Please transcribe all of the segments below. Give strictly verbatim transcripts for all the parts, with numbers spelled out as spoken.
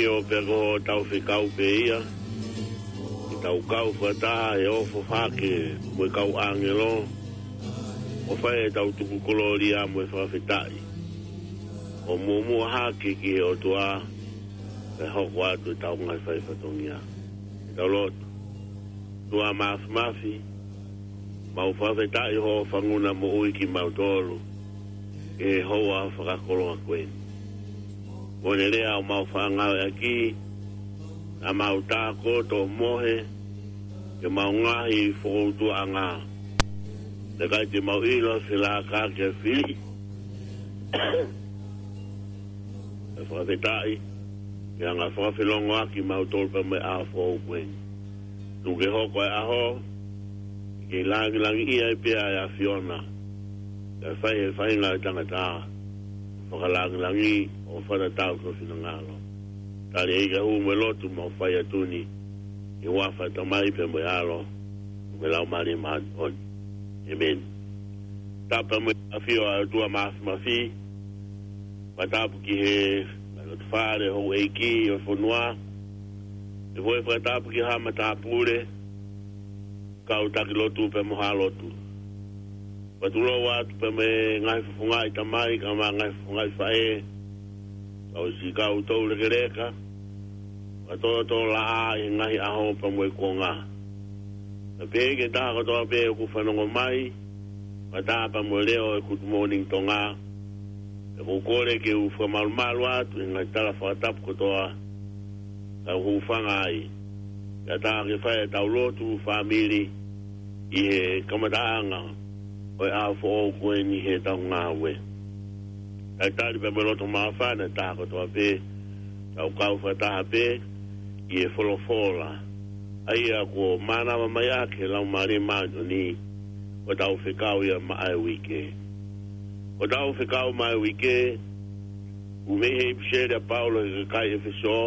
ʻIo, pea ko hotau fekau pē ia, ke tau kau fakataha he ofo hake mo e kau ʻāngelo, ʻo fai ʻetau tuku kolōlia mo e fakafetaʻi, ʻo muʻomuʻa hake ki he ʻOtua, pea hoko atu ʻetau ngaahi fai fatongia. Ke tau lotu. ʻOtua Māfimafi, mau fakafetaʻi hoʻo fanguna moʻui kimautolu ʻi he houa fakakoloa ko eni. Kuo ne lea ʻo mau fakaʻaongaʻi ʻaki, naʻa mau tākoto mohe, ke mau ngaahi fokoutuʻanga. Naʻe ʻikai te mau ʻilo se laka ke fili. ʻE fakafetaʻi, ke anga fakafelongoaki mautolu pea mo e ʻaho foʻou ko eni. Tuku ke hoko e ʻaho, ke langilangiʻia ai pē ʻa e ʻAfiona. Ke fai he faʻahinga ʻo e tangata, fakalangilangi ʻo fakatatau ki ho finangalo. Tali ʻEiki ʻa e hū mo e lotu mau fai atu ni, ʻi he huafa ʻo e Tamai pea mo e ʻAlo, mo e Laumālie Māʻoniʻoni. ʻĒmeni. Tapu mo e ʻafio ʻa e ʻOtua Māfimafi, fakatapu ki he ngaahi loto fale houʻeiki ʻo e fonua, ʻe foʻi fakatapu ki he matāpule, kau taki lotu pea mo ha lotu. Fakatulou atu pea mo e ngaahi fofongaʻi tamai, kae ʻumaʻā e ngaahi fofongaʻi faʻē, kau siʻi kau toulekeleka, fakatōtōlaʻā ʻi he ngaahi ʻaho pea mo e kuonga. Kae pehē ki he taha kotoa pē ʻoku fanongo mai, fakataha pea mo e leʻo ʻo e Good Morning Tonga, pea ʻoku ou kole ke u fakamalumalu atu ʻi he ngaahi tala fakatapu kotoa, tau hūfanga ai. Kae ʻatā ke fai ʻetau lotu fāmili ʻi he kamataʻanga ʻo e ʻaho foʻou ko eni heʻetau ngāue. Talitali pea mo e loto māfana ʻa e taha kotoa pē, tau kau fakataha pē ʻi he folofola, ʻa ia kuo mānava mai ʻaki ʻe he Laumālie Māʻoniʻoni, ko ʻetau fekau ia maʻa e uike. Ko ʻetau fekau maʻa e uike, ʻoku mei he ʻipiseli ʻa Paula ki he kakai ʻEfesō,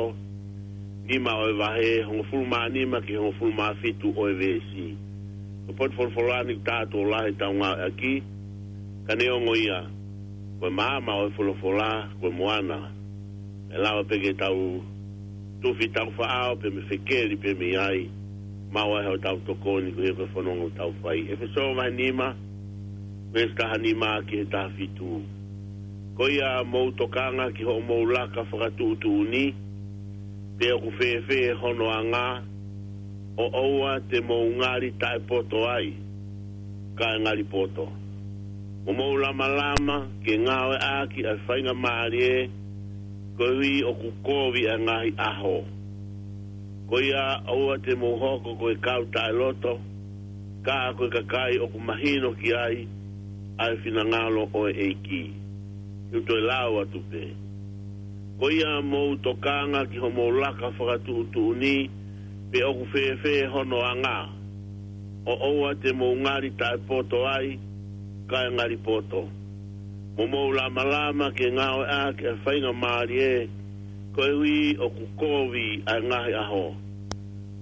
nima ʻo e vahe, hongofulu mā nima ki he hongofulu mā fitu ʻo e veesi. Ko e potu folofola ni ʻoku tau lahi ʻetau ngāueʻaki, ka neongo ia, ko e maama ʻo e folofola, ko e moana. ʻE lava pē ke tau tufi ʻetau faʻao pē mei he fekeli pē mei ai, maʻu ai hotau tokoni koeʻuhi ko e fononga ʻoku tau fai. ʻEfesō vahe nima, veesi taha nima ki he taha fitu. Ko ia mou tokanga ki hoʻomou laka fakatuʻutuʻuni, pe ʻoku fēfē hono anga, ʻo ʻoua te mou ngali taʻepoto ai, kae ngali poto. Mo mou lamalama ke ngāueʻaki ʻa e faingamālie, koeʻuhi ʻoku kovi ʻa e ngaahi ʻaho. Ko ia ʻoua te mou hoko ko e kau taʻeloto, ka ko e kakai ʻoku mahino ki ai ʻa e finangalo ʻo e ʻEiki. Te u toe lau atu pē. Ko ia mou tokanga ki hoʻomou laka fakatuʻutuʻuni, pe ʻoku fēfē hono anga, ʻo ʻoua te mou ngali taʻepoto ai, kae ngali poto. Mo mou lamalama ke ngāueʻaki ʻa e faingamālie, koeʻuhi ʻoku kovi ʻa e ngaahi ʻaho.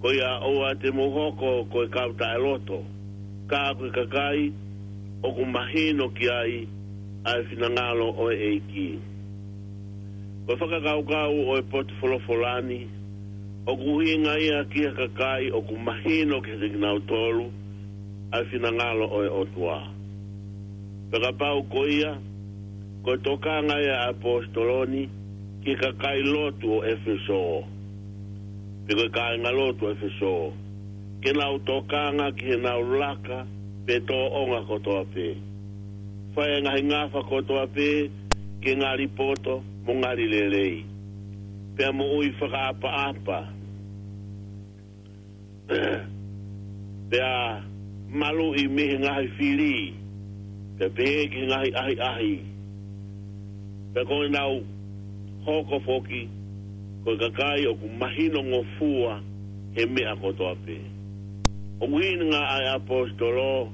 Ko ia ʻoua te mou hoko ko e kau taʻeloto, ka ko e kakai ʻoku mahino ki ai ʻa e finangalo ʻo e ʻEiki. Ko e fakakaukau ʻo e potu folofola ni, ʻoku ʻuhinga ia ki he kakai ʻoku mahino kiate kinautolu ʻa e finangalo ʻo e ʻOtua. Pea kapau ko ia, ko e tokanga ia ʻa e ʻaposetolo ni ki he kakai lotu ʻo ʻEfesō, pe ko e kāingalotu ʻo ʻEfesō, ke nau tokanga ki heʻenau laka pe tōʻonga kotoa pē. Fai e ngaahi ngafa kotoa pē ke ngali poto mo ngali lelei, pea moʻui fakaʻapaʻapa, pea maluʻi mei he ngaahi fili, pea pehē ki he ngaahi ʻahiʻahi. Pea ko ʻenau hoko foki ko e kakai ʻoku mahinongofua he meʻa kotoa pē. ʻOku ʻuhinga ʻa e ʻaposetolo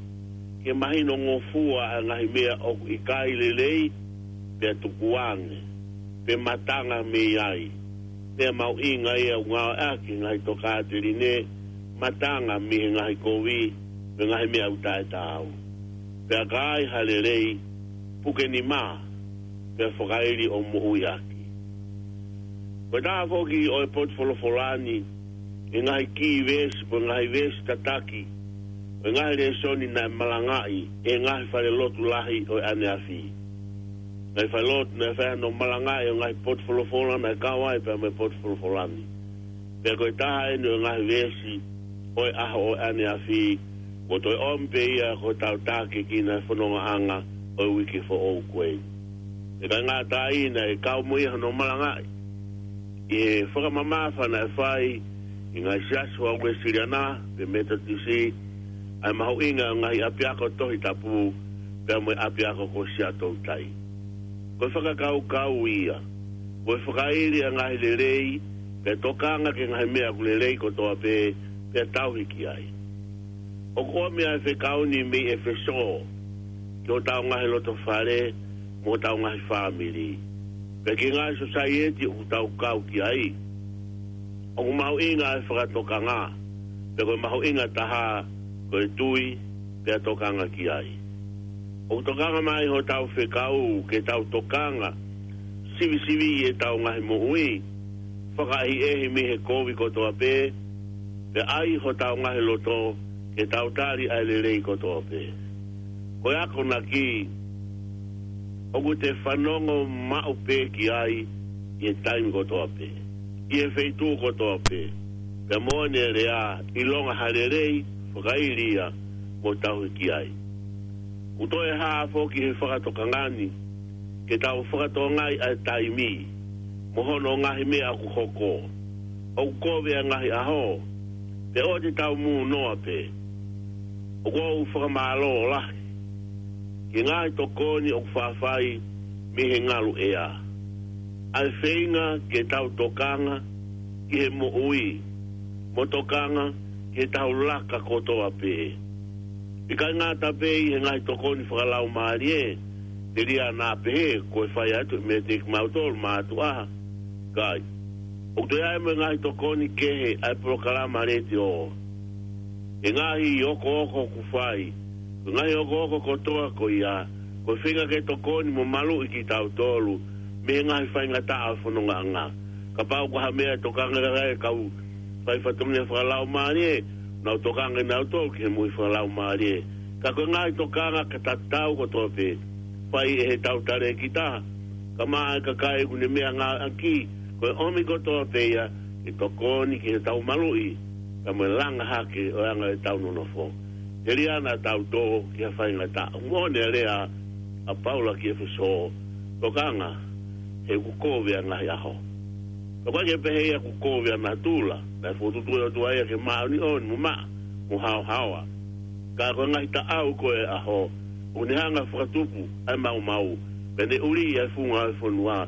ke mahinongofua ʻa e ngaahi meʻa ʻoku ʻikai lelei, pea tukuange, pe matanga mei ai. Pea mahuʻinga ia ʻoku ngāueʻaki he ngaahi tokāteline, matanga mei he ngaahi kovi, mo e ngaahi meʻa ʻoku taʻetaau. Pea ka ai ha lelei, puke nima, pea fakaili ʻo moʻui ʻaki. Ko e taha foki ʻo e potu folofola ni, ʻi he ngaahi kī veesi, ko e ngaahi veesi tataki, ko e ngaahi lēsoni naʻe malangaʻi ʻe he ngaahi falelotu lahi ʻo e ʻaneafi. Ngaahi falelotu naʻe fai hano malangaʻi ʻo e ngaahi potu folofola naʻe kau ai pea mo e potu folofola ni. Pea ko e taha eni ʻo e ngaahi veesi ʻo e ʻaho ʻo e ʻaneafi, kuo toe ʻomi pē ia ko hotau tākiekina he fonongaʻanga ʻo e uike foʻou ko eni. ʻIkai ngata ai, naʻe kau mo ia hano malangaʻi ʻi he fakamamafa naʻe fai ʻi he ngaahi siasi ʻa e Uēsiliana pe Metotisi, ʻa e mahuʻinga ʻo e ngaahi ʻapiako Tohi Tapu pea mo e ʻapiako ko Siaʻatoutai. Ko e fakakaukau ia, ko e fakaili ʻa e ngaahi lelei, pea tokanga ki he ngaahi meʻa ʻoku lelei kotoa pē, pea tauhi ki ai. ʻOku ʻomi ʻa e fekau ni mei ʻEfesō ki hotau ngaahi loto fale mo hotau ngaahi fāmili, pea ki he ngaahi sōsaieti ʻoku tau kau ki ai. ʻOku mahuʻinga ʻa e fakatokanga, pea ko e mahuʻinga taha ko e tui, pea tokanga ki ai. ʻOku tokanga mai hotau fekau ke tau tokanga sivisiviʻi ʻetau ngaahi moʻui, fakaʻehiʻehi mei he kovi kotoa pē, pea ʻai hotau ngaahi loto ke tau tali ʻa e lelei kotoa pē. Ko e akonaki ʻoku te fanongo maʻu pē ki ai ʻi he taimi kotoa pē, ʻi he feituʻu kotoa pē, pea moʻoni e lea, ʻilonga ha lelei, fakaili ia mo tauhi ki ai. ʻOku toe hā foki he fakatokanga ni ke tau fakatokangaʻi ʻa e taimi mo hono ngaahi meʻa ʻoku hoko. ʻOku kovi ʻa e ngaahi ʻaho, pea ʻoua te tau mūnoa pē. ʻOku ou fakamālō lahi ki he ngaahi tokoni ʻoku faʻa fai mei he ngaluʻea, ʻa e feinga ke tau tokanga ki he moʻui mo tokanga ki heʻetau laka kotoa pē. ʻIkai ngata pē ʻi he ngaahi tokoni fakalaumālie, telia naʻa pehē ko e fai atu e meʻa kiate kimautolu mātuʻa, kae ʻoku toe ʻi ai mo e ngaahi tokoni kehe ʻa e polokalama letiō, e ngaahi okooko ʻoku fai. Ko e ngaahi okooko kotoa ko ia, ko e feinga ke tokoni mo maluʻi kitautolu mei he ngaahi faingataʻa ʻo e fonongaʻanga. Kapau ko ha meʻa ʻe tokanga ki ai e kau fai fatongia fakalaumālie, nau tokanga nautolu ki he moʻui fakalaumālie. Ka ko e ngaahi tokanga ka tatau kotoa pē, fai ʻe heʻetau talēkita, kae ʻumaʻā e kakai ʻoku ne meʻangāueʻaki, ko e ʻomi kotoa pē ia ke tokoni ki heʻetau maluʻi, kae mo e langa hake ʻo e anga ʻetau nonofo. Telia naʻa tau tō ki ha faingataʻa. Moʻoni e lea ʻa Paula ki ʻEfesō, tokanga he ʻoku kovi ʻa e ngaahi ʻaho. Ka ʻoku ʻikai ke pehē ia ʻoku kovi ʻa natula, naʻe fokotuʻutuʻu ʻe he ʻOtua ia ke māʻoniʻoni mo maʻa mo haohaoa. Ka ko e ngaahi taʻau ko ē ʻo e ʻaho, ʻoku ne hanga ʻo fakatupu ʻa e maumau, pea ne ʻuliʻi ʻa e funga ʻo e fonua,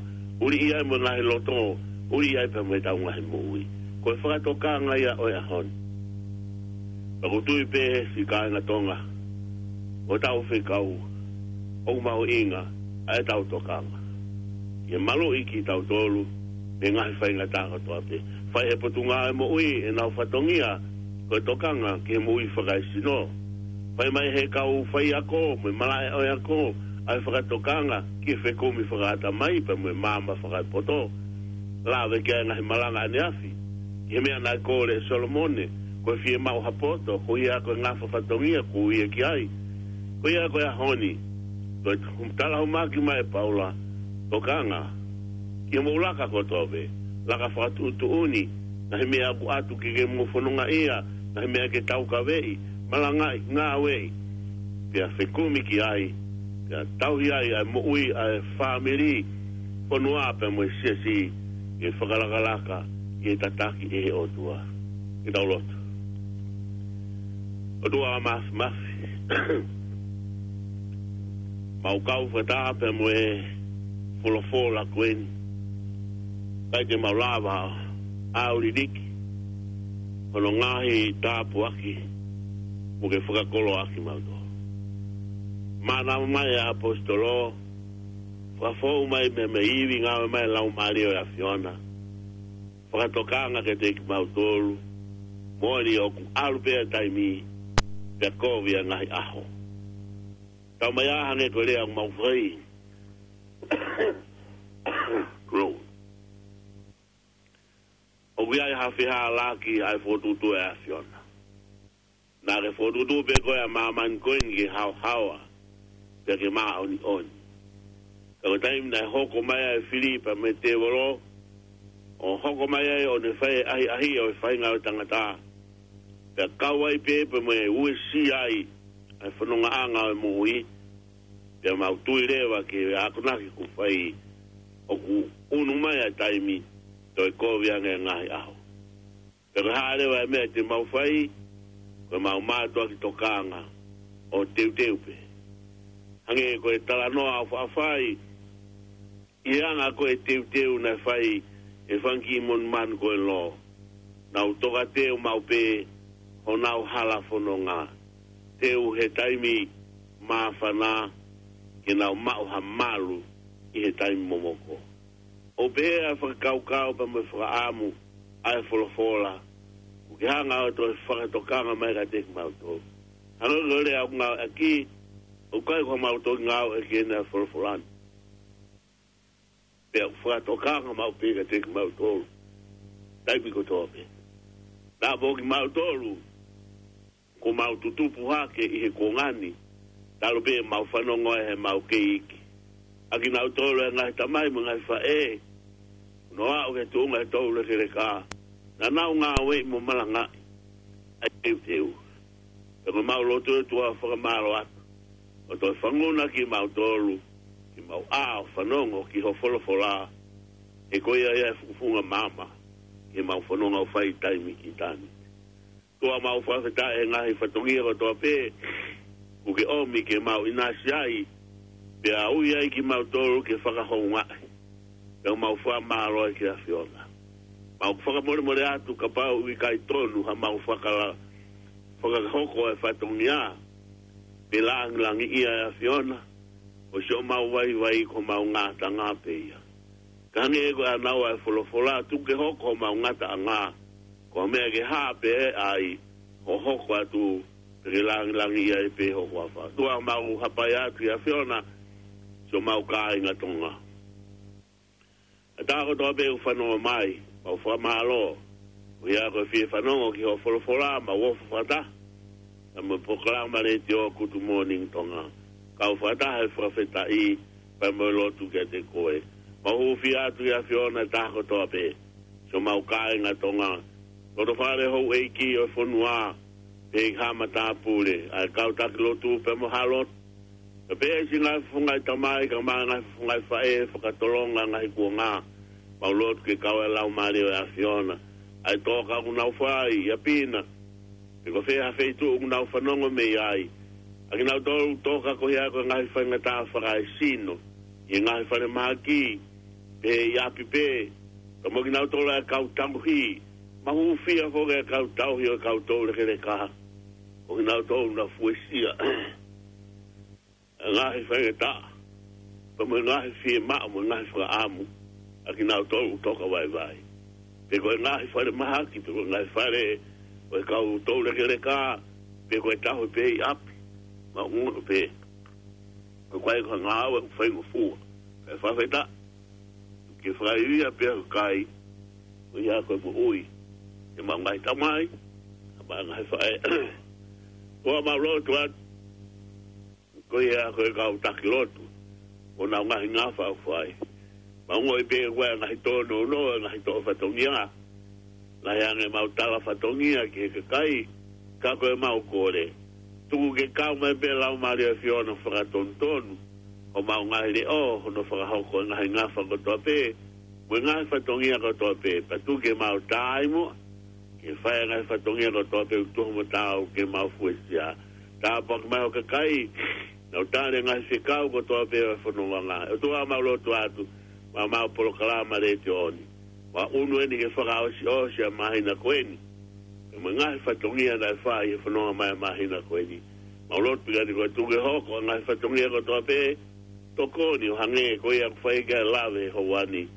ʻuliʻi ai mo e ngaahi loto, ʻuliʻi ai pea mo ʻetau ngaahi moʻui. Ko e fakatokanga ia ʻo e ʻaho ni. Pea ʻoku ou tui pē siʻi kāinga Tonga, ko hotau fekau, ʻoku mahuʻinga ʻa ʻetau tokanga ke maluʻi kitautolu mei he ngaahi faingataʻa kotoa pē. Fai ʻe he Potungāue Moʻui ʻenau fatongia ko e tokanga ki he moʻui fakaesino. Fai mai ʻe he kau faiako mo e malaʻe ʻo e ako ʻa e fakatokanga ki he fekumi fakaʻatamai pea mo e maama fakaepoto. Lave ki ai e ngaahi malanga ʻaneafi ki he meʻa naʻe kole ʻe Solomone, ko e fiemaʻu ha poto, ko ia ko e ngafa fatongia ʻoku ui ia ki ai. Ko ia ko e ʻaho ni, ko e talahumaki mai ʻe Paula, tokanga ki he moʻui laka kotoa pē, laka fakatuʻutuʻuni, ngaahi meʻa ʻoku ʻatu ke ke mo fonongaʻia, ngaahi meʻa ke taukaveʻi, malangaʻi, ngāueʻi, pea fekumi ki ai, pea tauhi ai ʻa e moʻui ʻa e fāmili, fonua pea mo e siasi, ke fakalakalaka, ke tataki ʻe he ʻOtua. Ke tau lotu. ʻOtua Māfimafi, mau kau fakataha pea mo e folofola ko eni. ʻIkai te mau lava ʻo liliki hono ngaahi tāpuaki mo ke fakakoloaʻaki mautolu. Manatu mai ʻa e ʻaposetolo, fakafou mai mei he ivi, ngāue mai e Laumālie ʻo e ʻAfiona, fakatokanga kiate kimautolu, moʻoni ʻoku ʻalu pē ʻa e taimi, pea kovi ʻa e ngaahi ʻaho. Tau mai ā hangē ko e lea ʻoku mau fai. Glory. ʻOku ʻi ai ha fehālaaki ʻa e fokotuʻutuʻu ʻa e ʻAfiona. Naʻa ke fokotuʻutuʻu pē koe ʻa māmani ko eni ke haohaoa, pea ke māʻoniʻoni. Ka ko e taimi naʻe hoko mai ai e fili pea mo e tēvolo, ʻo hoko mai ai ʻo ne fai e ʻahiʻahiʻi ʻo e faʻahinga ʻo e tangata, pea kau ai pē pea mo e uesia ai ʻa e fonongaʻanga ʻo e moʻui, pea mau tui leva ki he akonaki kuo fai, ʻoku ʻunu mai ʻa e taimi, toe kovi ange e ngaahi ʻaho. Pea ko e hā leva e meʻa te mau fai? Ko ʻemau mātuʻaki tokanga ʻo teuteu pē. Hangē ko e talanoa ʻoku faʻa fai, ʻi he anga ko ē e teuteu naʻe fai ʻe he fanga kiʻi monumanu ko ē ʻi Lō, nau tokateu maʻu pē honau hala fononga. Teu he taimi māfana, ke nau maʻu ha malu ʻi he taimi momoko. ʻOku pehē ʻa e fakakaukau pea mo e fakaʻamu ʻa e folofola, ʻoku ke hanga ʻo toe fakatokanga mai kiate kimautolu. Hangē ko e lea ʻoku ngāueʻaki, ʻoku ʻikai ko haʻamau toki ngāueʻaki ʻeni ʻa e folofola ni, pea ʻoku fakatokanga maʻu pē kiate kimautolu taimi kotoa pē. Naʻa mo kimautolu, kuo mau tutupu hake ʻi he kuonga ni, talu pē ʻemau fanongo ai heʻemau kei iiki. ʻA kinautolu e ngaahi tamai mo e ngaahi faʻē, ʻo nau aʻu ki he tuʻunga ʻo e toulekeleka, naʻa nau ngāueʻi mo malangaʻi ʻa e teuteu. Pea ko ʻemau lotu, ʻOtua, fakamālō atu ʻo toe fanguna kimautolu, ke mau ʻā ʻo fanongo ki ho folofola, he ko ia ia e fufunga maama ki heʻemau fononga ʻo fai taimi ki taimi. ʻOtua, mau fakafetaʻi he ngaahi fatongia kotoa pē kuo ke ʻomi ke mau ʻinasi ai, pea ui ai kimautolu ke fakahoungaʻi. Pea mau fakamālō ai ki he ʻAfiona. Mau fakamolemole atu kapau ʻoku ʻikai tonu haʻamau fakala-, fakahoko e fatongia, pe lāngilangiʻia e ʻAfiona, ʻosi ʻemau vaivai ko ʻemau ngataʻanga pē ia. Ka hangē ko e ʻānaua ʻa e folofola, tuku ke hoko homau ngataʻanga ko ha meʻa ke hā pē ai hoʻo hoko atu, pea ke lāngilangiʻia ai pē ho huafa. ʻOtua, mau hapai atu ki he ʻAfiona, siʻomau kāinga Tonga. ʻA e taha kotoa pē ʻoku fanongo mai, mau fakamālō. Ko ia ko e fie fanongo ki hoʻo folofola, mau ofo fakataha pea mo e polokalama letiō Good Morning Tonga. Kau fakataha he fakafetaʻi pea mo e lotu kiate koe. Mau hūfia atu ki he ʻAfiona ʻa e taha kotoa pē, siʻomau kāinga Tonga, loto fale, houʻeiki ʻo e fonua, pehē ki he matāpule, ʻa e kau taki lotu pea mo e hā lotu, pea pehē ki he ngaahi fofonga ʻo e tamai kae ʻumaʻā e ngaahi fofonga ʻo e faʻē, fakatolonga e ngaahi kuonga. Mau lotu ke kau e Laumālie ʻo e ʻAfiona ʻa e toka ʻoku nau fai ʻi ʻapi na, pe ko fē ha feituʻu ʻoku nau fanongo mei ai. ʻA kinautolu ʻoku toka koeʻuhi ko e ngaahi faingataʻa fakaesino ʻi he ngaahi falemahaki, pe ʻi ʻapi pē, pea mo kinautolu ʻa e kau tauhi. Mau hūfia foki ʻa e kau tauhi ʻo e kau toulekeleka, ko kinautolu naʻa nau fuesia e ngaahi faingataʻa, pea mo e ngaahi fiemaʻu mo e ngaahi fakaʻamu ʻa kinautolu ʻoku toka vaivai. Pe ko e ngaahi falemahaki, pe ko e ngaahi fale ʻo e kau toulekeleka, pe ko e tauhi pē ʻi ʻapi, mau ongoʻi pē ko e ʻikai ko ha ngāue ʻoku faingofua. Kae fakafetaʻi, ke fakaivia pē ʻa e kakai, koeʻuhi ko e moʻui ʻemau ngaahi tamai, ʻemau ngaahi faʻē. ʻOtua, mau lotu atu, koeʻuhi ko e kau taki lotu, ʻo ʻenau ngaahi ngafa ʻoku fai. Mau ongoʻi pē ko e ngaahi tōnounou, ngaahi toʻo fatongia, lahi ange ʻemau tala fatongia ki he kakai, ka ko ʻemau kole, tuku ke kau mai pē Laumālie ʻo e ʻAfiona ʻo fakatonutonu homau ngaahi leʻo, hono fakahoko e ngaahi ngafa kotoa pē mo e ngaahi fatongia kotoa pē, pea tuku ke mau taimi ke fai e ngaahi fatongia kotoa pē ʻoku tuhu mo taau ke mau fuesia. Tāpuaki mai ho kakai, nau tali e ngaahi fekau kotoa pē ʻo e fononga. ʻOtua, mau lotu atu, maʻa ʻemau polokalama letiō ni, ʻoku ʻunu eni ke fakaʻosiʻosi ʻa e māhina ko eni, pea mo e ngaahi fatongia naʻe fai he fononga mai ʻa e māhina ko eni. Mau lotu pē ke tuku ke hoko ʻa e ngaahi fatongia kotoa pē, tokoni ʻo hangē ko ia ʻoku fai ki ai e lave he houa ni.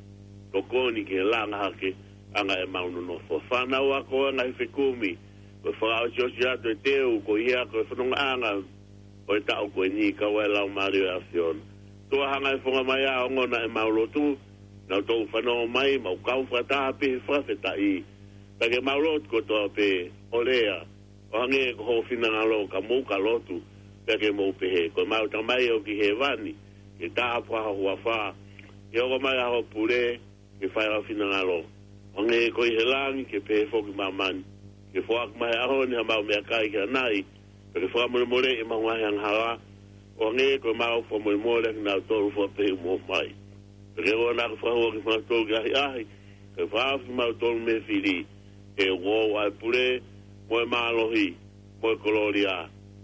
Tokoni ke langa hake ʻa e anga ʻemau nonofo. Fānau ako, ngaahi fekumi, ko e fakaʻosiʻosi atu e teu, koeʻuhi ko e fonongaʻanga ʻo e taʻu ko eni, kau ai e Laumālie ʻo e ʻAfiona. ʻOtua, hanga ʻe he fofonga mai ʻo ongona ʻemau lotu, nau toki fanongo mai, mau kau fakataha pē he fakafetaʻi, Pea ke mau lotu kotoa pē, ʻo lea, ʻo hangē ko hoʻo finangalo, ka mou ka lotu, pea ke mou pehē: Ko ʻemau Tamai ʻoku ʻi hēvani, ke tāpuhā ho huafa, ke hoko mai ʻa hoʻo pule, ke fai ʻa ho finangalo, ʻo hangē ko ia ʻi he langi, ke pehē foki ʻi māmani. Ke foaki mai he ʻaho ni haʻamau meʻakai ki ʻanai, pea ke fakamolemoleʻi ʻemau ngaahi angahala, ʻo hangē ko ʻemau fakamolemole ʻa kinautolu ʻoku fakamolemole mai. Pea ke ʻoua naʻa ke fakahū kimautolu ki he ʻahiʻahi, ka ke fakahaofi kimautolu mei he fili. He ʻoku ʻoʻou ʻa e pule, mo e mālohi, mo e kolōlia,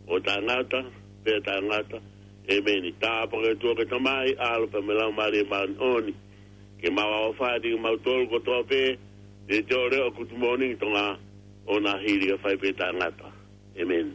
ʻo taʻengata pea taʻengata. ʻĒmeni. Tāpuaki ʻa e ʻOtua ko e Tamai, ʻAlo pea mo e Laumālie Māʻoniʻoni, ke mau ʻofa atu kimautolu kotoa pē, ʻi he ʻū leʻo ʻo e Good Morning Tonga, ʻo na hili ʻo fai pē taʻengata. ʻĒmeni.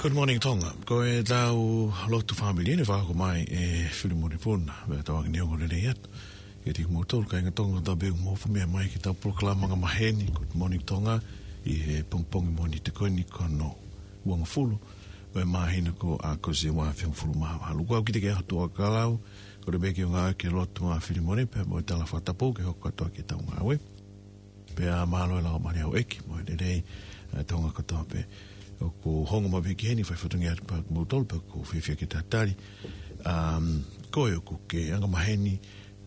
Good Morning Tonga. Ko ʻetau lotu fāmili ni, fakahoko mai ʻe Filimone Puna, mo ʻetau angi ni ongo lelei atu kiate kimoutolu kāinga Tonga kotoa pē ʻoku mou fakameʻa mai ki heʻetau polokalama angamaheni, Good Morning Tonga, ʻi he pongipongi Mōnite ko eni, ko hono uangofulu ʻo e māhina ko ʻAokosi ua afe hongofulu mā valu. Kuo ʻosi kiate ke ʻaho Tuʻa Kalau, ko e lelei pē ke ngāue ke lotu ʻa Filimone pea mo e tala fakatapu ke hoko atu ki heʻetau ngāue. Pea mālō e lau mali au ʻEiki, mo e lelei, ʻa Tonga kotoa pē ʻoku hoko mai ki heni, fai fatongia atu pea kimoutolu pē ʻoku fiefia ke tatali. Um, ko e ʻoku ke angamaheni,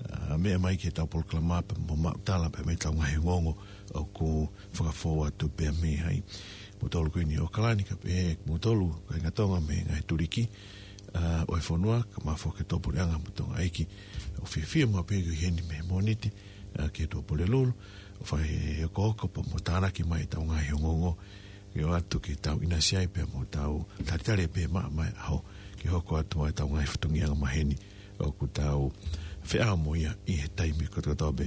uh, meʻa mai ki heʻetau polokalama pea mo maʻu tala pea mo ʻetau ngaahi ongoongo ʻoku fakafou atu pea mei ai. Moutolu ko eni ʻi ʻAokalani kae pehē kimoutolu kāinga Tonga mei he ngaahi tuliki, uh, ʻo e fonua, kae ʻumaʻā foki e tuʻapuleʻanga mo Tonga ʻeiki. ʻOku fiefia maʻu pē ke ʻi heni mei he Mōnite, uh, ki he tuʻa Pulelulu, ʻo fai e hokohoko pea mo tānaki mai ʻetau ngaahi ongoongo, ke ʻoatu ke tau ʻinasi ai pea mo tau talitali pē maʻa mai ʻaho, ke hoko atu ai ʻetau ngaahi fatongia angamaheni ʻoku tau feʻao mo ia ʻi he taimi kotokotoa pē.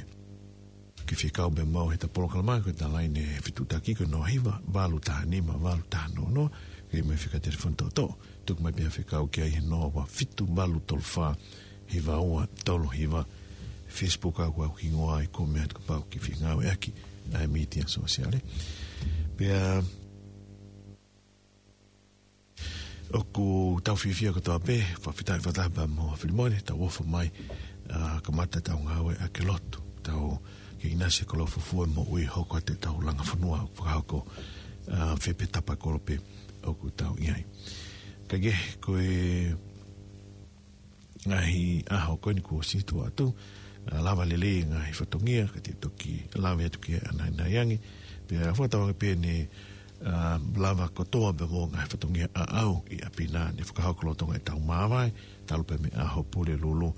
Ke fekau pē maʻu heʻeta polokalama, ko ʻeta laine fetuʻutaki ko e noa hiva valu taha nima valu taha noa noa, ke ʻomai fika telefoni toʻotoʻo, tuku mai pē ha fekau ki ai he noa ua fitu valu tolu fā hiva ua tolu hiva. Facebook ʻoku ʻi ai hoku hingoa ʻi he comment kapau ʻoku ke fie ngāueʻaki ʻa e mītia sōsiale. Pea ʻoku tau fiefia kotoa pē, fakafetaʻi fakataha pea mo Filimone, tau ʻofa mai, ʻa, kamata ʻetau ngāue ʻaki e lotu, tau kei ʻinasi he koloa fuofua moʻui, hoko atu ʻetau langa fonua ʻoku fakahoko, ʻa, fē pē tapa kolo pē ʻoku tau ʻi ai. Ka ke, ko e ngaahi ʻaho ko eni kuo ʻosi tuʻu atu, ʻa, lava lelei ngaahi fatongia, ka te toki lave atu ki he ʻanai ange. Pea fakatauange pē ne, ʻa, lava kotoa pē mo ngaahi fatongia ʻaʻau ʻi ʻapi na ne fakahoko lolotonga ʻetau māvae, talu pē mei he ʻaho Pulelulu,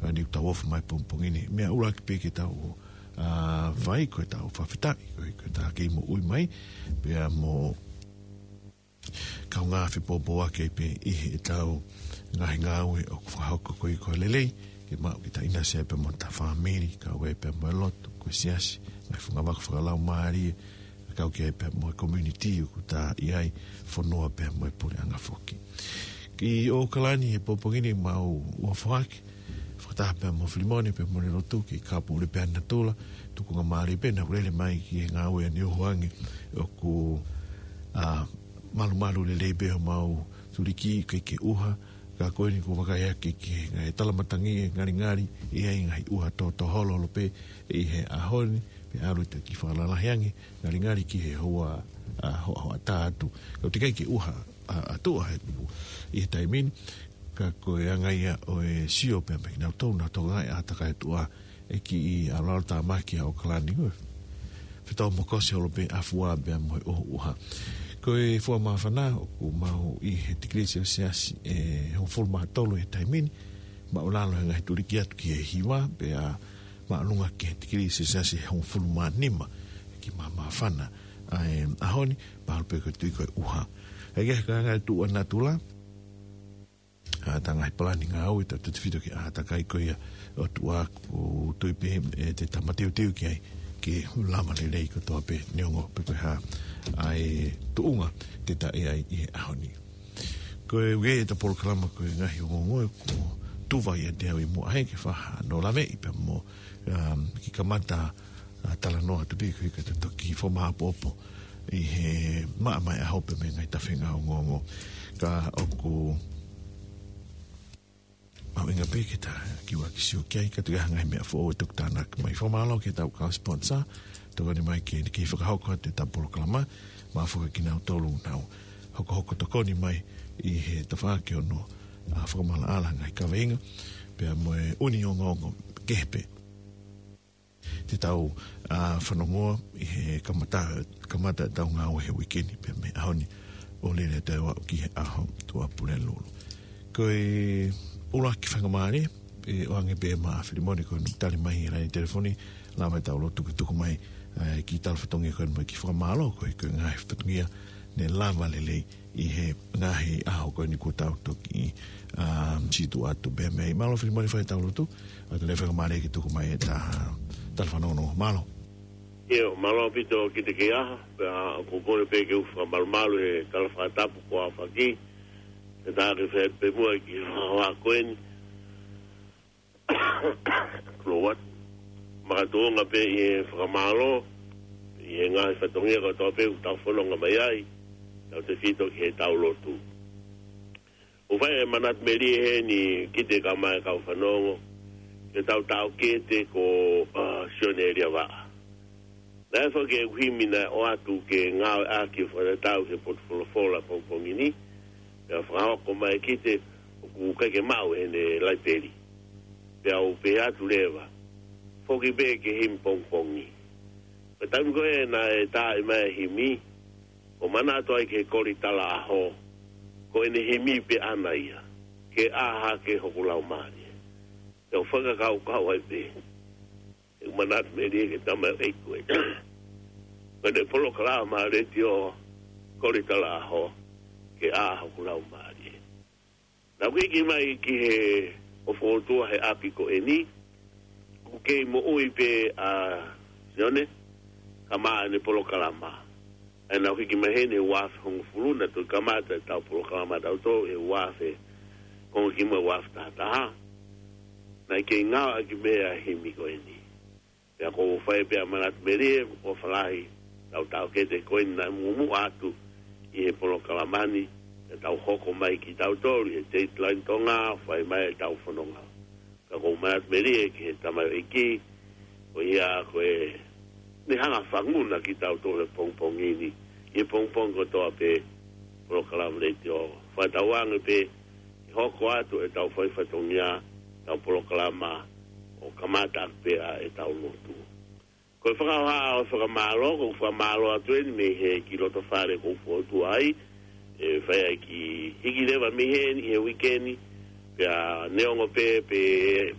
ʻa, ni tau ofu mai pongipongi ni. Meʻa ʻuluaki pē ke tau, ʻa, fai ko ʻetau fakafetaʻi, ko e, ko ʻetau kei moʻui mai, pea mo kaungā fepōpōaki pē ʻi heʻetau ngaahi ngāue ʻoku fakahoko ko e ko e lelei, ke maʻu ke tau ʻinasi pē mo ʻeta fāmili, kau ai pē mo e lotu, ko e siasi, ngaahi fungavaka fakalaumālie, kau ki ai pē mo e community ʻoku tau ʻi ai, fonua pē mo e puleʻanga foki. Ki ʻOkalani he pongipongi ni mau ua foaki, fakataha pē mo Filimone pē mo e lotu ki Kapule pē natula, tukunga mālie pē naʻa ku lele mai ki he ngāue ʻa Niuhuangi ʻoku, ʻa, malumalu lelei pē homau tuliki ke ke ʻuha, ka ko eni kuo vakai ake ki he ngaahi talamatangi ʻe ngalingali, ʻi ai ngaahi ʻuha tōtō holoholo pē ʻi he ʻaho ni, pea ʻalu ʻeta kiʻi fakalalahi ange, ngalingali ki he houa, ʻa, hoʻahoʻatā atu. Ka ʻoku teʻeki ai ke ʻuha, ʻa, atu ʻa e ʻi he taimi ni, ka ko e anga ia ʻo e sio pē mei kinautolu naʻa tō ngaahi ʻātakai atu ʻa e kiʻi ʻalu ʻalu tāmaki ʻa ʻOkalani ko e fetau mo kosi holo pē ʻa fua pē mo e ʻoho ʻuha. Ko e fua māfana ʻoku maʻu ʻi he tikilī selesiasi ʻe hongofulu mā tolu he taimi ni, māʻulalo he ngaahi tuliki atu ki he hiva, pea māʻolunga ki he tikilī selesiasi ʻe hongofulu mā nima, kiʻi māmāfana ʻa e ʻaho ni, pea ʻalu pē ko e tui ko e ʻuha. ʻA ia ko e anga e tuʻu ʻa natula, ʻa, ʻeta ngaahi palani ngāue, tautefito ki he ʻātakai ko ia ʻo e ʻOtua, ʻoku ou tui pē ʻe te tau mateuteu ki ai, ke lava lelei kotoa pē neongo pe ko e hā ʻa e tuʻunga te tau ʻi ai ʻi he ʻaho ni. Ko e uke ʻeta polokalama ko e ngaahi ongoongo kuo tufa ʻiate au ʻi muʻa he ke faha no laveʻi pea mo, um, kiʻi kamata, ʻa, talanoa atu pē ko e ka te toki fakamāʻopoʻopo ʻi he maʻamaʻa ʻaho pē mei he ngaahi tafenga ongoongo. Ka ʻoku mahuʻinga pē ke ta kiʻi ʻoua ke sio ki ai, ka ʻoku ʻi ai ha ngaahi meʻa foʻou ʻe toki tānaki mai. Fakamālō ki heʻetau kau sponsor, tokoni mai ke, ke fakahoko atu ʻeta polokalama, mo e foki kinautolu naʻa nau hokohoko tokoni mai ʻi he tafaʻaki ʻo hono, ʻa, fakamaʻalaʻala ngaahi kaveinga, pea mo e ʻū ongoongo kehe pē te tau, ʻa, fanongoa ʻi he kamata, kamata ʻetau ngāue he uike ni pea mei he ʻaho ni ʻo lele atu ʻo aʻu ki he ʻaho Tuʻapulelulu. Ko e ʻuluaki fakamālō, ʻe ʻoange pē maʻa Filimone ko ʻene tali mai he laine telefoni, lava ʻetau lotu ke tuku mai, ʻa, kiʻi tala fatongia ko eni mo e kiʻi fakamālō, ko e, ko e ngaahi fatongia ne lava lelei ʻi he ngaahi ʻaho ko eni kuo tau toki, ʻa, siʻi tuʻu atu pē mei ai. Mālō Filimone fai ʻetau lotu, ʻa, te ne fakamālō ke tuku mai ʻeta tala fanongo. Mālō. ʻIo, mālō ʻaupito ki he kei ʻaho, pea ʻoku ou kole pē ke u fakamalumalu he tala fakatapu kuo aofaki, ke ta ke fai pē muʻa ki he ʻaho ko eni. Kulo wat. Makatuʻunga pē ʻi he fakamālō, ʻi he ngaahi fatongia kotoa pē ʻoku tau fononga mai ai, tautefito ki heʻetau lotu. ʻOku fai e manatu melie heni kiate kimoutolu kau fanongo, ki heʻetau taʻokete ko, ʻa, Sione Liavaʻa. Naʻe foki e himi naʻe ʻoatu ke ngāueʻaki ʻo fakatatau ki he potu folofola pongipongi ni, pea fakahoko mai kiate au ʻoku ʻikai ke maʻu ʻi heʻene laipeli. Pea u pehē atu leva, foki pē ki he himi pongipongi. Ko e taimi ko ē naʻe tā mai ai e himi, ʻoku ou manatu ai ki he koli talaʻaho, ko ʻene himi pē ʻaʻana ia, Ke ʻā hake hoku laumālie. Te u fakakaukau ai pē, ʻoku ou manatu melie ki he tamaioʻeiki ko ē. Ko ʻene polokalama letiō, koli talaʻaho, Ke ʻā hoku laumālie. Naʻa ku hiki mai ki he ʻofa ʻOtua he ʻapi ko eni, ʻoku kei moʻui pē ʻa Sione, kamata ʻene polokalama. ʻA ia naʻa ku hiki mai heni he uaafe hongofulu, naʻa tau kamata ʻetau polokalama ʻatautolu he uaafe, konga ki muʻa uaafe taha taha. Naʻe kei ngāueʻaki pē ʻa e himi ko eni. Pea ʻoku ou fai pē ʻa e manatu melie, ʻofa lahi, ʻetau taʻokete ko eni naʻe muʻomuʻa atu ʻi he polokalama ni, ʻetau hoko mai kitautolu ʻi he Dateline Tonga, fai mai ʻetau fononga. Ka ʻoku ou manatu melie ki he tamaioʻeiki, ko ia ko ʻene hanga ʻo fanguna kitautolu he pongipongi ni, ʻi he pongipongi kotoa pē, polokalama letiō. Fakatauange pē ʻe hoko atu ʻetau fai fatongia, ʻetau polokalama ʻo kamata ʻaki pē ʻa ʻetau lotu. Ko e fakahoha ʻo e fakamālō, ʻoku ou fakamālō atu eni mei he kiʻi loto fale ʻoku ou fokotuʻu ai, ʻe fai ai e kiʻi hiki leva mei heni he uike ni, pea neongo pē, pē,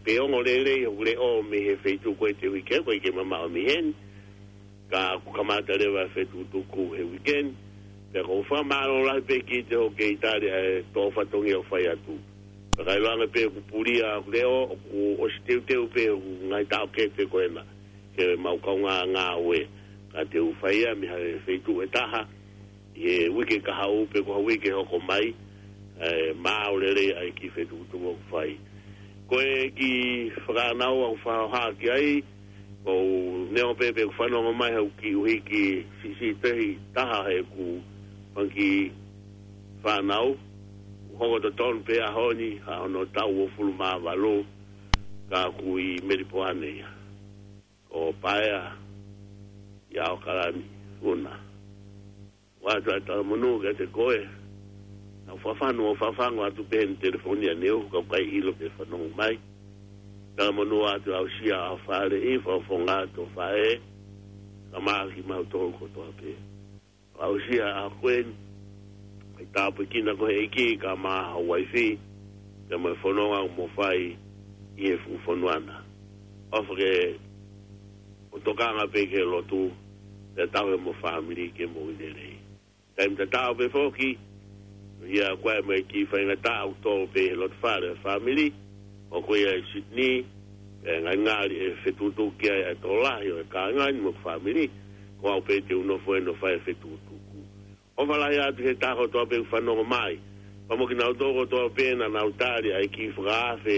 pē ongo lelei hoku leʻo mei he feituʻu ko ē he uike, ʻoku ʻikai ke mamaʻo mei heni, ka ʻoku kamata leva e fetukutuku he uike ni. Pea ʻoku ou fakamālō lahi pē kiate koe hoʻo kei tali ʻa e toʻo fatongia ʻoku fai atu. Pea ka ʻiloange pē ʻoku pulia hoku leʻo, ʻoku ʻosi teuteu pē hoku ngaahi taʻokete ko ena ke mau kaungā ngāue. Ka te u fai ia mei ha feituʻu ʻe taha ʻi he uike kahaʻu pe ko ha uike hoko mai, ʻe maau lelei ai e kiʻi fetukutuku ʻoku fai. Ko e kiʻi fakaʻānaua ʻoku ou fakahoha ki ai, ʻoku ou neongo pē pe ʻoku fanongo mai haʻaku kiʻi ʻuhiki siʻisiʻi taha heʻeku fanga kiʻi fānau, ʻoku hoko totonu pē ʻaho ni, ʻa hono taʻu uofulu mā valu, ka ʻoku ʻi Melipoane ia. Ko Paea ʻi ʻAokalani, Una. ʻOatu ʻa e talamonū kiate koe. Naʻá ku fafanu ʻo fafangu atu pē he telefoni ʻaneuhu ka ʻoku ʻikai ʻilo pe fanongo mai. Talamonū atu, aʻusia ʻa e fāʻeleʻi, fakafofonga atu ʻa e faʻē, ka māki mautolu kotoa pē. Aʻusia ʻa e kueni, ʻai tāpuekina koe ʻe he ʻEiki kae ʻumaʻā ho uaifi, pea mo e fononga ʻoku mou fai ʻi he fuʻu fonua na. ʻOfa ke mou tokanga pē ki he lotu, pea tauhi homou fāmili ke mou ʻi he lelei. Taimi tatau pē foki, ia ko e meʻa ki he faingataʻa ʻoku tō pē he loto fale ʻa e fāmili, ʻoku ou ʻi ai ʻi Sydney, pea ngalingali ʻe fetukutuku ki ai ʻa e tokolahi ʻo e kāinga ni mo e fāmili, ko au pē te u nofo ʻo fai e fetukutuku. ʻOfa lahi atu ki he taha kotoa pē ʻoku fanongo mai. Pea mo kinautolu kotoa pē naʻa nau tali ʻa e kiʻi fakaafe,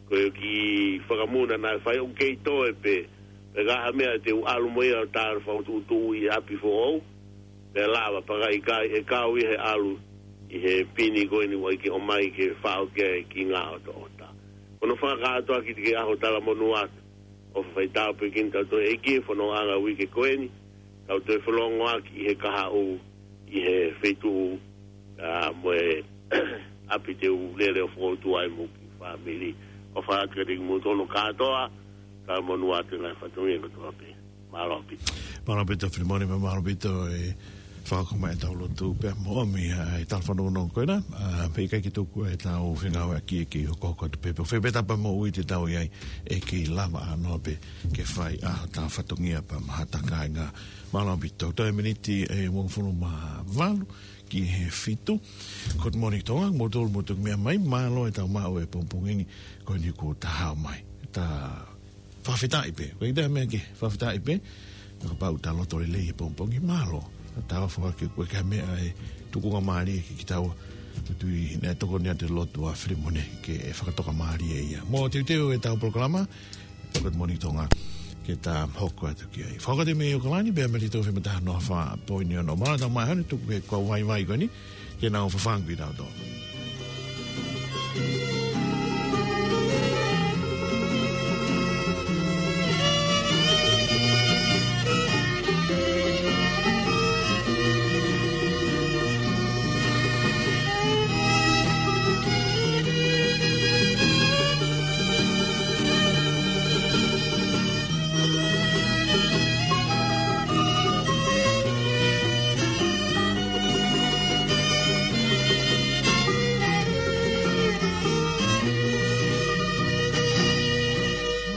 ko e kiʻi fakamuna naʻe fai, ʻoku kei toe pē. Pea ka ʻi ai ha meʻa te u ʻalu mo ia ʻo tala fakatuʻutuʻu ʻi ʻapi foʻou, pea lava, pea ka ʻikai, ʻe kau ia he ʻalu ʻi he pini ko eni ʻoku ʻikai ke ʻomai ke faʻo ki ai e kiʻi ngaahi ʻotaʻota. Ko hono fakakātoa ki he kiʻi ʻaho talamonū atu. ʻOfa fai tāpuekina kitautolu ʻe he ʻEiki he fonongaʻanga uike ko eni, tau toe fanongo ʻaki ʻi he kahaʻu, ʻi he feituʻu, ʻa, mo e ʻapi te u lele ʻo fokotuʻu ai mo e kiʻi fāmili. ʻOfa atu kiate kimoutolu kātoa, talamonū atu he ngaahi fatongia kotoa pē. Mālō ʻaupito. Mālō ʻaupito, Filimone, mo e mālō ʻaupito e fakakau mai ʻetau lotu pea mo ʻomi ʻa e tala fanongonongo ko ena, ʻa, pea ʻikai ke tuku ʻetau fengāueʻaki, ke hokohoko atu pē pē. Fēfē ta pea mo ui te tau ʻi ai, ʻe kei lava ʻānoa pē ke fai ʻa hotau fatongia pea mo hotau kāinga. Mālō ʻaupito, toe miniti ʻe uofulu mā valu ki he fitu. Good morning, Tonga, moutolu mou toki meʻa mai, mālō ʻetau maʻu e pongipongi ni, ko eni kuo ta hao mai. Ta fakafetaʻi pē. Ko e ʻikai ha meʻa ke fakafetaʻi pē. Ka kapau ʻoku ta loto lelei he pongipongi, mālō. Ta ʻofa ke ʻoua ʻe ʻi ai ha meʻa ʻe tukungamālie kiate kitaua. Tui naʻe tokoni atu e lotu ʻa Filimone ke fakatokamālie ia. Mou teuteu ʻetau polokalama, Good morning, Tonga, ke ta hoko atu ki ai. Fakakau atu mei ʻAokalani, pea mei he Tau Fema Taha Noa Fā Poini Ono. Mālō ʻetau maʻu e hanu tuku he kau vaivai ko eni, ke nau fafangu kitautolu.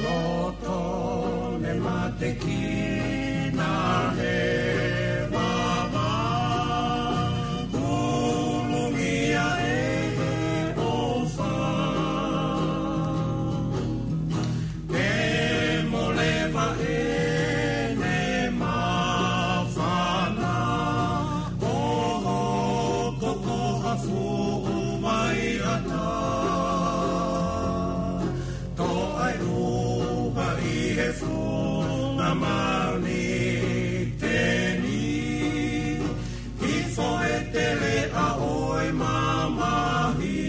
Loto ne matekina he vava, kulungia ʻe he ʻofa. Ke moleva ʻene māfana, ʻo hoko ko ha fuʻu vaiʻata. Toʻa e ʻuha ʻi he funga mauni teni, hifo e teleʻa ʻo e mamahi.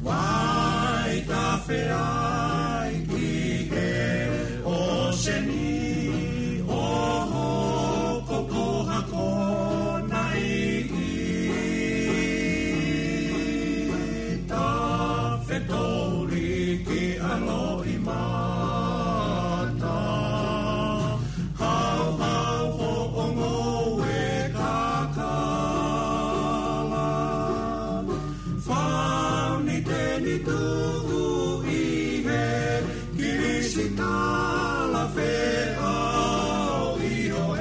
Vai tafe ai ki he ʻōseni, ʻo hoko ko ha ko Mata, hauhau hoʻo ngoue kakala. Fauniteni tuʻu ʻi he kilisitala feʻao ʻi hoʻo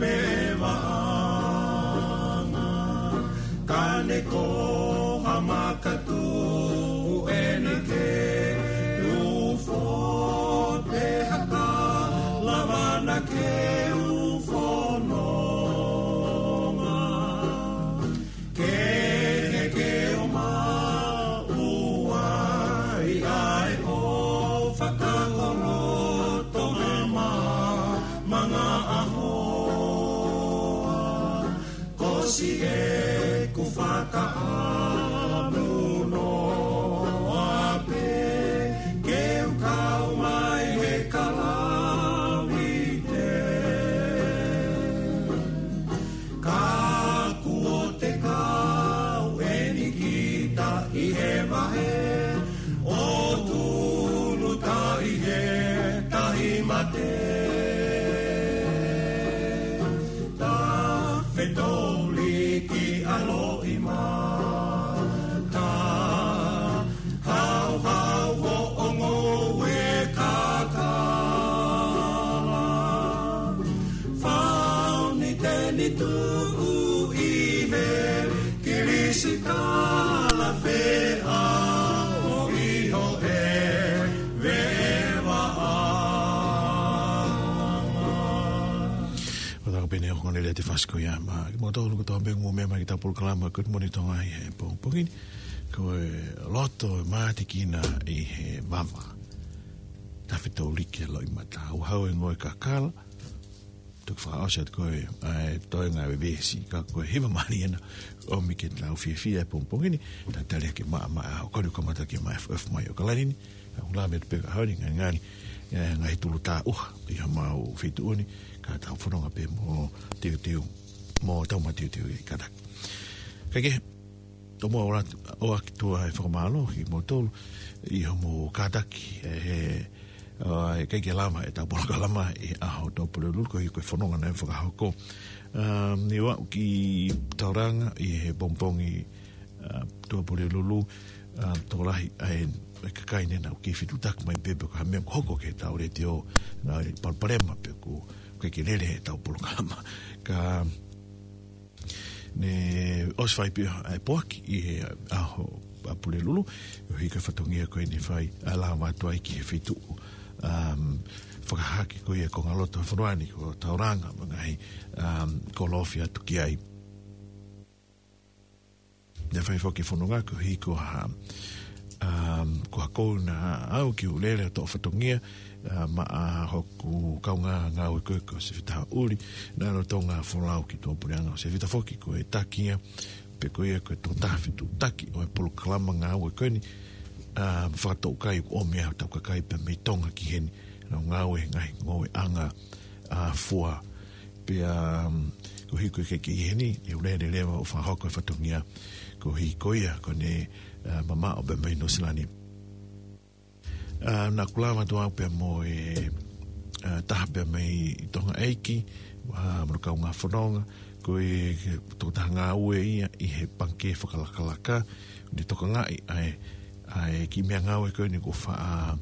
vevaʻanga. Ka ne ko ha makatuʻu eni ke ufo, pe haka lavana ke ufononga. Ke ne ke o maʻu ai ʻa e ʻofa ka ko loto mama manga ahoa. Ko siʻeku fakaʻamu noa pē ke u kau mai he kalavite. Ka kuo te kau eni kita ʻi he vahe ʻo tunu taʻi he tahi mate. Tafetoliki ʻaloʻi mata, hauhau hoʻo ngoue kakala. Fauniteni tuʻu ʻi he kilisitala feʻao ʻi hoʻo vevaʻanga. Ua taka pene o kone le te fasko ia ma. Mo tau luku tau bengu mo mea mai ki tau polokalama Good Morning Tonga ʻi he pongipongi ni. Ko e loto e mātikina ʻi he vava. Tafetoliki ʻaloʻi mata, hauhau e ngoue kakala. Tuku fakaʻosi atu ko e, ʻa e toenga e veesi, ka ko e hiva mali ena, ʻomi ke tau fiefia e pongipongi ni, talitali ke maʻamaʻa, ʻo koni kamata ke maʻa F F mai ʻo kalani ni, ʻa ula me te peka haoni ngani ngani, e, ngaahi tulu tāʻuha, ʻi ha mau feituʻu ni, ka tau fononga pē mo teuteu, mo tau ma teuteu ʻi kataki. Kae kehe, Tomuʻa ʻoatu ʻaki tuʻa e fakamālō ki moutolu ʻi hoʻomou kātaki, ʻe, ʻa, ʻikai ke lava ʻetau polokalama ʻi he ʻaho Tuʻapulelulu, ko e, ko e fononga naʻe fakahoko. Um, ne u aʻu ki Tauranga ʻi he pongipongi, uh, Tuʻapulelulu, uh, tokolahi ʻa e, ʻa e kakai ne nau kei fetuʻutaki mai pē pe ko ha meʻa kuo hoko ki heʻetau letiō, naʻe palopalema pe ko e ʻikai ke lele ʻetau polokalama. Ka ne ʻosi fai pē ʻa e poaki ʻi he ʻaho Tuʻapulelulu, ʻo hiki e fatongia ko eni fai ʻa e lava atu ai ki he feituʻu, um, fakahahake ko ia ko e ngaahi loto fonua ni ko Tauranga mo e ngaahi, um, kolofi atu ki ai. Ne fai foki e fononga ko e hiki ha, um, ko ha kouna au ki ʻUlele ʻo toʻo fatongia, uh, maʻa hoku kaungā ngāue ko ē ko Sefita Uli, naʻe lolotonga folau ki tuʻapuleʻanga ʻo Sefita foki ko e taki ia, pe ko ia ko e tokotaha fetuʻutaki ʻo e polokalama ngāue ko eni, um, fakatoʻukai ʻoku ʻomi ʻa hotau kakai pea mei Tonga ki heni, nau ngāue he ngaahi ngoueʻanga, ʻa, fua. Pea, um, ko e hiki ko ē ki heni, ʻi ʻUlele leva ʻo fakahoko e fatongia, ko e hiki ko ia, ko ʻene, uh, mamaʻo pē mei Nuʻusila ni. Uh, naʻa ku lava atu au pea mo e, uh, taha pē mei Tonga ʻEiki, uh, mo hono kaungā fononga, ko e tokotaha ngāue ia ʻi he pangikē fakalakalaka, ne tokangaʻi ʻa e, ʻa e kiʻi meʻangāue ko eni kuo faʻa,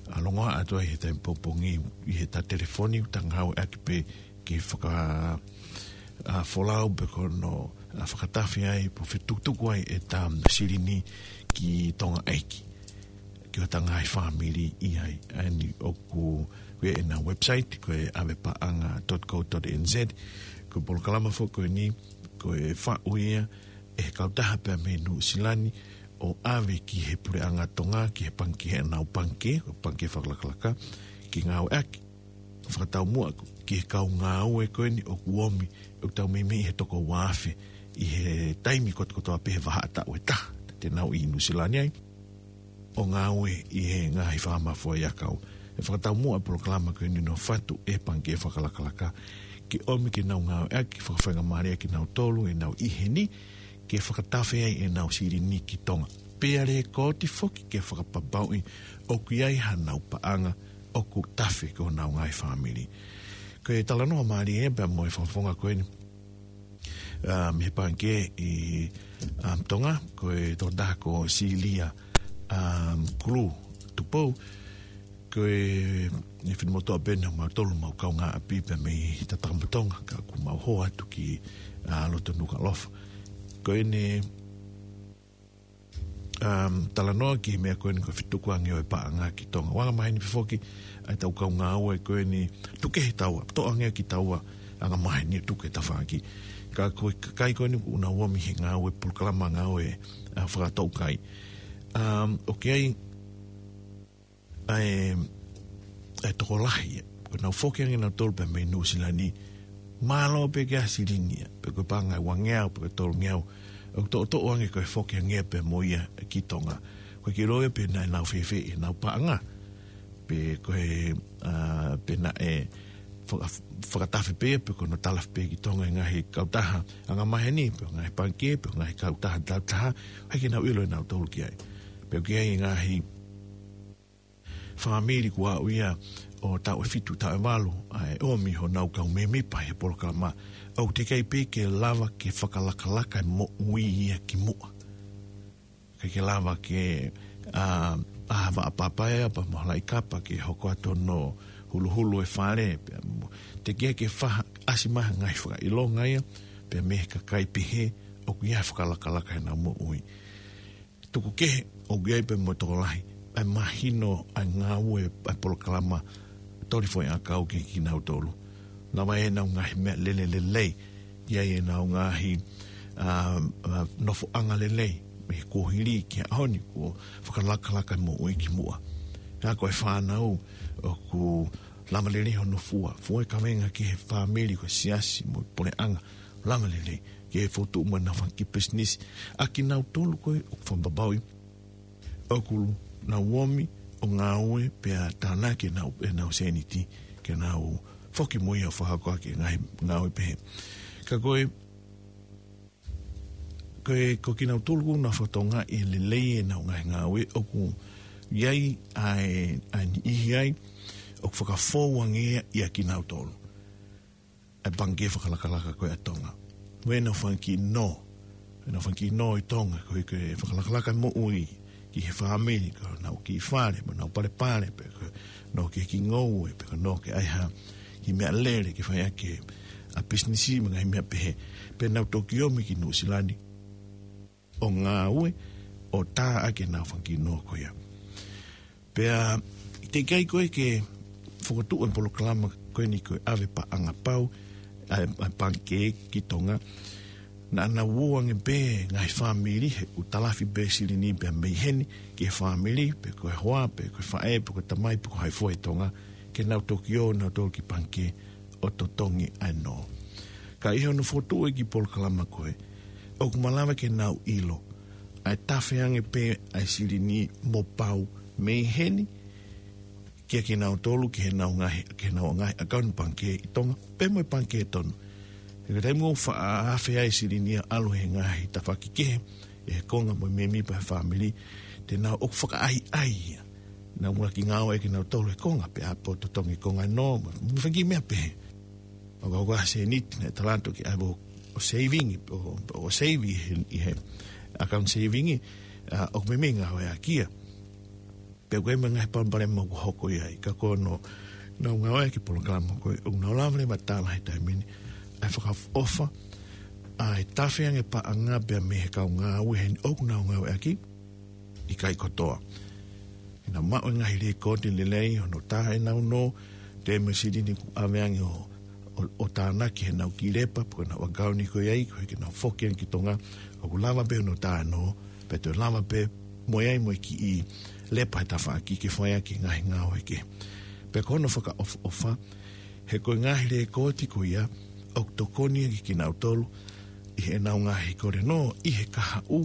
ʻa, longoaʻa atu ai he taimi pongipongi ʻi he ta telefoni, ta ngāueʻaki pē ke faka, ʻa, folau pe ko hono, ʻa, fakatafe ai, pe fetukutuku ai ʻeta silini ki Tonga ʻEiki. Ki hota ngaahi fāmili ʻi ai. ʻA eni ʻoku, ko ʻena website, ko e avepaʻanga dot co dot N Z, ko e polokalama foki ko eni, ko e faʻu ia ʻe he kautaha pē mei Nuʻusila ni, ʻo ʻave ki he puleʻanga Tonga, ki he pangikē, heʻenau pangikē, pangikē fakalakalaka, ke ngāueʻaki. Fakataumuʻa ki he kau ngāue ko eni ʻoku ʻomi, ʻoku tau meimei he toko ua afe, ʻi he taimi kotokotoa pē he vahaʻa taʻu ʻe taha, te nau ʻi Nuʻusila ni ai, ʻo ngāue ʻi he ngaahi faama foʻi ʻakau. ʻE fakataumuʻa e polokalama ko eni ʻo fatu e pangikē fakalakalaka, ke ʻomi ke nau ngāueʻaki, fakafaingamālie kinautolu ʻenau ʻi heni, ke fakatafe ai ʻenau silini ki Tonga. pea lēkooti foki ke fakapapauʻi ʻoku ʻi ai hanau paʻanga ʻoku tafe ki honau ngaahi fāmili. Ko e talanoa mālie pea mo e fakafofonga ko eni, um, he pangikē ʻi, um, Tonga, ko e tokotaha ko Silia, um, Kulu Tupou, ko e, ʻi he finemotuʻa pē ʻeni ʻo mautolu, mau kaungāʻapi pē mei Tatakamotonga, ka ʻoku mau hū atu ki, uh, loto Nukuʻalofa. Ko ʻene, um, talanoa ki he meʻa ko eni ko e fetukuange ʻo e paʻanga ki Tonga. ʻOku angamaheni pē foki ʻa e tau kau ngāue ko eni, tuku kehe taua, toʻo ange kitaua, angamaheni tuku e tafaʻaki. Ka ko e kakai ko eni ʻoku nau omi he ngāue, polokalama ngāue, uh, fakatoukai. Um, ʻoku ʻi ai ʻa e, ʻa e tokolahi, ko ʻenau foki ange nautolu pē mei Nuʻusila ni, mālō pē ke ʻasi silini ia, pe ko e paʻanga ʻe uangeau, pe ko e tolungeau, ʻoku toʻotoʻo ange ko e foki ange pē mo ia ki Tonga. ʻOku ʻikai ke ʻilo ia pe naʻe nau fēfē ʻenau paʻanga, pe ko e, a, pe naʻe faka-, fakatafe pē, pe ko hono talafi pē ki Tonga ʻe he ngaahi kautaha angamaheni, pe ko e ngaahi pangikē, pe ko e ngaahi kautaha tautaha, ʻoku ʻikai ke nau ʻilo ʻe nautolu ki ai. Pea ʻoku ʻi ai e ngaahi fāmili kuo aʻu ia ʻo taʻu ʻe fitu, taʻu ʻe valu, ʻa e omi honau kau mēmipa he polokalama, ʻoku teʻeki ai pē ke lava ke fakalakalaka e moʻui ia ki muʻa. ʻIkai ke lava ke, a, ʻā vaʻa papa ia pea mo e halaʻi kapa ke hoko atu hono huluhulu e fale, pea mo, teʻeki ai ke faʻa ʻasi mai ha ngaahi fakaʻilonga ia pea mei he kakai pehē, ʻoku ʻi ai e fakalakalaka ʻenau moʻui. Tuku kehe, ʻoku ʻi ai pē mo e tokolahi, ʻa e mahino ʻa e ngāue ʻa e polokalama Toli Foʻi ʻAkau kiate kinautolu. Lava ʻenau ngaahi meʻalele lelei, ʻi ai ʻenau ngaahi, a, a, nofoʻanga lelei, mei he kuohili ki he ʻaho ni, kuo fakalakalaka e moʻui ki muʻa. Ka ko e fānau, ʻoku lava lelei hono fua, fua e kavenga ki he fāmili, ko e siasi mo e puleʻanga, lava lelei ke fokotuʻu mai ʻenau fanga kiʻi pisinisi. ʻA kinautolu ko ē ʻoku fakapapauʻi ʻoku nau omi ʻo ngāue pea tānaki ʻenau, ʻenau sēniti ke nau foki mo ia ʻo fakahoko ʻaki e ngaahi ngāue pehē. Ka ko e, ko e, ko kinautolu ʻoku nau fakatokangaʻi e lelei ʻenau ngaahi ngāue, ʻoku ʻi ai ʻa e, ʻa e niʻihi ai ʻoku fakafou ange ia ʻia kinautolu ʻa e pangikē fakalakalaka ko ē ʻa Tonga. Mo ʻenau fanga kiʻi nō, ʻenau fanga kiʻi nō ʻi Tonga, ko e, ko e fakalakalaka e moʻui ki he fāmili, ko ʻenau kiʻi fale, mo ʻenau palepale, pe ko ʻenau kiʻi, kiʻi ngoue, pe ko ʻenau kiʻi ʻai ha kiʻi meʻalele ke fai ʻaki ʻa e pisinisi mo e ngaahi meʻa pehē. Pea nau toki omi ki Nuʻusila ni ʻo ngāue, ʻo tā ʻaki ʻenau fanga kiʻi nō ko ia. Pea, teʻeki ai ko ē ke fokotuʻu e polokalama ko eni ko e ʻAve Paʻanga Pau, ʻa e, ʻa e pangikē ki Tonga. Naʻa nau ō ange pē ngaahi fāmili he ʻoku talafi pē silini pea mei heni ki he fāmili, pe ko e hoa, pe ko e faʻē, pe ko e tamai, pe ko hai fua ʻi Tonga, ke nau toki ō nautolu ki he pangikē ʻo totongi ʻa e nō. Ka ʻi hono fokotuʻu e kiʻi polokalama ko ē, ʻoku malava ke nau ʻilo ʻa e tafe ange pē ʻa e silini mo pau mei heni kiate kinautolu ki heʻenau ngaahi, ki heʻenau ngaahi ʻakauni pangikē ʻi Tonga, pea mo e pangikē tonu. He ko e taimi ʻoku faʻa afe ai e silini ia ʻalu he ngaahi tafaʻaki kehe, ʻi he konga mo e mēmipa he fāmili, te nau ō ʻo fakaʻaiʻai ia. Nau muʻaki ngāue kinautolu he konga, pea ʻapō totongi konga nō, mo, mo e fanga kiʻi meʻa pehē. ʻOku ʻi ai ha sēniti naʻe tala atu ke ʻave ʻo, ʻo saving, ʻo, ʻo save ʻi he, ʻi he account saving, a, ʻoku meimei ngāueʻaki ia. Pea ʻoku ʻi ai mo e ngaahi palopalema ʻoku hoko ʻi ai, ka ko hono nau ngāueʻaki e polokalama ko ē, ʻoku nau lava leva ʻo tala he taimi ni ʻa e fakaʻofoʻofa ʻa e tafe ange paʻanga pea mei he kau ngāue heni ʻoku nau ngāueʻaki, ʻikai kotoa. Ke nau maʻu e ngaahi lēkooti lelei hono tā ʻenau nō, toe mo e silini kuo ʻave ange ʻo, ʻo, ʻo tānaki heʻenau kiʻi lepa, pe ko ʻenau ʻakauni ko ē ʻi ai, koeʻuhi ke nau foki ange ki Tonga, ʻoku lava pē hono tā e nō, pea toe lava pē mo e ʻai mo e kiʻi lepa he tafaʻaki ke fai ʻaki e ngaahi ngāue kehe. Pea ko hono fakaʻofoʻofa, he ko e ngaahi lēkooti ko ia, ʻoku tokoni ia kiate kinautolu ʻi heʻenau ngaahi kole nō, ʻi he kahaʻu,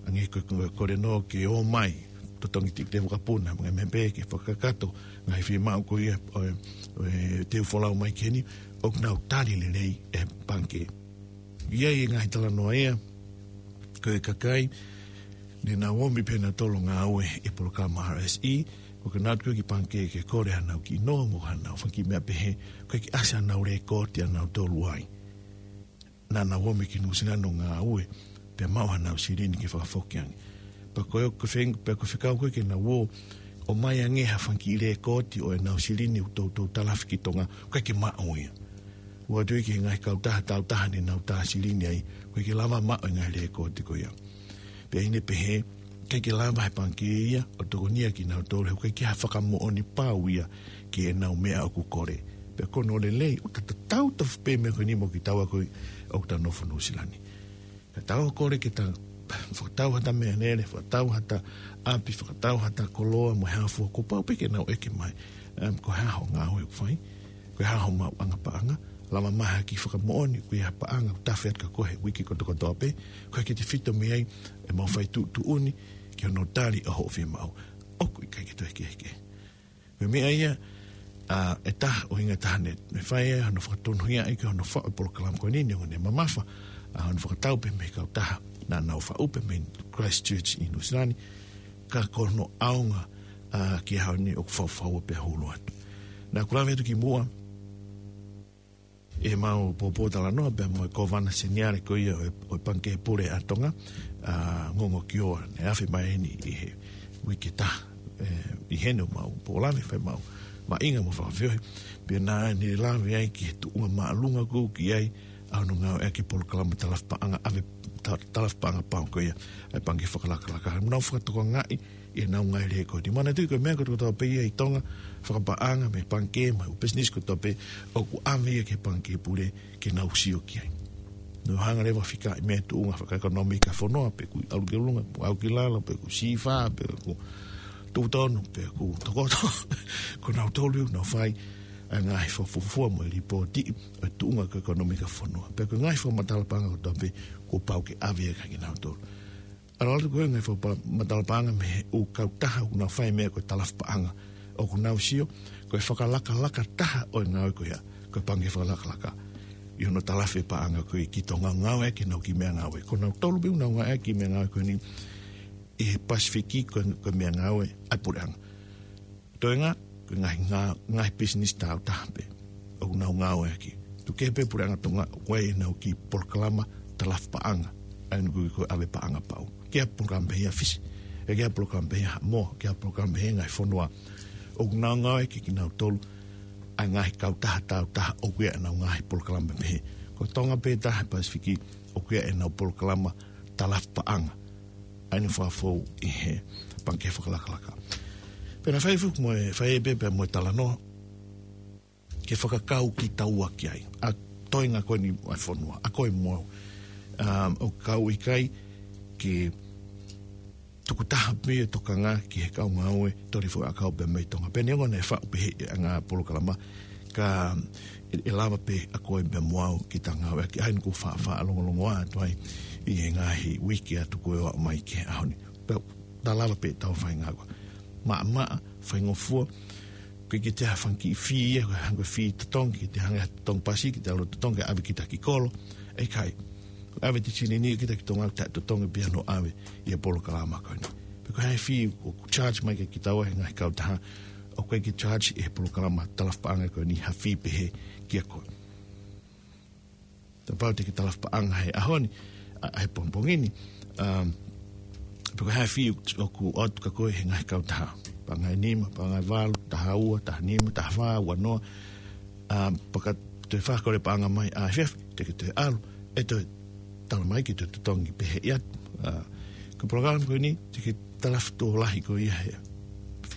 hangē ko e kole nō ke ō mai, totongi tikite vakapuna, mo e ngaahi meʻa pehē ke fakakakato e ngaahi fiemaʻu ko ia ʻo e, ʻo e teu folau mai ki heni, ʻoku nau tali lelei ʻe he pangikē. ʻI ai e ngaahi talanoa ia, ko e kakai Ne nau omi pē nautolu ʻo ngāue ʻi he polokalama R S E, ʻo ka nau tuku ki he pangikē ke kole haʻanau kiʻi noa mo haʻanau fanga kiʻi meʻa pehē, ʻoku ʻikai ke ʻasi haʻanau lēkooti ʻanautolu ai. Naʻa nau omi ki Nuʻusila ni ʻo ngāue, pea maʻu haʻanau silini ke fakafoki ange. Pea ko e, ko e feng-, pea ko e fekau ko ē ke nau ō, ʻomai ange ha fanga kiʻi lēkooti ʻo ʻenau silini ʻoku toutou talafi ki Tonga, ʻoku ʻikai ke maʻu ia. ʻOatu ia ki he ngaahi kautaha tāutaha ne nau tā silini ai, ʻoku ʻikai ke lava maʻu e ngaahi lēkooti ko ia. Pea ʻi heʻene pehē, ʻikai ke lava ʻe he pangikē ia ʻo tokonia kinautolu he ʻoku ʻikai ke ʻi ai ha fakamoʻoni pau ia ki heʻenau meʻa ʻoku kole. Pea ko hono lelei, ʻoku tatau tofu pē meʻa ko eni mo kitaua ko ē ʻoku ta nofo Nuʻusila ni. Ka tau kole ke ta fakatau haʻata meʻalele, fakatau haʻata ʻapi, fakatau haʻata koloa mo e hā fua, kuo pau pē ke nau ʻeke mai. Em, ko e hā hoʻo ngāue ʻoku fai, ko e hā hoʻo maʻuʻanga paʻanga, lava mai ha kiʻi fakamoʻoni, ko e hā e paʻanga ʻoku tafe atu kia koe he uike kotokotoa pē, ko e kiʻi tefito mei ai, ʻemau fai tuʻutuʻuni ki hono tali ʻo hoʻo fiemaʻu. ʻOku ʻikai ke toe kehekehe. Ko e meʻa ia, ʻa, ʻe taha ʻo e ʻuhinga ʻe taha ne, ne fai ai hono fakatonuhiaʻi ki hono faʻu e polokalama ko eni, neongo ʻene mamafa, ʻa, hono fakatau pē mei he kautaha naʻa nau faʻu pē mei Christchurch ʻi Nuʻusila ni, ka ko hono ʻaonga, ʻa, ki he ʻaho ni ʻoku faufau pea hulu atu. Naʻa ku lave atu kimuʻa, ʻemau pōpōtalanoa pea mo e Kōvana Seniale ko ia ʻo e, ʻo e Pangikē Pule ʻa Tonga, ʻa, Ngongo Kioa, ne afe mai eni ʻi he uike ʻe taha, ē, ʻi heʻemau pōlave fai ʻemau maʻuʻanga mo fakafeohi. Pea naʻa ne lave ai ki he tuʻunga māʻolunga ʻoku ʻi ai ʻa hono ngāueʻaki e polokalama talafi paʻanga, ʻave ta-, talafi paʻanga pau ko ia ʻa e Pangikē Fakalakalaka. Mo nau fakatokangaʻi ʻi heʻenau ngaahi lēkooti. Manatuʻi ko e meʻa kotoa pē ia ʻi Tonga, fakapaʻanga mei he pangikē, mei he ʻū pisinisi kotoa pē, ʻoku ʻave ia ki he Pangikē Pule ke nau sio ki ai. Nau hanga leva ʻo fikaʻi meʻa tuʻunga fakaʻekonōmika ʻa e fonua, pe ʻoku ʻalu ki ʻolunga, pe ʻalu ki lalo, pe ʻoku sīfā, pe ʻoku tuʻu tonu, pe ʻoku tokoto. Ko nautolu ia ʻoku nau fai ʻa e ngaahi fakafuofua mo e lipooti ʻo e tuʻunga ko e ʻekonōmika ʻa e fonua. Pea ko e ngaahi fakamatala paʻanga kotoa pē, kuo pau ke ʻave ia kia kinautolu. ʻAlu atu ko ē ngaahi fakamatala paʻanga mei he ʻū kautaha ʻoku nau fai e meʻa ko e talafi paʻanga. ʻOku nau sio, ko e fakalakalaka taha ʻo e ngāue ko ia, ko e Pangikē Fakalakalaka. ʻI hono talafi e paʻanga ko ē ki Tonga ʻo ngāueʻaki ʻenau kiʻi meʻangāue. Ko nautolu pē ʻoku nau ngāueʻaki e meʻangāue ko eni ʻi he Pasifiki ko e, ko e meʻangāue ʻa e puleʻanga. Toenga, ko e ngaahi, ngā-, ngaahi pisinisi tāutaha pē ʻoku nau ngāueʻaki. Tuku kehe pē puleʻanga Tonga, ʻoku ʻi ai ʻenau kiʻi polokalama talafi paʻanga. ʻA ia ʻoku ui ko e ʻave paʻanga pau. Ki ha polokalama pehē ʻa Fisi, ʻe ki ha polokalama pehē ʻa Haʻamoa, ki ha polokalama pehē ʻa e ngaahi fonua. ʻOku nau ngāueʻaki kinautolu ʻa e ngaahi kautaha tāutaha ʻoku ʻi ai ʻenau ngaahi polokalama pehē. Ko Tonga pē taha he Pasifiki ʻoku ʻi ai ʻenau polokalama talafi paʻanga. ʻA ia naʻe fakafou ʻi he Pangikē Fakalakalaka. Pea naʻe fai foki mo e, fai pē pea mo e talanoa ke fakakau kitaua ki ai. ʻA e toenga ko eni ʻa e fonua, ʻa koe mo au. Um, ʻoku ʻikai ke tukutaha pē ʻa e tokanga ki he kau ngāue toli fakaʻakau pē mei Tonga. Pea neongo naʻe faʻu pehē ʻa e ngaahi polokalama, ka ʻe, ʻe lava pē ʻa koe pea mo au ke ta ngāueʻaki, ʻa ia naʻa ku faʻa, faʻa longolongoaʻa atu ai ʻi he ngaahi uike atu ko ē ʻo aʻu mai ki he ʻaho ni. Pea ta lava pē ʻo tau fai ngāue. Maʻamaʻa, faingofua, ʻoku ʻikai ke toe ʻi ai ha fanga kiʻi fee ia, ko e hangē ko e fee totongi, ke te hanga ʻo totongi pasi, ke te ʻalu ʻo totongi, ke ʻave kita ki kolo. ʻIkai. ʻAve ʻete silini kita ki Tonga, ta totongi pē ia hono ʻave ʻi he polokalama ko eni. Pe ko e hā e fee ʻoku charge mai kia kitaua ʻe he ngaahi kautaha, ʻoku ʻikai ke charge ʻe he polokalama talafi paʻanga ko eni ha fee pehē kia koe. Kapau te ke talafi paʻanga he ʻaho ni, ʻa, he pongipongi ni, um, pe ko e hā e fee ʻoku ʻoatu kia koe ʻe he ngaahi kautaha. Paʻanga ʻe nima, paʻanga ʻe valu, taha ua, taha nima, taha fā, ua noa. Um, pea ka toe fakakole paʻanga mai ʻaefiafi, te ke toe ʻalu, ʻe toe tala mai ke toe totongi pehē atu. Uh, ko e polokalama ko eni, te ke talafi tuʻo lahi ko ia he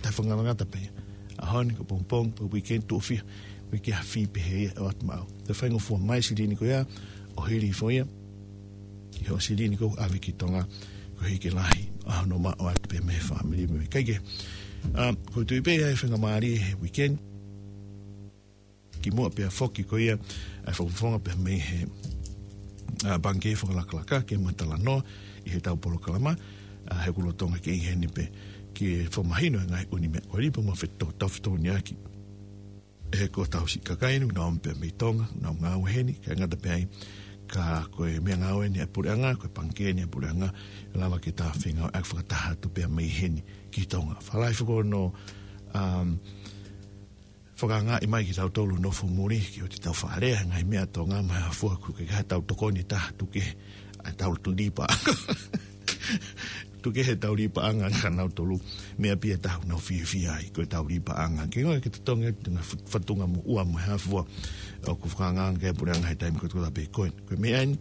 taʻefakangatangata pē ia. ʻAho ni, ko e pongipongi, pe ko e weekend, tuʻo fiha, ʻoku ʻikai ke ʻi ai ha fee pehē ia ʻe ʻoatu maʻau. Toe faingofua mai e silini ko ia, ʻo hili hifo ia ʻi hoʻo silini ʻoku ʻave ki Tonga, koeʻuhi ke lahi ʻa hono maʻu atu pē mei he fāmili mo e kakai. Um, ʻoku ou tui pē ʻe ʻi ai e faingamālie he weekend, kimuʻa pea foki ko ia ʻa e fakafofonga pē mei he, ʻa, Pangikē Fakalakalaka ke ma talanoa ʻi heʻetau polokalama, ʻa, he ʻoku lolotonga ke ʻi heni pē ke fakamahino e ngaahi ʻū meʻa ko eni pea mo e feto-, tau fetoniaki. He ko hotau siʻi kakai ni, ʻoku nau ō mai pē mei Tonga, ʻoku nau ngāue heni, kae ʻikai ngata pē ai, Ka ko e meʻangāue eni ʻa e puleʻanga, ko e pangikē eni ʻa e puleʻanga, ʻe lava ke ta fengāueʻaki fakataha atu pea mei heni ki Tonga. Fakalahi foki hono, um, fakaangaʻi mai kitautolu nofo muli, ke ʻoua te tau faʻa lea he ngaahi meʻa ʻa Tonga mo e hā fua, ʻoku ʻikai ke ʻi ai haʻatau tokoni ʻe taha, tuku kehe ʻetau lipa. Tuku kehe ʻetau lipaʻanga kia nautolu, meʻa pē ia ʻe taha ʻoku nau fiefia ai, ko ʻetau lipaʻanga. Ke ngāue ke totongi atu ngaahi fut-, fatunga mo ua mo e hā fua, ʻoku fakaangaanga ki ai e puleʻanga he taimi kotoa pē ko ē. Ko e meʻa eni,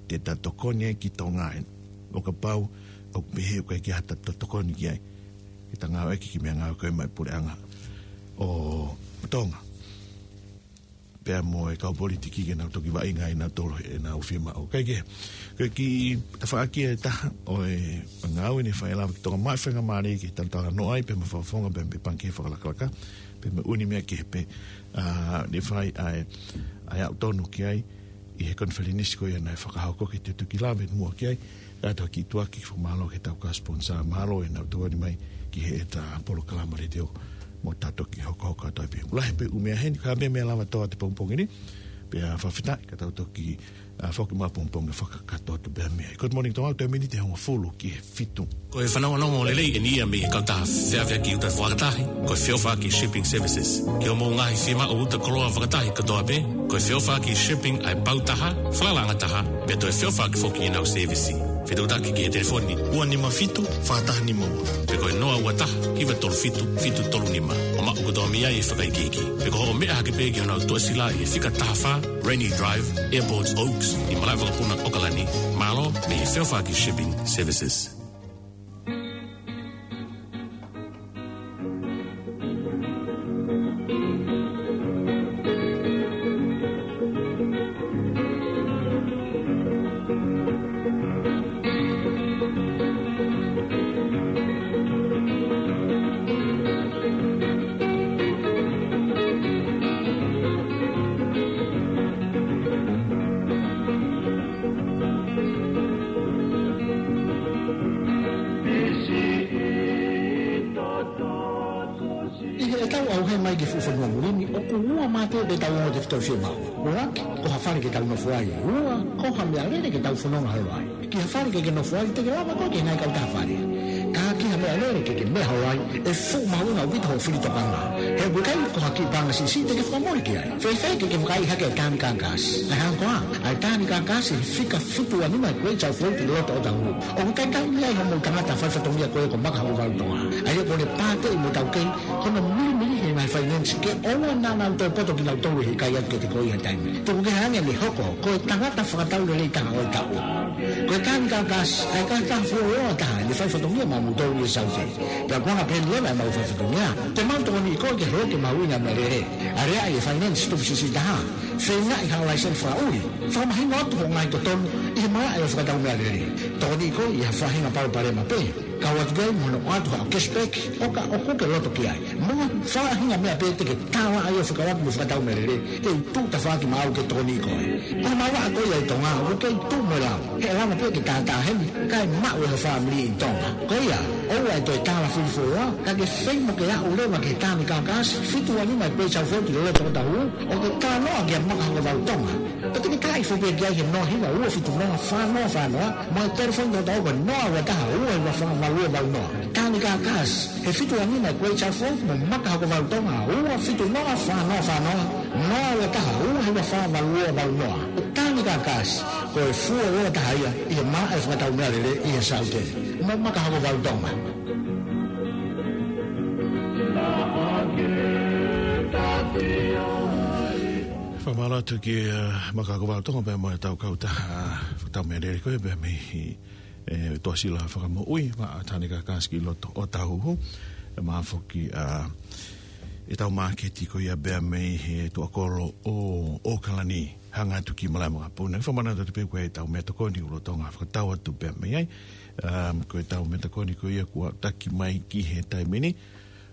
te ta tokoni ai ki Tonga eni. ʻO kapau ʻoku pehē ʻoku ʻikai ke ʻi ai haʻata tokoni ki ai, ke ta ngāueʻaki e kiʻi meʻangāue ko ē maʻa e puleʻanga ʻo Tonga pea mo e kau politiki ke nau toki vaʻinga ʻi nautolu ʻenau fiemaʻu. Kae kehe, ko e kiʻi tafaʻaki ʻe taha ʻo e ngāue naʻe fai, ʻe lava ke toka mai faingamālie ke talatalanoa ai pea mo e fakafofonga pea mo e pangikē fakalakalaka, pea mo e ʻū meʻa kehe pē, ʻa, naʻe fai ai, ʻa e aʻu tonu ki ai ʻi he konifelenisi ko ia naʻe fakahoko, ke te toki lave muʻa ki ai, kae toki tuʻu ʻaki e fakamālō ki heʻetau kau sponsor, mālō ʻenau tokoni mai ki heʻeta polokalama letiō mo ta toki hokohoko atu ai pē. Lahi pē ʻū meʻa heni, ka meʻa, meʻa lava ʻe taha he pongipongi ni, pea fakafetaʻi ka tau toki, ʻa, foki mai pongipongi fakakakato atu pē meʻa. Good morning, Tonga, ʻoku toe miniti ʻe hongofulu ki he fitu. Ko e fanongonongo lelei eni ia mei he kautaha feʻaveʻaki uta fakatahi, ko e Feʻofaʻaki Shipping Services. Ki hoʻomou ngaahi fiemaʻu uta koloa fakatahi kotoa pē, ko e Feʻofaʻaki Shipping ʻa e pau taha, falalaʻanga taha, pea toe feʻofaʻaki foki ʻenau sēvisi. Fetuʻutaki ki he telefoni ua nima fitu, fā taha nima ua, pe ko e noa ua taha, hiva tolu fitu, fitu tolu nima. ʻO maʻu kotoa mei ai e fakaikiiki. Pe ko hoʻo meʻa hake pē ki honau tuʻasila ʻi he fika taha fā, Rainy Drive, Airport Oaks, ʻi Malaʻevakapuna, ʻAokalani. Mālō mei he Feʻofaʻaki Shipping Services. ʻI heʻetau ʻauhē mai ki he fuʻu fonua muli ni, ʻoku ua mā pē ʻetau ongo tefito fiemaʻu. ʻUluaki, ko ha fale ke tau nofo ai. Ua, ko ha meʻalele ke tau fononga holo ai. Ki ha fale ke ke nofo ai, te ke lava koe ke ngaahi kautaha fale. Ka ki ha meʻalele ke ke meʻa holo ai, ʻe fuʻu mahuʻinga ʻaupito hoʻo fili tokanga. He ʻoku ʻikai ko ha kiʻi paʻanga siʻisiʻi te ke fakamoʻui ki ai. Fēfē ke ke vakaiʻi hake e Tānika Gas? ʻA e hā koā? ʻA e Tānika Gas ʻi he fika fitu ua nima Great South Road ʻi loto ʻOtahuhu. ʻOku ʻikai taimi ai hoʻomou tangata faifatongia ko ē ko Maka Hokovalu Tonga. ʻA ia ko ʻene pāteʻi mo taukei hono milimili he ngaahi finance ke ʻoua naʻa nau toe poto kinautolu he ʻikai atu kiate koe ha taimi. Tuku kehe ange ʻene hoko ko e tangata fakatau lelei taha ʻo e taʻu. Ko e Tānika Gas, ʻa e kautaha fuoloa taha ʻene faifatongia maʻamoutolu ʻi he Saute. Pea ko e anga pē eni leva ʻemau faifatongia, te mau tokoniʻi koe ke holoki e mahuʻinga e meʻalele. Aleaʻi e finance tupu siʻisiʻi taha. Feingaʻi haʻo laiseni fakaʻuli. Fakamahino atu hoʻo ngaahi totonu ʻi he malaʻe ʻo e fakatau meʻalele. Tokoniʻi koe ʻi ha faʻahinga palopalema pē. Kau atu ki ai mo hono ʻoatu haʻo cashback, ʻo ka ʻoku ke loto ki ai. Mo ha faʻahinga meʻa pē te ke tala ai ʻo fekauʻaki mo e fakatau meʻalele, te u tuʻu tafaʻaki maʻau ke tokoniʻi koe. Ko e maʻu ʻa koe ʻi Tonga, ʻoku kei tuʻu mo e lau. He ʻe lava pē ke tātāheni, kae maʻu ʻe ho fāmili ʻi Tonga. Ko ia, ʻoua ʻe toe tala fili fuoloa, ka ke feinga ke aʻu leva ki he Tānika Gas, fitu ua nima Great South Road ʻi loto ʻOtahuhu, ʻo ke talanoa kia Maka Hokovalu Tonga. Pea te ke tala hifo pē ki ai he noa hiva ua fitu noa fā noa fā noa, mo e telefoni toko taha ko e noa ua taha ua hiva fā valu ua valu noa. Tānika Gas, he fitu ua nima Great South Road mo Maka Hokovalu Tonga, ua fitu noa fā noa fā noa, noa ua taha ua hiva fā valu ua valu noa. Tānika Gas, ko e fuoloa taha ia ʻi he malaʻe fakatau meʻalele ʻi he Saute. Mo Maka Hokovalu Tonga. Fakamālō atu ki, uh, Maka Hokovalu Tonga pea mo ʻetau kautaha, uh, fakatau meʻalele ko ē pea mei he, eh, tuʻasila fakamoʻui, maʻa Tānika Gas ki loto ʻOtahuhu, ʻe maʻa foki, uh, ʻetau māketi ko ia pea mei he tuʻakolo ʻo ʻAokalani, hanga atu ki Malaʻevakapuna. Fakamālō atu pē ko ʻetau meʻatokoni ʻoku lolotonga fakatau atu pea mei ai. Um, ko ʻetau meʻatokoni ko ia kuo taki mai ki he taimi ni,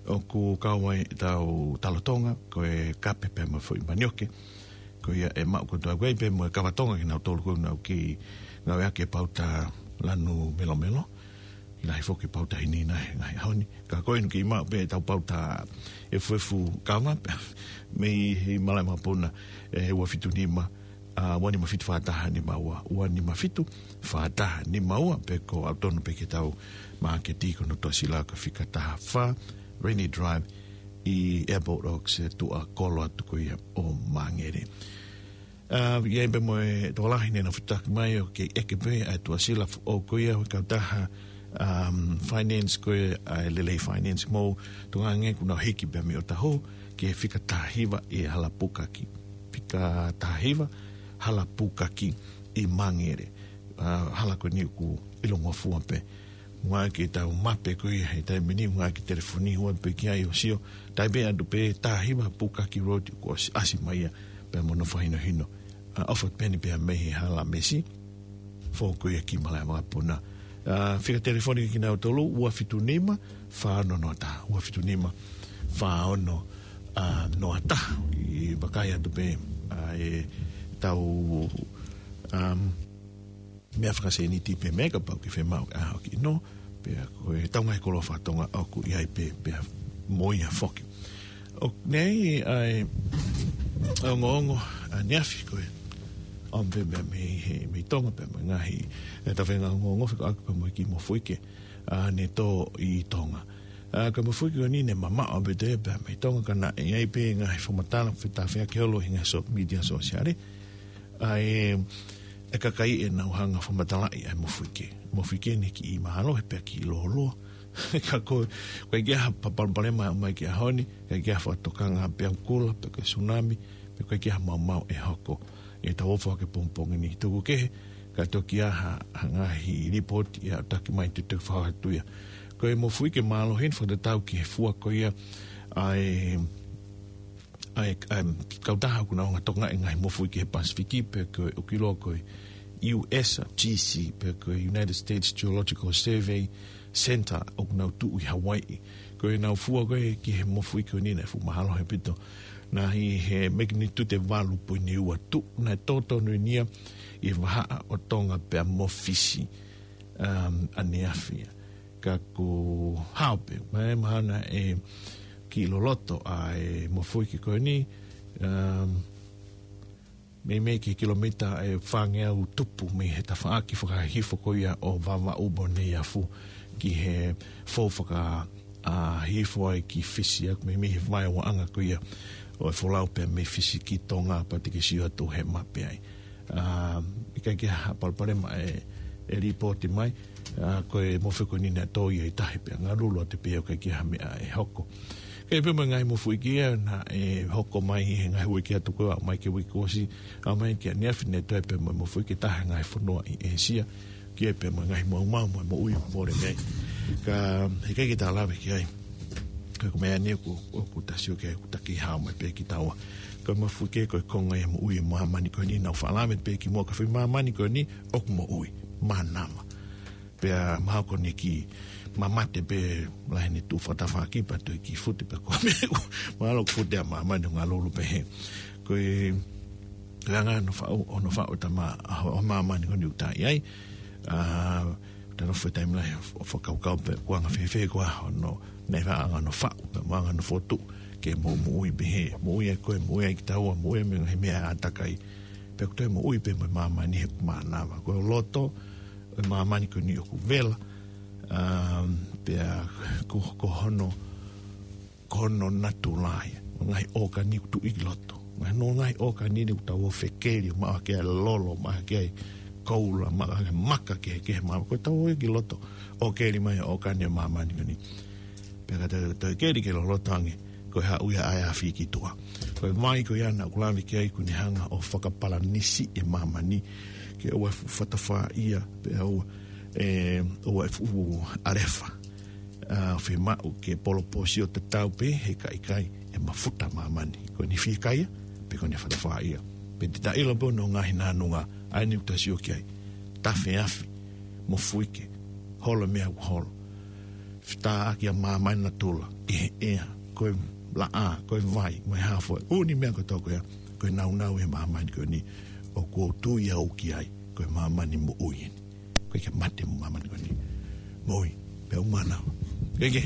ʻoku kau ai ʻetau talo Tonga, ko e kape pea mo e foʻi manioke. Ko ia ʻe maʻu kotoa ko ē pea mo e kava Tonga kinautolu ko ē ʻoku nau kei ngāueʻaki e pauta lanu melomelo. Lahi foki e pauta hinina he ngaahi ʻaho ni. Ka ko eni ʻoku kei maʻu pē ʻetau pauta efuefu kava pē mei he Malaʻevakapuna, ʻe ua fitu nima, ʻa, ua nima fitu fā taha nima ua, ua nima fitu fā taha nima ua, pe ko ʻautonu pē ke tau māketi ko hono tuʻasila ko e fika taha fā, Rainy Drive, ʻi Airport Oaks, ʻi tuʻa kolo atu ko ia ʻo Māngere. ʻA, ʻi ai pē mo e tokolahi ne nau fetuʻutaki mai ʻoku kei ʻeke pē ʻa e tuʻasila foʻou ko ia ʻo e kautaha, um, finance ko ia ʻa e Lelei Finance mo Tonga Ange kuo nau hiki pē mei ʻOtahuhu ki he fika taha hiva ʻi Halapukaki. Fika taha hiva Halapukaki ʻi Māngere. ʻA, hala ko eni ʻoku ʻilongofua pē. Ngā ke tau mape ko ia he taimi ni, ngā ke telefoni ua pē ki ai ʻo sio. Tai pē atu pē taha hiva Pukaki Road kuo ʻosi ʻasi mai ia pē mo hono fakahinohino. ʻA, ʻofa peni pē mei he hala mesi. Foʻou ko ia ki Malaʻe Vakapuna. ʻA, fika telefoni kinautolu, ua fitu nima, fā ono noa taha, ua fitu nima, fā ono, ʻa, noa taha. ʻI vakai atu pē, ʻa, e tau, um, meʻa fakaseniti pē mei he kapau ke fiemaʻu ʻa hoki no, pea ko e tau ngaahi koloa fakatonga ʻoku ʻi ai pē, pea mo ia foki. ʻOku ʻi ai ʻa e ongoongo ʻaneafi ko e ʻomi pē mei he, mei Tonga pē mo e ngaahi, e tau feinga ongoongo fekauʻaki pē mo e kiʻi mofuike, ʻa, ne tō ʻi Tonga. ʻA, ko e mofuike ko eni ne mamaʻo pē te pē mei Tonga ka naʻe ʻi ai pē ngaahi fakamatala fetafea ke olo ʻi he ngaahi so-, media sosiale. ʻA e, e kakai ʻenau hanga fakamatalaʻi ʻa e mofuike. Mofuike ne kiʻi mālohi pea kiʻi lōloa. Ka ko, ko e ʻikai ke ʻi ai ha palopalema mai ki he ʻaho ni, ʻikai ke ʻi ai ha fakatokanga pē ʻa e kula, pe ko e tsunami, pe ko e ʻikai ke ʻi ai ha maumau ʻe hoko. ʻI he tau ʻofa ke pongipongi ni tuku kehe, ka toki ʻi ai ha, ha ngaahi lipooti ʻe aʻutaki mai te tau fakahā atu ia. Ko e mofuike mālohi ni fakatatau ki he fua ko ia ʻa e ʻa e, ʻa e kautaha ʻoku nau hanga tokangaʻi e ngaahi mofuike he Pasifiki, pe ko e ʻoku ʻiloa ko e U S G C, pe ko e United States Geological Survey Center ʻoku nau tuʻu ʻi Hawaiʻi. Ko ʻenau fua ko ē ki he mofuike ko eni naʻe fuʻu mālohi ʻaupito. Naʻe ʻi he magnitude ʻe valu poini ua tuʻu, naʻe tō tonu eni ia ʻi he vahaʻa ʻo Tonga pea mo Fisi, um, ʻaneafi. Ka ko e hao pē, mai mahalo naʻe kiʻi loloto ʻa e mofuike ko eni, um, meimei ki he kilomita ʻe fāngeau tupu mei he tafaʻaki fakahihifo ko ia ʻo Vavaʻu mo Neiafu ki he fou faka, ʻa, hihifo ai ki Fisi, ʻoku meimei he vaeuaʻanga ko ia ʻo e folau pea mei Fisi ki Tonga pea te ke sio atu he mape ai. ʻA, ʻikai ke ʻi ai ha palopalema ʻe, ʻe lipooti mai, ʻa, ko e mofuike ko eni naʻe tō ia ʻi tahi pea ngalulu atu pē ʻo ʻikai ke ʻi ai ha meʻa ʻe hoko. Ka ʻi ai pē mo e ngaahi mofuike ia naʻe hoko mai he ngaahi uike atu ko ē, ʻalu mai ki he uike kuo ʻosi, ʻalu mai ki ʻaneafi ne toe pē mo e mofuike ʻe taha he ngaahi fonua ʻi ʻĒsia, ki ai pē mo e ngaahi maumau mo e moʻui ʻoku mole mei ai. Ka, heʻikai ke ta lave ki ai. Ka ko e meʻa ni ʻoku, ʻoku ta sio ki ai ʻoku ta kei hao mai pē kitaua. Ko e mofuike ko e konga ia e moʻui ʻa e māmani ko eni, naʻa ku faʻa lave pē kimuʻa, ko e foʻi māmani ko eni ʻoku moʻui. Mānava. Pea mahalo ko eni kiʻi mamate pē lahi ʻene tuʻu fakatafaʻaki pea toe kiʻi fute pē ko e meʻa. Mahalo ʻoku fute ʻa māmani ʻo ngalulu pē hē. Ko e, ko e anga hono faʻu, hono faʻu ʻo e tama, ʻa, ʻo e māmani ko eni ʻoku ta ʻi ai. ʻA, ta nofo he taimi lahi ʻo, ʻo fakakaukau pē ko e anga fēfē ko ā hono, naʻe faʻa anga hono faʻu, pea mo e anga hono fokotuʻu, ke mo moʻui pē hē, moʻui ai koe, moʻui ai kitaua, moʻui ai mei he ngaahi meʻa ʻātakai. Pea ʻoku toe moʻui pē mo e māmani he ʻoku mānava. Ko e loto ʻo e māmani ko eni ʻoku vela, um, pea ko, ko hono, ko hono natula ia. Ngaahi ʻōkani ʻoku tuʻu ʻi loto. Ngaahi, hono ngaahi ʻōkani ni ʻoku tau ō ʻo fekeli, ʻo maʻu hake ai lolo, maʻu hake ai koula, maʻu hake ai maka kehekehe, maʻu, ko e tau ō ia ki loto ʻo keli mai ʻōkani ʻo e māmani ko eni. Pea ka tau, tau keli ke loloto ange, ko e haʻu ia ʻa e afi ki tuʻa. Ko e vai ko ia naʻa ku lave ki ai ʻoku ne hanga ʻo fakapalanisi e māmani ke ʻoua ʻe fuʻu fatafaʻia, pea ʻoua ʻe, ʻoua ʻe fuʻu ʻalefa. ʻA, fiemaʻu ke poloposio tatau pē he ka ʻikai ʻe mafuta māmani. Ko ʻene fiekaia, pe ko ʻene fatafaʻia. Pea te ta ʻilo pē hono ngaahi nānunga, ʻa eni ʻoku ta sio ki ai. Tafe afi, mofuike, holo e meʻa ʻoku holo. Fetaʻaki ʻa māmani natula, ʻi he ʻea, ko e laʻā, ko e vai, mo e hā fua, ʻū meʻa kotoa ko ia, ko e nāunau ʻi he māmani ko eni, ʻoku ou tui au ki ai, ko e māmani moʻui eni. ʻOku ʻikai ke mate mo e māmani ko eni. Moʻui, pea ʻoku mānava. ʻIkai ke,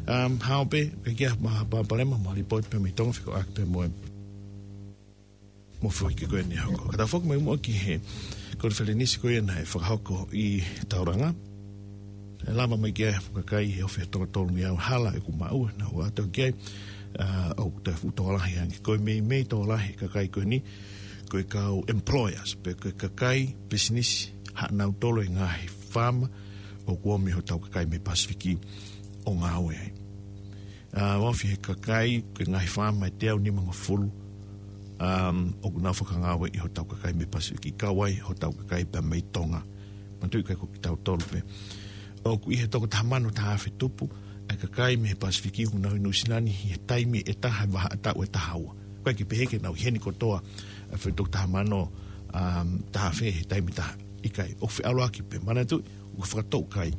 um, hao pē, ʻikai ke ʻi ai ha palopalema, mo e lipooti pē mei Tonga fekauʻaki pē mo e Mo foki ko eni hoko. Ka tau foki mai muʻa ki he konifelenisi ko ia naʻe fakahoko ʻi Tauranga. ʻE lava mai ki ai e fuʻu kakai he ofi ʻe toko tolungeau hala ʻeku maʻu ʻe naʻa nau ʻalu ki ai. ʻA, ʻoku toe fuʻu tokolahi ange. Ko e meimei tokolahi e kakai ko eni, ko e kau employers, pe ko e kakai pisinisi, haʻanautolu e ngaahi faama, ʻoku ʻomi hotau kakai mei Pasifiki ʻo ngāue ai. ʻA, ofi he kakai, ko e ngaahi faama ʻe teau nimangofulu, um, ʻoku nau fakangāueʻi hotau kakai mei Pasifiki, kau ai hotau kakai pea mei Tonga. Manatuʻi ʻikai ko kitautolu pē. ʻOku ʻi he toko taha mano taha afe tupu ʻa e kakai mei Pasifiki ʻoku nau ʻi Nuʻusila ni he taimi ʻe taha, vahaʻa taʻu ʻe taha ua. ʻOku ʻikai ke pehē ke nau ʻi heni kotoa ʻa e foʻi toko taha mano, um, taha afe he taimi ʻe taha. ʻIkai, ʻoku feʻaluʻaki pē. Manatuʻi, ʻoku fakatoʻukai.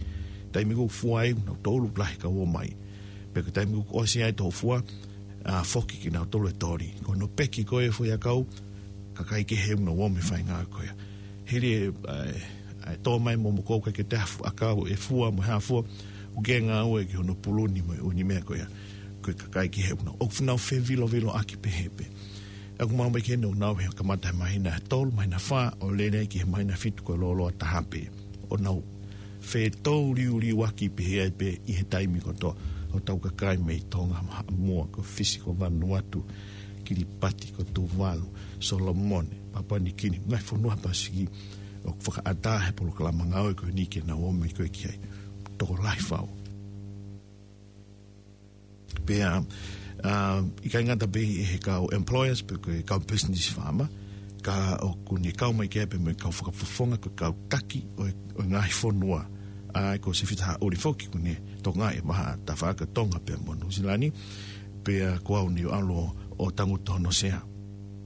Taimi ʻoku fua ai, nau tolu lahi kau ō mai. Pea ko e taimi ʻoku ʻosi ai e toʻu fua, ʻa, foki kinautolu e toli. Ko hono peki ko ē e foʻi ʻakau, kakai kehe ʻoku nau ō mai e faʻahinga ko ia. Hili e, ʻa e, ʻa e tō mai mo mokoʻi ʻikai ke toe ʻi ai ha fuʻu ʻakau ʻe fua mo e hā fua, ʻoku ke ngāue ki hono puluni mo e ʻū meʻa ko ia. Ko e kakai kehe ʻoku nau, ʻoku nau feviloviloʻaki pehē pē. ʻOku maʻu mai ki heni ʻoku nau ō he kamata he māhina ʻe tolu, māhina ʻe fā, ʻo lele ai ki he māhina ʻe fitu ko e lōloa taha pē. ʻO nau fetouliuliuaki pehē ai pē ʻi he taimi kotoa. Hotau kakai mei Tonga, Haʻamoa, ko Fisi, ko Vanuatu, Kiripati, ko Tuvalu, Solomone, Papua Niu Kini, ngaahi fonua Pasifiki, ʻoku fakaʻatā he polokalama ngāue ko eni ke nau ō mai ko ē ki ai. Tokolahi fau. Pea, ʻa, ʻikai ngata pē ʻi he kau employers, pe ko e kau business faama, ka ʻoku ne kau mai ki ai pē mo e kau fakafofonga, ko e kau taki ʻo e, ʻo e ngaahi fonua. ʻA, ko Sefita Haʻuli foki ʻoku ne tokangaʻi e vahaʻa tafaʻaki ʻo Tonga pea mo Nuʻusila ni, pea ko au ni ʻoku ʻalu ʻo tangutu hono sea.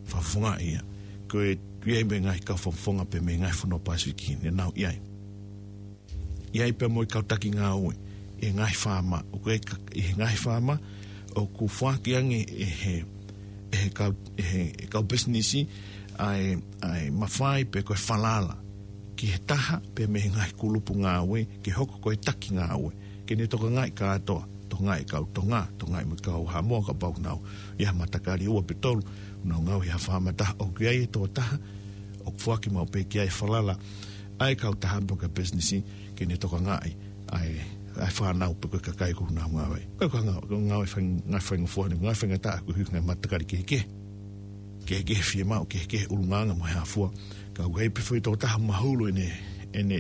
Fakafofonga ia. Ko e, ʻi ai mo e ngaahi kau fakafofonga pē mei he ngaahi fonua Pasifiki ne nau ʻi ai. ʻI ai pea mo e kau taki ngāue ʻi he ngaahi faama, ʻoku ʻi ai ka-, ʻi he ngaahi faama, ʻoku foaki ange ʻe he, ʻe he kau, ʻe he, ʻe he kau pisinisi, ʻa e, ʻa e mafai pe ko e falala ki he taha pē mei he ngaahi kulupu ngāue, ke hoko ko e taki ngāue, ke ne tokangaʻi kātoa, tokangaʻi e kau Tonga, tokangaʻi mo e kau Haʻamoa kapau ʻoku nau ʻi ai ha matakali ʻe ua pe tolu, ʻoku nau ngāue ʻi ha faama ʻe taha, ʻoku ʻi ai e tokotaha ʻoku foaki maʻu pē ki ai e falala ʻa e kautaha pe ko e pisinisi ke ne tokangaʻi ʻa e, ʻa e fānau pe ko e kakai ʻoku nau ngāue ai. Ko e kau ngā-, kau ngāue fai-, ngāue faingofua ni, ngāue faingataʻa koeʻuhi ko e ngaahi matakali kehekehe. Kehekehe e fiemaʻu, kehekehe e ʻulungaanga mo e hā fua. Ka ʻoku ʻi ai pē foʻi tokotaha mahulu ʻene, ʻene,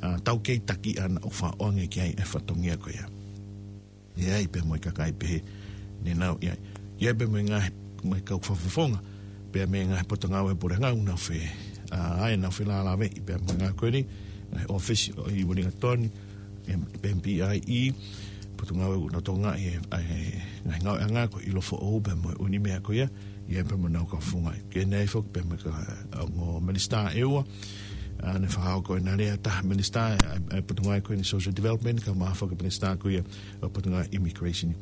ʻa, taukei taki ʻana ʻoku faʻa ʻoange ki ai e fatongia ko ia. ʻI ai pē mo e kakai pehē ne nau ʻi ai. ʻI ai pē mo e ngaahi, mo e kau fakafofonga, pea mei he ngaahi potungāue puleʻanga ʻoku nau fe-, ʻa, ʻa ia nau felālāveʻi pea mo e ngaahi ko eni, ngaahi ʻōfisi ʻi Uelingatoni, M-, M P I E, potungāue ʻoku nau tokangaʻi e, ʻa e ngaahi ngāueʻanga ko ʻIlo Foʻou pea mo e ʻū meʻa ko ia, ʻi ai pē mo ʻenau kau fakafofonga. Ke ne ʻi ai foki pē mo e kau ongo minisitā ʻe ua, ʻa, ne fakahoko ʻena lea ʻe taha minisitā, ʻa e, ʻa e potungāue ko eni social development, kae ʻumaʻā foki e minisitā ko ia ʻo e potungāue immigration.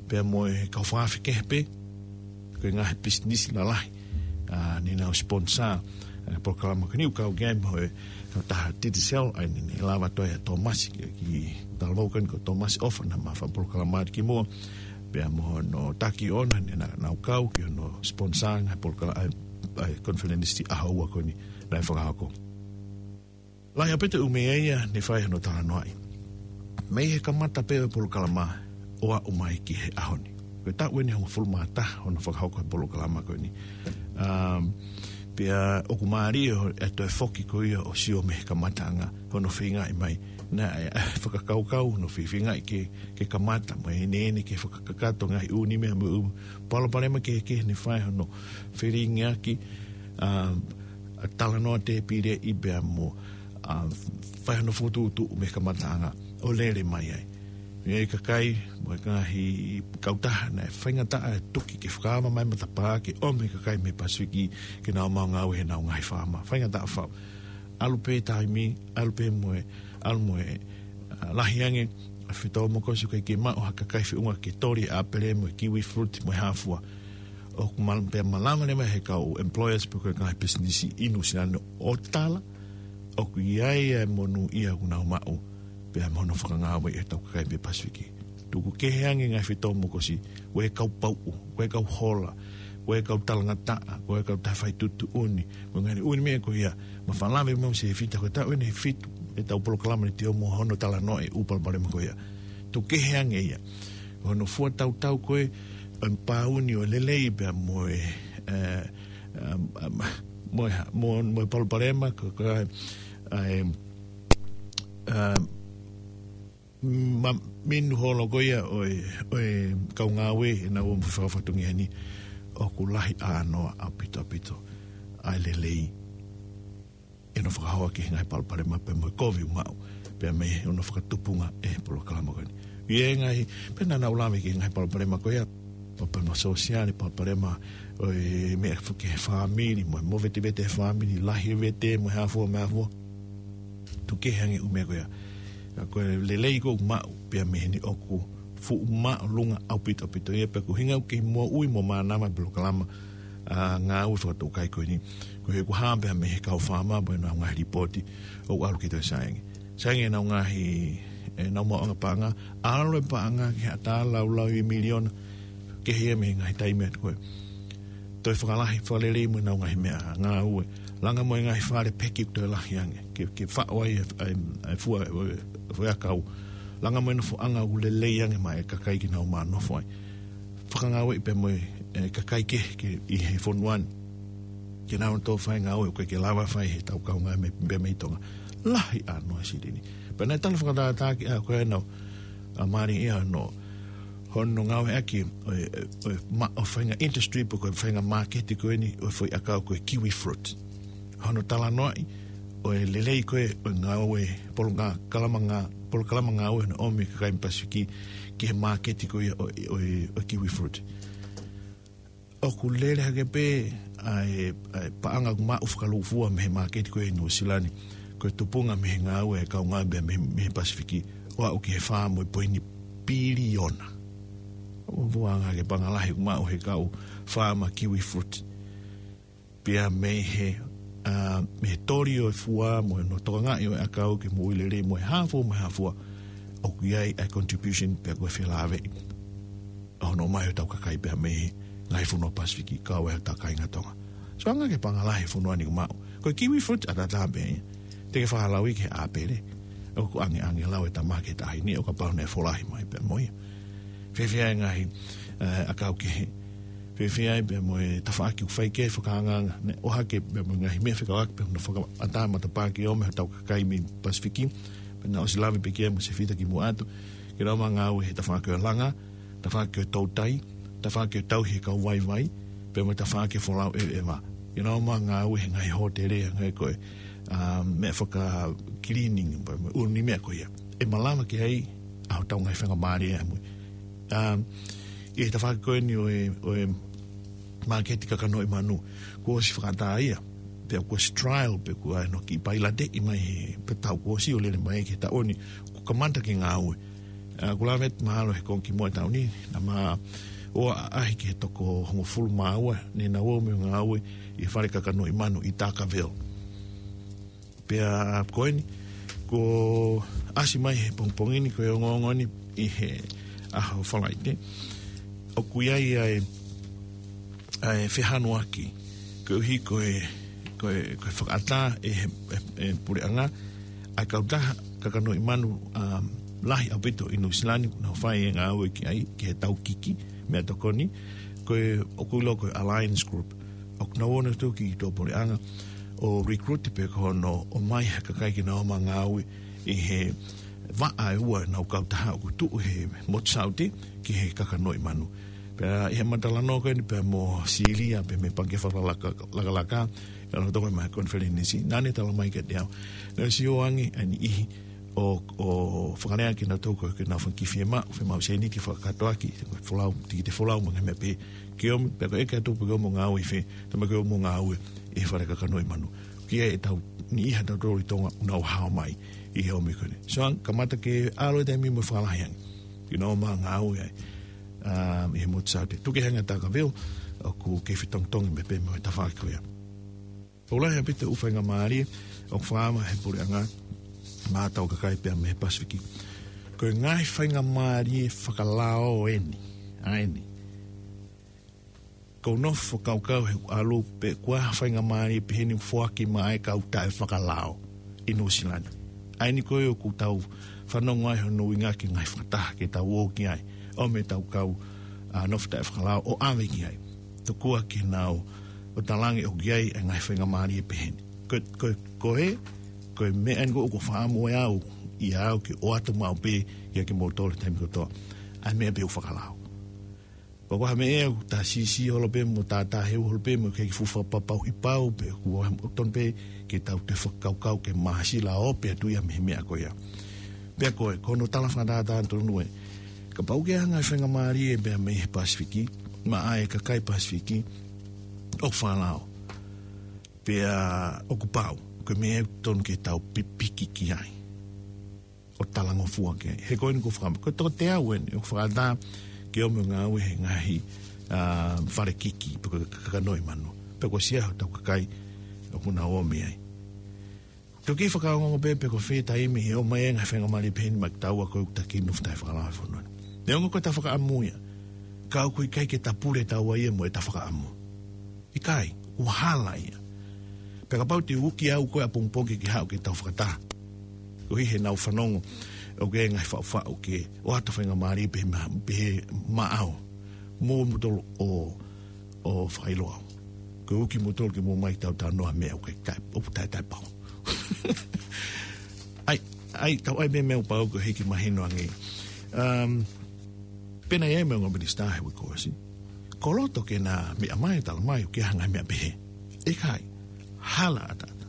Pea mo e kau fakaafe kehe pē, ko e ngaahi pisinisi lalahi, ʻa, ne nau sponsor, ʻa, polokalama ko eni ʻoku kau ki ai mo e kautaha Digicel, ʻa ia ne, ne lava atu ai ʻa Tōmasi ki, ki Talavou ko eni ko Tōmasi ʻOfa naʻa ma fakapolokalama atu kimuʻa, pea mo hono taki ʻoʻona ne nau, nau kau ki hono sponsor e ngaahi polokala-, ʻa e, ʻa e konifelenisi ʻaho ua ko eni naʻe fakahoko. Lahi ʻaupito e ʻū meʻa ia ne fai hono talanoaʻi. Mei he kamata pē ʻo e polokalama ʻo aʻu mai ki he ʻaho ni. Ko e taʻu eni ʻe hongofulu mā taha hono fakahoko e polokalama ko eni. Um, pea ʻoku mālie ʻa e toe foki ko ia ʻo sio mei he kamataʻanga hono feingaʻi mai. Naʻe, ʻa e fakakaukau hono feingaʻi ke, ke kamata mo e ʻeneʻene ke fakakakato e ngaahi ʻū meʻa mo e ʻū palopalema kehekehe ne fai hono felingiʻaki, um, ʻa e talanoa tēpileʻi pea mo, ʻa, fai hono fokotuʻutuʻu mei he kamataʻanga ʻo lele mai ai. ʻI ai e kakai mo e ngaahi kautaha naʻe faingataʻa e tuki ke fakaava mai e matapā ke ʻomi e kakai mei Pasifiki ke nau ō mai ʻo ngāue heʻenau ngaahi faama. Faingataʻa fau. ʻAlu pē taimi, ʻalu pē mo e, ʻalu mo e, ʻa, lahi ange ʻa e fetōmokosi ʻoku ʻikai ke maʻu ha kakai feʻunga ke toli e ʻāpele mo e kiwi fruit mo e hā fua. ʻOku mal-, pea malava leva ʻe he kau employers pe ko e ngaahi pisinisi ʻi Nuʻusila ni ʻo tala ʻoku ʻi ai e monūʻia ʻoku nau maʻu pea mo hono fakangāueʻi ʻetau kakai mei Pasifiki. Tuku kehe ange e ngaahi fetōmokosi, ʻoku ʻi ai e kau pauʻu, ʻoku ʻi ai e kau hola, ko e kau talangataʻa, ko e kau taha fai tuʻutuʻuni, ko e ngaahi ʻū meʻa ko ia, ma fālave mo Sefita ko e taʻu ʻeni ʻe fitu, ʻetau polokalama ni te o mo hono talanoa e ʻū palopalema ko ia. Tuku kehe ange ia. Hono fua tautau ko e, ʻa e pāuni ʻo e lelei pea mo e, ē, ē, ē, mo e, mo, mo e palopalema ko, ko e, ʻa e, ē, ma, minu holo ko ia ʻo e, ʻo e kau ngāue ʻenau ō mo fakafatongia ni ʻoku lahi ʻānoa ʻaupito ʻaupito ʻa e lelei ʻi hono fakahoa ki he ngaahi palopalema pea mo e kovi ʻoku maʻu, pea mei hono fakatupunga e polokalama ko eni. ʻI he ngaahi, pea naʻa nau lave ki he ngaahi palopalema ko ia, palopalema sōsiale, palopalema ʻo e meʻa fo-, ki he fāmili, mo e movetevete he fāmili, lahi e vete, mo e hā fua, mo e hā fua. Tuku kehe ange ʻū meʻa ko ia. Ka ko e lelei ko ē ʻoku maʻu, pea mei heni ʻoku fuʻu māʻolunga ʻaupito ʻaupito ia pea ko e ʻuhinga ʻoku kei moʻui mo mānava e polokalama, ʻa, ngāue fakatōkai ko eni. Ko e ʻuhinga ʻoku hā pea mei he kau faama mo ʻenau ngaahi lipooti ʻoku ʻalu ki he Tohi Sānge. Sānge ʻenau ngaahi, ʻenau maʻuʻanga paʻanga, ʻalu e paʻanga ki he ʻatā laulau ʻi he miliona, kehe ia mei he ngaahi taimi atu ko ē. Toe fakalahi, fakalelei mo ʻenau ngaahi meʻa ngāue. Langa mo e ngaahi fale peki ʻoku toe lahi ange. Ke, ke faʻo ai e, e, e fua, e, e fua ʻakau. Langa mo e nofoʻanga ʻoku lelei ange maʻa e kakai ke nau mā nofo ai. Fakangāueʻi pea mo e, e kakai kehe ke ʻi he fonua ni. Ke nau toe fai ngāue ʻoku ʻikai ke lava fai he tau kau ngāue mei, mei, mei Tonga. Lahi ʻānoa silini. Pea naʻe tala fakatātā ki ai ko ē ʻenau, ʻa, mālie ia ʻenau hono ngāueʻaki ʻo e, ʻo e ma-, ʻo e faʻahinga industry pe ko e faʻahinga māketi ko eni ʻo e foʻi ʻakau ko e kiwi fruit. Hono talanoaʻi ʻo e lelei ko ē ʻo e ngāue, polokalama ngā-, polokalama ngāue hono ʻomi e kakai mei Pasifiki ki he māketi ko ia ʻo, ʻo, ʻo e kiwi fruit. ʻOku lele hake pē ʻa e, ʻa e paʻanga ʻoku maʻu fakalūkufua mei he māketi ko ē ʻi Nuʻusila ni, ko e tupunga mei he ngāue e kau ngāue mei, mei he Pasifiki, ʻo aʻu ki he fā mo e poini piliona. ʻOku fuʻu anga hake paʻanga lahi ʻoku maʻu he kau faama kiwi fruit. Pea mei he, ʻa, mei he toli ʻo e fua mo hono tokangaʻi ʻo e ʻakau ke moʻui lelei mo e hā fua mo e hā fua, ʻoku ʻi ai ʻa e contribution pea ko e felāveʻi ʻa hono ʻomai ʻo e tau kakai pea mei he ngaahi fonua Pasifiki, kau ai e tau kāinga Tonga. So anga hake paʻanga lahi e fonua ni ʻoku maʻu. Ko e kiwi fruit ʻataʻatā pē ia. Te ke fakalauʻi ki he ʻāpele. ʻOku ʻangeʻange lau e tama ki he taʻahine ʻo kapau naʻe folahi mai pea mo ia. Fēfē e ngaahi, ē, ʻakau kehe. Fēfē pea mo e tafaʻaki ʻoku fai ki ai e fakaangaanga, ne ʻohake pea mo e ngaahi meʻa fekauʻaki pea mo hono fakaʻatā matapā ke ʻomai ʻe he tau kakai mei Pasifiki, pea naʻe ʻosi lave pē ki ai mo Sefita kimuʻa atu, ke nau ō ʻo ngāue he tafaʻaki ʻo e langa, tafaʻaki ʻo e toutai, tafaʻaki ʻo e tauhi e kau vaivai, pea mo e tafaʻaki ʻo e folau ʻeveʻeva. Ke nau ō ʻo ngāue he ngaahi hōtele, ngaahi ko ē, ʻa, meʻa faka-cleaning, pea mo e ʻū meʻa ko ia. ʻE malava ki ai ʻa hotau ngaahi faingamālie ʻamui. ʻA, ʻi he tafaʻaki ko eni ʻo e, ʻo e māketi kakanoʻi manu, kuo ʻosi fakaʻatā ia, pea kuo ʻosi trial, pea kuo ʻi ai hono kiʻi pailateʻi mai he, pea tau kuo ʻosi ʻo lele mai ki he taʻu ni, kuo kamata ke ngāue. ʻA, ʻoku lave atu mahalo he konga kimuʻa e taʻu ni, naʻa ma ō ʻo ʻaʻahi ki he toko hongofulu mā ua, ne nau ō mai ʻo ngāue ʻi he fale kakanoʻi manu ʻi Dargaville. Pea ko eni, kuo ʻasi mai he pongipongi ni, ko e ongoongo ni ʻi he ʻaho Falaite. ʻOku ʻi ai ʻa e, ʻa e fehanuaki, koeʻuhi ko e, ko e, ko e fakaʻatā ʻe he, ʻe, ʻe he puleʻanga, ʻa e kautaha kakanoʻi manu, ʻa, lahi ʻaupito ʻi Nuʻusila ni, ʻoku nau fai e ngāue ki ai, ki he tau kiki, meʻatokoni, ko e, ʻoku ʻiloa ko e Alliance Group. ʻOku nau ō nautolu ki tuʻapuleʻanga ʻo recruit pea ko hono ʻomai ha kakai ke nau ō ʻo ngāue ʻi he vaʻa ʻe ua ʻenau kautaha ʻoku tuʻu he motu Saute ki he kakanoʻi manu. Pea ʻi heʻema talanoa ko eni pea mo Silia pea mei he Pangikē Fakalakalaka, ʻi he lotolotonga ʻema konifelenisi, naʻa ne talamai kiate au, naʻe ʻosi ō ange ʻa e niʻihi ʻo, ʻo fakalea kinautolu ko ē ke nau fanga kiʻi fiemaʻu, fiemaʻu sēniti fakakātoa ki he folau, tikite folau mo e ngaahi meʻa pehē. Ke ʻomi, pea ko e ʻeke atu pe ke ō ʻo ngāue ʻi fē, talamai ke ō ʻo ngāue ʻi he fale kakanoʻi manu. Ko ia ʻetau niʻihi ʻatautolu ʻi Tonga ʻoku nau hao mai ʻi he ʻomi ko eni. So, kamata ke ʻalu e taimi mo fakalahi ange ke nau ō ʻo ngāue ai, ʻa, ʻi he motu Saute. Tuku kehe ange ʻa Dargaville, ʻoku kei fetongitongi meʻa pehē mo e tafaʻaki ko ia. ʻOku lahi ʻaupito e ʻū faingamālie ʻoku fakaava ʻe he puleʻanga maʻa e tau kakai pea mei he Pasifiki. Ko e ngaahi faingamālie fakalao eni, ʻa eni. Ko u nofo fakakaukau he ʻalu pe ko e hā ha faingamālie pehē ni ʻoku foaki maʻa e kau taʻefakalao ʻi Nuʻusila ni. ʻA eni ko ē ʻoku tau fanongo ai hono ʻuhinga ki he ngaahi fakataha ke tau ō ki ai. ʻO meʻa tau kau ʻa nofo taʻefakalao ʻo ʻave ki ai. Tokua ke nau ʻo talaange ʻoku ʻi ai e ngaahi faingamālie pehē ni. Ko, ko, ko e, ko e meʻa eni ko ē ʻoku ou fakaʻamu ʻe au, ʻia au ke ʻoatu maʻu pē ia ke mou tole taimi kotoa. ʻA e meʻa pē ʻoku fakalao. Ko e hā ha meʻa ʻoku ta sisi holo pē mo ta ta he holo pē mo ke ki fufa papau i pau pē ʻoku ʻoatu pē ke tau toe fakakaukau ke māsila ʻo pē atu ia mei he meʻa ko ia. Pea ko e, ko hono tala fakatātā tonu ē. Kapau ʻoku ʻi ai ha ngaahi faingamālie pea mei he Pasifiki, maʻa e kakai Pasifiki, ʻoku fakalao. Pea ʻoku pau, ko e meʻa ʻoku tonu ke tau pipiki ki ai. ʻO talangofua ki ai. He ko eni ʻoku fakaʻamu, ko e toko teau eni, ʻoku fakaʻatā ke ʻomi ʻo ngāue he ngaahi, ʻa, fale kiki, pe ko e kakano ʻi Manu. Pea ko e siʻa hotau kakai, ʻoku nau ō mei ai. Toki fakaongoongo pē, pe ko fē taimi ʻe ʻomai e ngaahi faingamālie pehē ni maʻa kitaua ko ē ʻoku ta kiʻi nofo taʻefakalao he fonua ni. Neongo ko e ta fakaʻamu ia. Ka ʻoku ʻikai ke ta pule taua ia mo e ta fakaʻamu. ʻIkai, ʻoku hala ia. Pea kapau te u uki au ko ē ʻapongipongi ke haʻu ke tau fakataha. Koeʻuhi he naʻa ku fanongo, ʻoku ʻi ai e ngaahi faʻufaʻu ke ʻoatu faingamālie pehē ma-, pehē maʻau. Mo mutolu ʻo, ʻo fakaʻilo au. Ko e uki mutolu ke mou ō mai tau talanoa meʻa ʻoku ʻikai, ʻoku taʻe, taʻepau. ʻAi, ʻai, tau ʻai meʻa meʻa ʻoku pau ko e hiki mahino ange. Um, pea naʻe ʻi ai e meʻa ongo minisitā he uike kuo ʻosi. Ko e loto ke na meʻa mai, tala mai, ʻoku ʻi ai ha ngaahi meʻa pehē. ʻIkai, hala ʻataʻatā.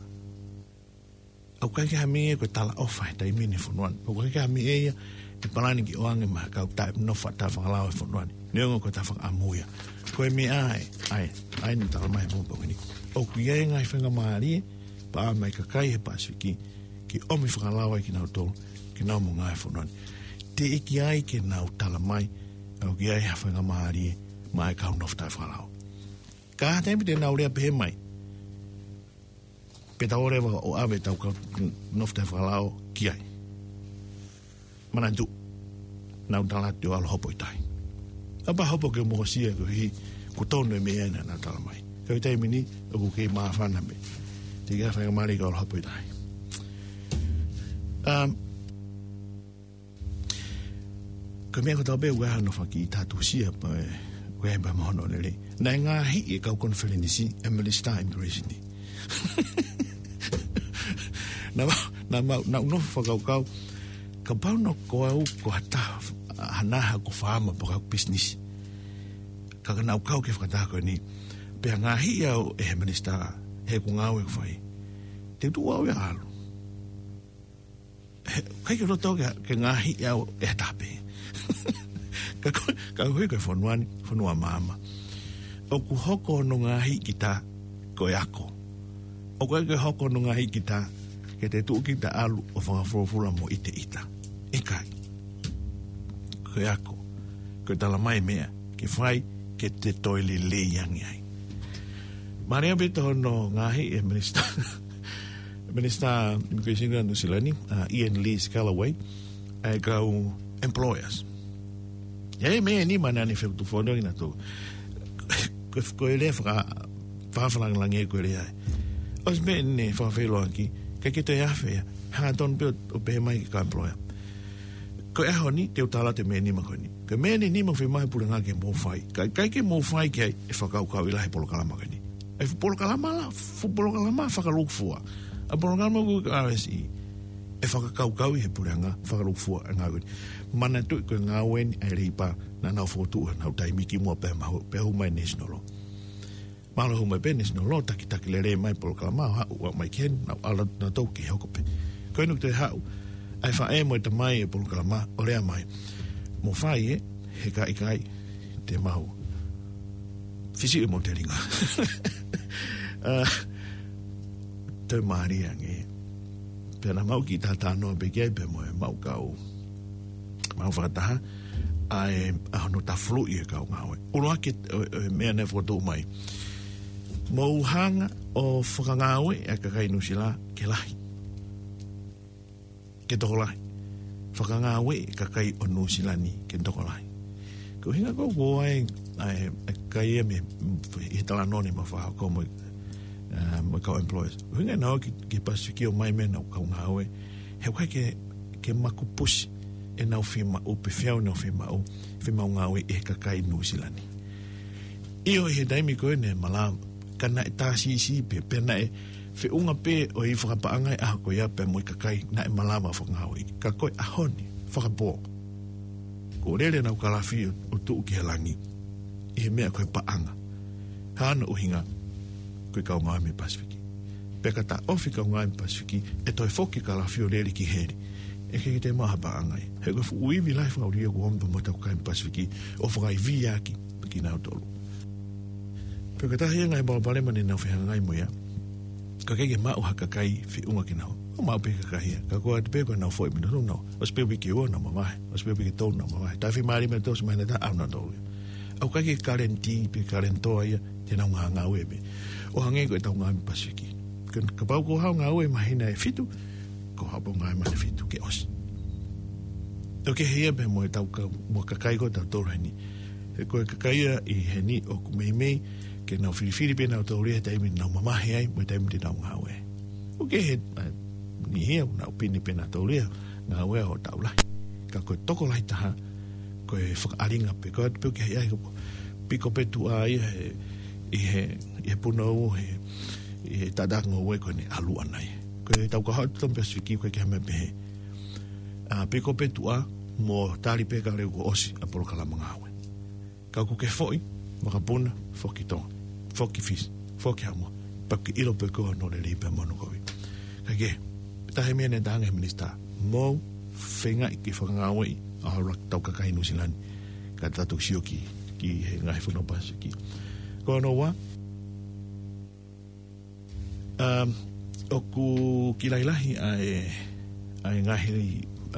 ʻOku ʻikai ke ha meʻa ia ko e talaʻofa he taimi ni he fonua ni. ʻOku ʻikai ke ha meʻa ia ʻe palani ke ʻoange maʻa e kau taʻenofo taʻefakalao he fonua ni. Neongo ko e ta fakaʻamu ia. Ko e meʻa ē, ʻai, ʻai ni tala mai he pongipongi ni. ʻOku ʻi ai e ngaahi faingamālie, pea maʻa e kakai he Pasifiki, ke ʻomi fakalao ai kinautolu, ke nau ō mo ngāue he fonua ni. Teʻeki ai ke nau tala mai, ʻoku ʻi ai ha faingamālie, maʻa e kau nofo taʻefakalao. Ka ha taimi te nau lea pehē mai. Pea tau ō leva ʻo ʻave ʻetau kau nofo taʻefakalao ki ai. Manatu, nau tala atu ʻe ʻalu hopo ʻi tahi. ʻApā hopo ke mokosia koeʻuhi, ʻoku tonu e meʻa naʻa nau tala mai. Ka ʻi he taimi ni, ʻoku kei māfana mei. Teʻeki ai ha faingamālie ke ʻalu hopo ʻi tahi. Um, Ko e meʻa ko ē tau pehē ʻoku ʻi ai hano fakatatusia pē, ʻoku ʻi ai pē mo hono lelei. Naʻe ngaahi e kau konifelenisi e minisitā immigration ni. Naʻa ma-, naʻa ma-, naʻa ku nofo fakakaukau, kapau naʻa ko au ko ha taha, ha naha ko e faama pe ko ha business. Ka ka naʻa ku kau ki he fakataha ko eni. Pea ngaahi au ʻe he minisitā, he ko e ngāue ʻoku fai. Te u tuʻu au ia ʻo ʻalu. He, ʻikai ke u loto ke, ke ngaahi au ʻe ha taha pē. Ka ko, ka hui ko e fonua ni, fonua maama. ʻOku hoko hono ngaahi kita ko e ako. ʻOku ʻikai ke hoko hono ngaahi kita, ke te tuʻu kita ʻo ʻalu ʻo fakafuofua mo ʻiteʻita. ʻIkai. Ko e ako. Ko e tala mai meʻa, ke fai, ke te toe lelei ange ai. Mālie pē ʻi hono ngaahi e minisitā. Minisitā Immigration ʻa Nuʻusila ni, ʻa Ian Lee Scalloway, ʻa e kau employers. ʻI ai e meʻa ʻe nima naʻa ne fekutufono kinautolu. Ko, ko e lea faka-, fakafalangilangi ko e lea ē. ʻOsi meʻa ne fakafeʻiloaki, ʻikai ke toe afe ia. Hangatonu pē ʻo, ʻo pehē mai ki he kau employer. Ko e ʻaho ni, te u tala atu e meʻa ʻe nima ko eni. Ko e meʻa ʻe nima ʻoku fiemaʻu ʻe he puleʻanga ke mou fai. Ka, ʻikai ke mou fai ki ai, ʻe fakakaukauʻi lahi e polokalama ko eni. ʻA e fuʻu polokalama la, fuʻu polokalama fakalūkufua. ʻA e polokalama ko ē ʻa e R S E. ʻE fakakaukauʻi ʻe he puleʻanga fakalūkufua e ngāue ko eni. Manatuʻi ko e ngāue eni ʻa e Leipa naʻa nau fokotuʻu ʻenau taimi kimuʻa pea mahu-, pea hū mai e National Law. Mahalo hū mai pē e National Law, takitaki lelei mai e polokalama, ʻo haʻu ʻo aʻu mai ki heni, naʻa nau ʻalu atu nautolu ke hoko pē. Ko eni ʻoku toe haʻu ʻa e faʻē mo e tamai e polokalama, ʻo lea mai. Mou fai ē, he ka ʻikai, te mau fisiʻi mo telinga. ʻA, toe mālie ange. Pea naʻa mau kiʻi talanoa pē ki ai pea mo e mau kau. Mau fakataha, ʻa e, ʻa hono tafuluʻi e kau ngāue. ʻUluaki, ʻo, ʻo e meʻa naʻe fokotuʻu mai. Mou hanga ʻo fakangāueʻi e kakai Nuʻusila ke lahi. Ke tokolahi. Fakangāueʻi e kakai ʻo Nuʻusila ni ke tokolahi. Ko e ʻuhinga ko ē ʻoku ʻi ai ʻa e, ʻa e kakai ia mei, ʻi he talanoa ni ʻoku mau fakahoko mo, ā, mo e kau employers. ʻUhinga ʻenau ō ki, ki Pasifiki ʻo ʻomai mai ʻenau kau ngāue, he ʻoku ʻikai ke, ke makupusi ʻenau fiemaʻu, pe feau ʻenau fiemaʻu, fiemaʻu ngāue ʻe he kakai Nuʻusila ni. ʻIo, ʻi he taimi ko ē naʻe malava, ka naʻe tā siʻisiʻi pē, pea naʻe feʻunga pē ʻo e fakapaʻanga ʻi he ʻaho ko ia pea mo e kakai naʻe malava fakangāueʻi. Ka ko e ʻaho ni, fakapō, kuo lele ʻenau kalafi ʻo, ʻo tuʻu ki he langi ʻi he meʻa ko e paʻanga. Hā hono ʻuhinga? Ko e kau ngāue mei Pasifiki. Pea ka taʻofi e kau ngāue mei Pasifiki, ʻe toe foki e kalafi ʻo lele ki heli. ʻE ʻikai ke toe maʻu ha paʻanga ia. He ko e fuʻu ivi lahi fakaʻulia kuo ʻomi pea mo e kau ngāue mei Pasifiki ʻo fakaivia ʻaki pē kinautolu. Pea ko e taha ia e ngaahi palopalema naʻa nau fehangahangai mo ia. Ka ʻoku ʻikai ke maʻu ha kakai feʻunga kinautolu. ʻOku maʻu pē kakai ia. Ka ko e ʻatu pē ko ʻenau foʻi mino tonu nau. ʻOsi pē uike ua nau mavahe. ʻOsi pē uike tolu nau mavahe. Taʻe fiha mālie mei he tolu, mahina ʻe taha ʻalu nautolu ia. ʻOku ʻikai ke kaleni pē kaleni toa ia, te nau ngāue pē. ʻO hangē ko e kau ngāue mei Pasifiki. Ka, kapau ko e haʻu ngāue mahina ʻe fitu, ko e haʻu pē ngāue mahina ʻe fitu ke ʻosi. ʻOku kehe ia pē mo e tau ka, mo e kakai ko ē ʻoku tau tolo heni. He ko e kakai ia ʻi heni ʻoku meimei ke nau filifili pē nautolu ia he taimi naʻa nau mavahe ai, mo e taimi te nau ngāue. ʻOku kehe, ā, niʻihi ia, nau pini pē nautolu ia, ngāue ʻo taʻu lahi. Ka ko e tokolahi taha, ko e fakaʻalinga pē, ko e ʻatu pē ʻoku ʻi ai, piko pē tuʻa ia he, ʻi he, ʻi he punou, he, ʻi he taʻataʻa ngoue ko eni ʻalu ʻanai. Ko e tau ka hot tom Pasifiki ko e ke hame pehē. Ā, piko pē tuʻa, mo tali pē ka leu kuo ʻosi ʻa e polokalama ngāue. Ka ʻoku ke foʻi, makapuna, foki Tonga, foki Fisi, foki Haʻamoa, pea ke ʻilo pē ko hono lelei pea mo hono kovi. Ka ke, taha e meʻa naʻe talaange ʻe he minisitā, mou feingaʻi ke fakangāueʻi ʻa e ʻuluaki tau kakai Nuʻusila ni, ka tau toki sio ki, ki he ngaahi fonua Pasifiki. Ko hono ua, Um, ʻoku kiʻi lahilahi ʻa e, ʻa e ngaahi,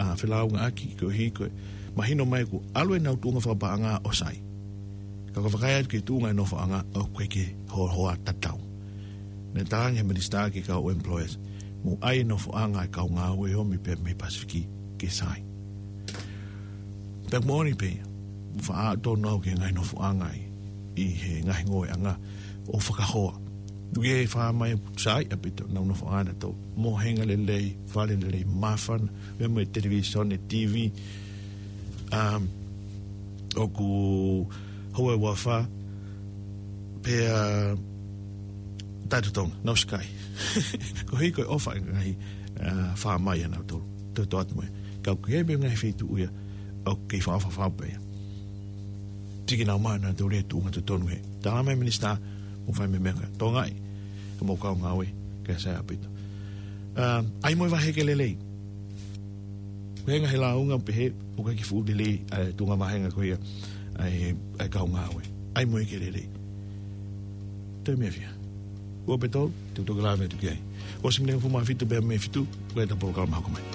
ā, felāungaʻaki, koeʻuhi ko e mahino mai kuo ʻalu ʻenau tuʻunga fakapaʻanga ʻo sai. Ka ko e vakai atu ki he tuʻunga e nofoʻanga ʻoku ʻikai ke hohoa tatau. Naʻe talaange ʻe he minisitā ki he kau employers, mou ʻai e nofoʻanga e kau ngāue ʻomi pē mei Pasifiki ke sai. Pea moʻoni pē, faʻa tonu au ki he ngaahi nofoʻanga ʻi, ʻi he ngaahi ngoueʻanga ʻo fakahoa. ʻOku ke fakahā mai ʻoku sai ʻaupito ʻenau nofoʻanga naʻa tau mohenga lelei, fale lelei, māfana, pea mo e televīsone, T V, um, ʻoku houa ʻe uofā, pea taʻetotongi, no sky. Koeʻuhi ko e ʻofa e ngaahi, ā, faʻa mai ʻanautolu. Toe toʻa atu mo ia. Ka ʻoku ʻi ai pē ngaahi feituʻu ia, ʻoku kei fakaʻofoʻofa pē ia. Tiki nau mai ʻanautolu ia tuʻunga totonu he. Tala mai minisitā, mou fai e meʻa ko ē. Tokangaʻi, ka mou kau ngāue, kae sai ʻaupito. Ā, ʻai mo e vahe ke lelei. Ko e ngaahi lāunga pehē, ʻoku ʻikai ke fuʻu lelei, ʻa e tuʻunga vahenga ko ia, ʻa e, ʻa e kau ngāue. ʻAi mo ia ke lelei. Toe meʻa fiha. Ua pe tolu, te u toki lave atu ki ai. Ko e siminenga fuʻu mā fitu pea mei fitu, ko e ta polokalama hoko mai.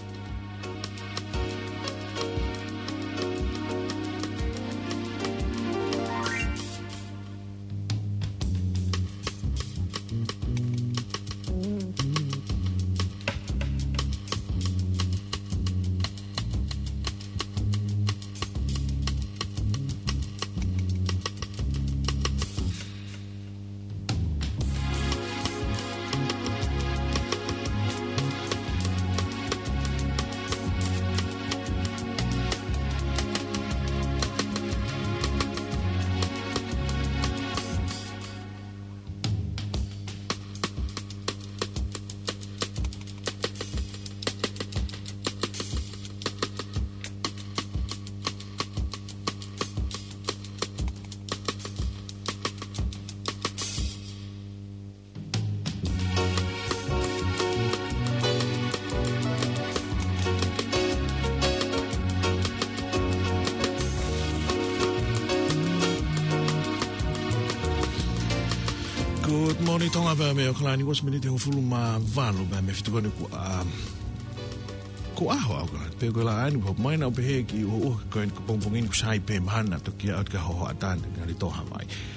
Good morning, Tonga, pea mei ʻAokalani, ua miniti hongofulu mā valu, pea mei he fitu ko eni kuo, um, kuo ʻaho ʻAokalani, pea ko e laʻā ni, pea mai naʻa ku pehē ki ʻuha ʻuha ko eni ko e pongipongi ni kuo sai pē mahalo naʻa toki ʻai atu ki ha hohoʻa ʻatā, ngali tō Havaiʻi.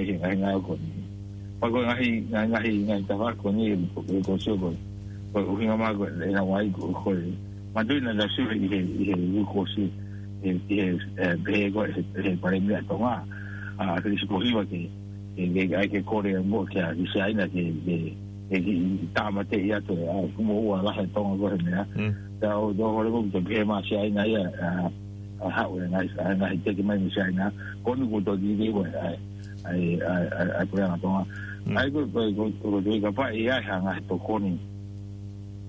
ʻi he ngaahi ngāue ko eni. Pea ko e ngaahi, ngaahi, ngaahi, ngaahi tafaʻaki ko eni, ko e, ko e sio ko e, ko e ʻuhinga mai ko e, ʻe na wai ko, ko e, manatuʻi naʻa tau sio ʻi he, ʻi he uike kuo ʻosi, ʻi he, ʻi he, ē, pehē ko e, ʻe he, ʻe he Palēmia ʻa Tonga, ʻa Felisipohiva ke, ke, ke, ʻai ke kole mo kia, ki Siaina ke, ke, ʻe kiʻi tāmateʻi atu ʻe, ʻa, kuo moʻua lahi ʻa Tonga ko e meʻa. Mm. Pea ʻoku ou tui ʻoku hoko atu pē mei Siaina ia, ʻa, ʻa haʻu e ngaahi, ʻa, ngaahi teke mai mei Siaina. Ko eni kuo tō ki he, ʻa, ʻa, ʻa, ʻa, ʻa, puleʻanga Tonga. Mm. ʻA ia ko, ko, ko, ko, ko, kapau ʻe ʻi ai ha ngaahi tokoni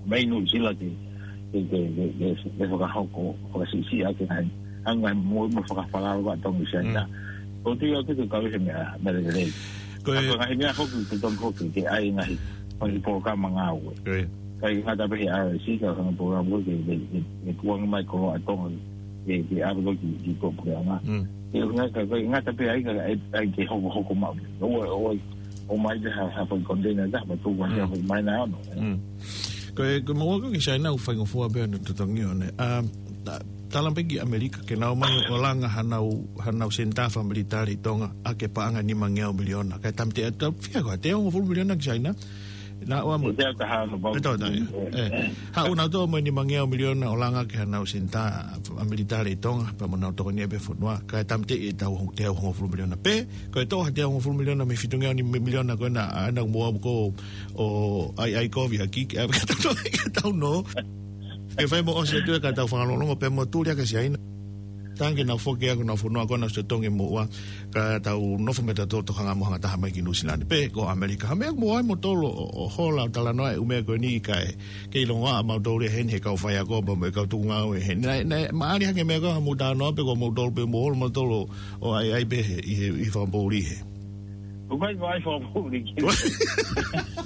mei Nuʻusila ke, ke, ke, ke, ke, ke fakahoko, fakasiʻisiʻi ʻaki e ngaahi, ʻa e ngaahi moʻui mo e fakafalala ʻa Tonga ʻi Siaina. Mm. ʻOku ou tui ʻoku kei kau he meʻa, meʻa lelei. Ko e ʻA ko e ngaahi meʻa foki, ko e tonu foki, ke ʻai e ngaahi, ngaahi polokalama ngāue. Ko e. ʻIkai ngata pē he R S C, ka ko e ngaahi polokalama ko ē, ke, ke, ke, ke tukuange mai koloa ʻa Tonga, ke, ke ʻave ko ē ki, ki tuʻapuleʻanga. Mm. Ke ʻuhinga ka, ʻikai ngata pē ai ka, ʻe, ʻai ke hokohoko maʻu. ʻO, ʻo, ʻo mai te ha, ha fai container ta, ma tuku ʻa Mm. ha fai mai na ono. Mm. Ko e, ko e moʻua ko ē ki Siaina ʻoku faingofua pē ʻene totongi ʻo ne. ʻA, ʻa, tala pē ki ʻAmelika, ke nau ō mai ʻo langa hanau, hanau senitā fakamilitale ʻi Tonga, ʻa e paʻanga ʻe nima ngeau miliona. Kae tāmateʻi atu, fia ko e teau hongofulu miliona ki Siaina. Naʻa ʻoua mo Te au taha no bau. ʻE tō, tō, ʻe. ʻE. Haʻu nautolu mo e nima ngeau miliona ʻo langa ki hanau senitā fakamilitale ʻi Tonga, pea mo nau tokoni pē fonua. Kae tāmateʻi ʻetau hong-, teau hongofulu miliona. Pea, ko e toʻo ha teau hongofulu miliona mei he fitu ngeau nima miliona ko ena, ʻa, naʻa mo au ko ʻo ʻai, ʻai kovi ʻa Kiki, ʻa, ka tau, ka tau nō. Ke fai mo ʻosi atu ē ka tau fakalongolongo pea mo tuli ʻa Siaina. Tangi nau foki ʻa honau fonua ko ē nau sio tongi moʻua ka tau nofo mo tautolu tokanga mo hanga taha mai ki Nuʻusila ni. Pe ko ʻAmelika ha meʻa mo ai mo tolo ʻo, ʻo hola ʻo talanoa e ʻū meʻa ko eni kae kei longoaʻa mautolu ia heni he kau faiako pea mo e kau tuʻungāue heni. Naʻe, naʻe maʻali hake meʻa ko ē ha mou talanoa pe ko mautolu pē mo holo mautolu ʻo ʻai, ʻai pē he, ʻi he, ʻi he fakapoʻuli he. ʻOku ʻikai ko e fakapoʻuli ki.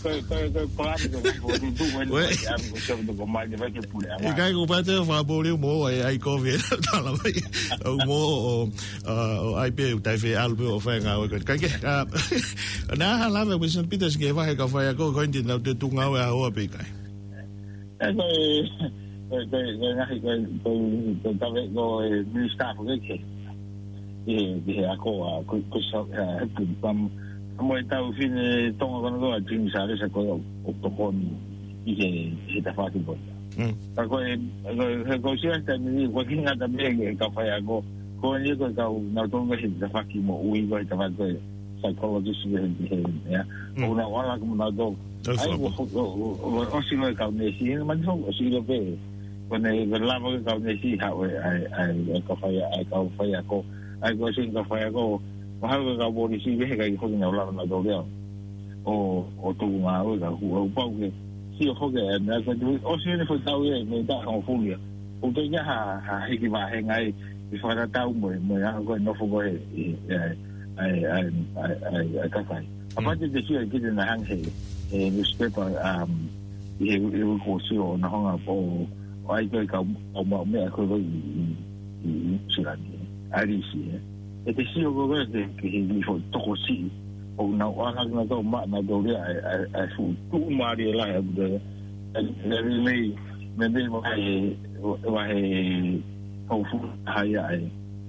Ko e, ko e, ko e palani ko e fakapoʻuli, tuku eni Ko e. ko e ʻamu ko e siapu ko mai te vai ke pule ʻa. ʻIkai ko e pate fakapoʻuli mo e ʻai kovi e tala mai. ʻO mo ʻo, ʻo, ʻo ʻai pē ʻo tai fe ʻalu pē ʻo fai ngāue ko e. Kae kehe, ʻa, naʻa hala me Wilson Peters ke vahe kau faiako ko eni naʻa te tuʻungāue ʻa hoa pe ʻikai. ʻE, ko e, ko e, ko e, ko e ngaahi, ko e, ko e, ko e kave, ko e minisitā foki ke, ke, ke he ako ʻa, ko, ko sa, ʻa, he pun, pam, pam mo e tau fine Tonga ko ena ko ē ʻa Jimmy Salesa ko e ʻo, ʻo tokoni ʻi he, he tafaʻaki ko ē. Mm. Ka ko e, ko e, he ko sia taimi ni, ko e ki ngata me ke kau faiako, ko eni ko e kau nautolu he tafaʻaki moʻui ko e tafaʻaki ko e psychologist he, he, he, ya. Mm. ʻO nau ala ko nautolu. ʻAi, ʻAi, fakapoʻuli. ʻo, ʻo, ʻo, ʻo, ʻosi ko e kau neesi, he mani fo, ʻosi ko e pē. Ko ena ko e lava ko e kau neesi, ha, ʻo, ʻai, ʻai, ʻai, kau fai, ʻai, kau faiako. ʻAi, ko e ʻosi kau faiako, mahalo ko e kau polisi, he ʻikai ko ena ʻo lava nautolu ia. ʻO, ʻo tuʻungāue ka, ʻo, ʻo pau ke, sio foki, ʻe, meʻa ko e tuʻi, ʻosi eni foʻi tau ia, mei he taʻu hongofulu ia. ʻOku ʻikai ha, ha hiki vāhenga ai, ʻi fakatatau mo, mo e anga ko e nofo ko e, ʻi, ʻi, ʻai, ʻai, ʻai, ʻai, ʻai, kakai. Mm. Kapau te te sio ki he naʻe hanga he, he newspaper, um, ʻi he, ʻi he uike kuo ʻosi ʻo na hanga ʻo, ʻo ʻai ko e kau, kau maʻu meʻa ko ē ʻi, ʻi, ʻi, ʻi Nuʻusila ni. ʻAlisi, ē. ʻE te sio ko ē ke, ke he ni foʻi tokosiʻi. ʻO nau ala na tau ma, na tau rea, ʻai, ʻai, ʻai fuʻu tuʻumālie lahi ʻa e, ʻe, ʻe, mei, mei, mei, mei, mei, mei, mei, hau fuʻu hai ai,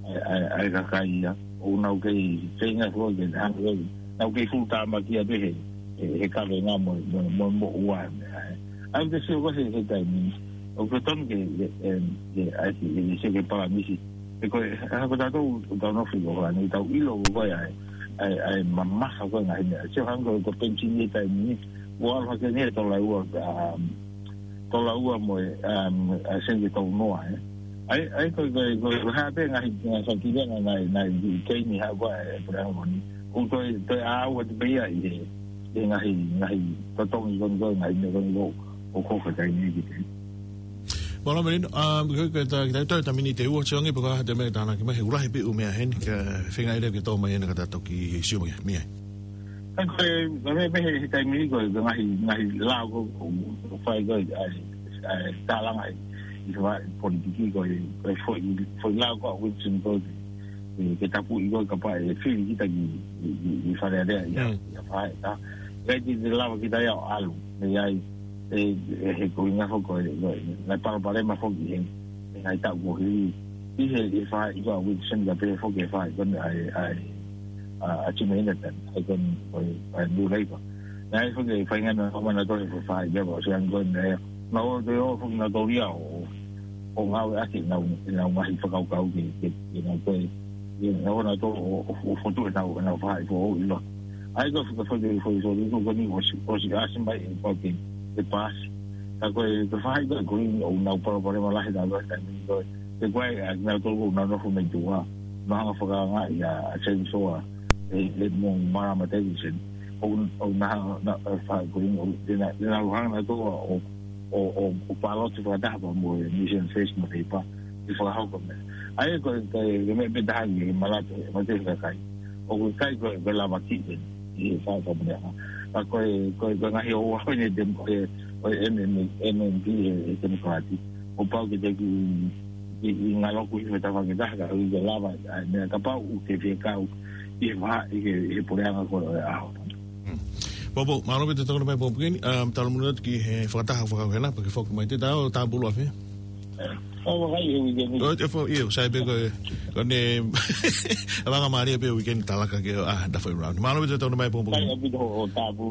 ai, ai, ai kakai ia. ʻO nau kei feinga fua ke hanga ai. Nau kei fuʻu tāmaki ia pē he, he, he kavenga mo, mo, mo, moʻua meʻa, ē. ʻAi te sio ko ē he, he taimi. ʻOku tonu ke, ke, em, ke, ʻai ke, ke, ke sio ke palanisi. He ko e, ha ko tatou, ʻoku tau nofo ʻi ʻOkalani, tau ʻilo ko ē ʻai, ʻai, ʻai mamafa ko ē ngaahi meʻa. Sio hangē ko e penisini he taimi ni, ʻoku ʻalu hake eni he tola ua, um, tola ua mo e, um, ʻa e seni tolu noa, ē. ʻAi, ʻai ko e, ko e, ko e, ko e hā pē ngaahi, ngaahi fakilenga ngaahi, ngaahi keini ha ko e, e pura mo ni. ʻOku toe, toe ʻalu atu pē ia ʻi he, ʻi he ngaahi, ngaahi totongi ko eni ko e ngaahi meʻa ko eni ko ē ʻoku hoko he taimi ni ki te. Mālō Melino, um, ko e, ko e ta, ki ta, toe ta miniti ʻe ua, sio ange pe ko e hā ha meʻa tānaki mai, he ʻoku lahi pē ʻū meʻa heni, ka feinga ʻe lava ke tō mai ena ka ta toki sio mai, mei ai. Ka ko e, ka me, me he, he taimi ni ko e, ko e ngaahi, ngaahi lao ko, ko, ko fai ko e, ʻai, ʻai, tālanga ʻi, ʻi he politiki ko e, ko e foʻi, foʻi lao ko ē ʻa Wilson ko e, ke, ke tapuʻi ko e kapau ʻe fili kita ki, ki, ki, ki Fale Alea ia, Mm. ia fai, ta. Kai te te lava kita ia ʻo ʻalu, mei ai, ʻe, ʻe he ko e ngaahi foʻi ko e, ko e, ngaahi palopalema foki he, he ngaahi taʻu kuo hili. ʻI he, ʻi he fai, ʻi ko ē ʻa Wilson ka pehē foki he fai, ko eni ʻai, ʻai, ʻa, ʻa Jimmy Inetan, ʻai ko eni, ko e, ʻai New Labour. Naʻe foki e faingataʻa ʻo mana toe fai, ia ko e ʻosi ange ko eni, naʻa ʻo toe ʻo foki nautolu ia ʻo, ʻo ngāueʻaki ʻenau, ʻenau ngaahi fakakaukau ke, ke, ke nau toe, ke nau ō nautolu ʻo, ʻo, ʻo fotu ʻenau, ʻenau fai foʻou ʻi loto. ʻA ia ko e fakafoki, foki, foki, ko eni ʻosi, ʻosi ʻasi mai e pau ke, ke paasi. Ka ko e, ko e faʻahi ko ē ko eni ʻoku nau palopalema lahi nautolu he taimi ni ko e, ko e, ʻa nautolu ʻoku nau nofo mei tuʻa. Nau hanga fakaanga ia ʻa Chainsaw, e, e mo Marama Davidson. ʻOku, ʻoku nau, nau, e faʻahi ko eni, ʻoku, te nau, te nau hanga nautolu ʻo, ʻo, ʻo, ʻo paloti fakataha pea mo e Mission First mo Leipa, ʻi he fakahoko meʻa. ʻA ia ko e, ko e, ko e meʻa pē taha ki he malate, malate fakakai. ʻOku ʻikai ko e, ko e lava kiʻi pē, ʻi he fakamoʻoni. Ka ko e, ko e, ko e ngaahi ʻoua ko eni te, ko e, ko e M M, M M P e, e Temokalati. ʻOku pau ke te ki, ki, ki ngalo ku i he tafa ke taha ka ui ke lava, ʻa, meʻa kapau ʻoku ke fie kau, ʻi he vaha, ʻi he, ʻi he puleʻanga ko e ʻaho. Hmm. Pōpō, mālō pē te tokona mai Pōpō Keni, um, tala muna atu ki he fakataha fakau hena, pea ke foki mai te tau, tāpulu afe. ʻO, vakai e weekend ni. ʻO, e fo, io, sai pē ko e, ko ʻene, langa mālie pē weekend talaka ke, ah, da fai round. Mālō pē te tokona mai Pōpō Keni. Sai ʻaupito hoʻo tāpulu.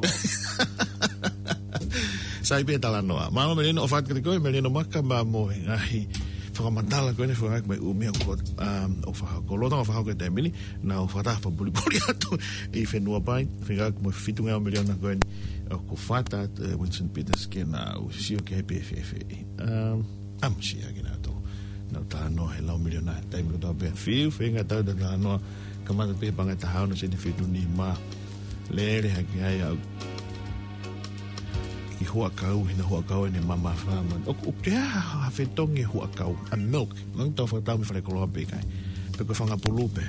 Sai pē talanoa. Mālō Melino ʻo fat kete koe, Melino Maka, ma mo e ngaahi fakamatala ko eni fakaʻaki mai ʻū meʻa ko, um, ʻo fakahoko. Lolotonga fakahoko e taimi ni, naʻa ku fakataha fakapulipuli atu ʻi Fenuapai, fekauʻaki mo e fitungeau miliona ko eni, ʻoku fata atu, eh, Winston Peters ke nau sio ki ai pe fēfē. Um, ʻAmusia kinautolu. Nau talanoa he lau miliona, taimi kotoa pē. Fiu, feinga tau ta talanoa, kamata pē he paʻanga ʻe taha ono sēniti fitu nima. Lele hake ai au ki huʻakau, hina huʻakau ʻene mamafa. ʻOku, ʻoku ʻi ai ha, ha fetongi huʻakau, a milk. Nau tau fakatau mei Falekoloa pe ʻikai. Pe ko e fanga pulu pē.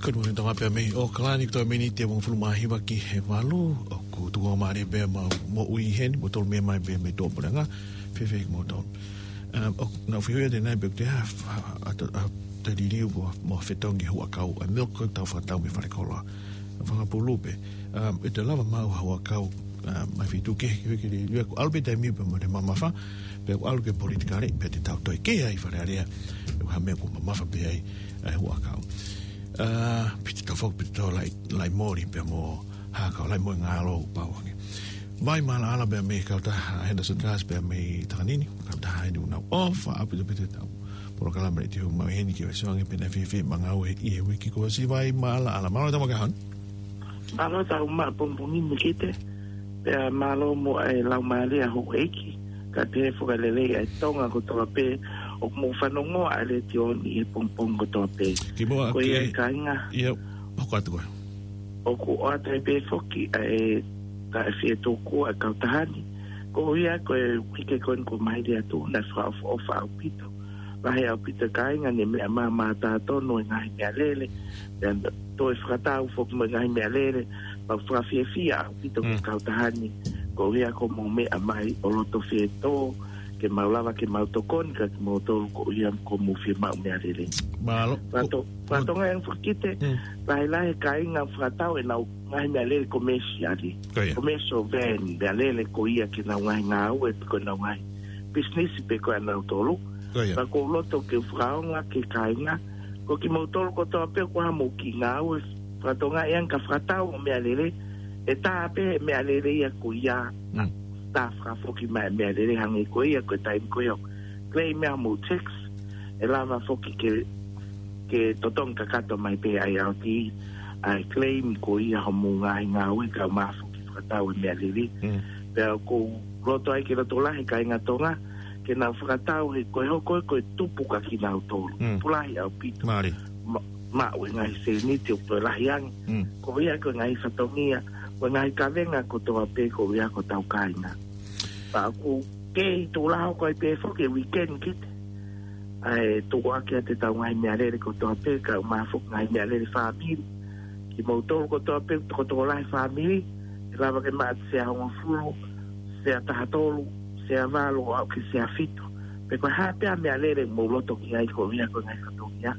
Good morning, Tonga pea mei ʻAokalani, ko e miniti ʻe hongofulu mā hiva ki he valu, ʻoku tuku mālie pē ʻemau moʻui heni, mo tolu mei mai pē mei tuʻapuleʻanga, fēfē kimoutolu. Um, ʻoku nau fiu ia te nai pe te ha, ha, ha, ha, te liliu mo, mo fetongi huʻakau, a milk ko e tau fakatau mei Falekoloa. Fanga pulu pē. Um, ʻe te lava maʻu ha huʻakau, um, mai fitu ke, ke, ke liliu, ʻoku ʻalu pē taimi pē mo e mamafa, pe ʻoku ʻalu ke politikale, pe te tau toe kē ai Fale Alea, ʻoku ha meʻa ʻoku mamafa pē ai, ʻa e huʻakau. Uh, pe te tau fok, pe te tau lai, lai moli, pe mo, ha kau lai mo e ngalo pau ange. Vai maʻalaʻala pea mei he kautaha Henderson Gas pea mei Takanini, kautaha eni ʻoku nau ʻofa ʻaupito pē ʻetau polokalama ʻi he ʻaho ni, ke ʻosi ange pē naʻe fēfē ʻemau ngāue ʻi he uike kuo ʻosi. Vai maʻalaʻala, mālō e tau makahon. Mālō e tau maʻa pongipongi Mekete, pea mālō mo e lau mālie ʻa houʻeiki, kae pehē foki e lelei ʻa e Tonga kotoa pē, ʻoku mou fanongoa ʻa e letiō ni he pongipongi kotoa pē. Kimuʻa ke, kāinga. Ia, hoko atu koe. ʻOku ʻoatu ai pē foki ʻa e taʻefietuku ʻa e kautaha ni. Ko ia ko e uike ko eni kuo maliu atu, naʻe fakaʻofoʻofa ʻaupito. Lahi ʻaupito e kāinga ne meʻa mamafa tonu e ngaahi meʻalele. Pea toe fakatau foki mo e ngaahi meʻalele. Pea fakafiefia ʻaupito ki he kautaha ni. Ko ia ko hoʻomou meʻa mai ʻo loto fietō, ke mau lava ke mau tokoni kiate kimoutolu ko ia ko hoʻomou fiemaʻu meʻalele. Mālō. Fato, fatongia ʻeni foki te, lahi lahi e kāinga fakatau ʻenau ngaahi meʻalele komēsiale. Ko ia. Commercial van, meʻalele ko ia ki heʻenau ngaahi ngāue, pe ko ʻenau ngaahi business, pe ko ʻenau tolu. Ko ia. Pea ʻoku ou loto ke fakaongo ki he kāinga, ko kimoutolu kotoa pē ʻoku ʻi ai haʻamou kiʻi ngāue, fatongia ʻeni ka fakatau ʻo meʻalele, ʻe tā pē meʻalele ia ko ia, tā fakafoki mai meʻalele hangē ko ia, ko e taimi ko ia. Claim ia mo tax, ʻe lava foki ke, ke totongi kakato mai pē ʻa e I R T, ʻa e claim ko ia hoʻomou ngaahi ngāue kae ʻumaʻā foki fakatau e meʻalele. Pea ʻoku ou loto ai ke loto lahi kāinga Tonga, ke nau fakatau he ko e hoko ko e tupu kia kinautolu. Tupu lahi ʻaupito. Mālie. Ma-, maʻu e ngaahi sēniti ʻoku toe lahi ange. Ko ia ko e ngaahi fatongia, ko e ngaahi kavenga kotoa pē ko ia ko hotau kāinga. Pea ʻoku kei tuʻu lahi ko ē pē foki e weekend ki te. ʻA e tuku ake ʻa ʻetau ngaahi meʻalele kotoa pē, kae ʻumaʻā foki ngaahi meʻalele fāmili. Kimoutolu kotoa pē, tokotoko lahi fāmili, ʻe lava ke maʻu ʻa e sea hongofulu, sea taha tolu, sea valu, ʻo aʻu ki he sea fitu. Pe ko e hā pē ʻa e meʻalele ʻoku mou loto ki ai koeʻuhi ko e ngaahi fatongia,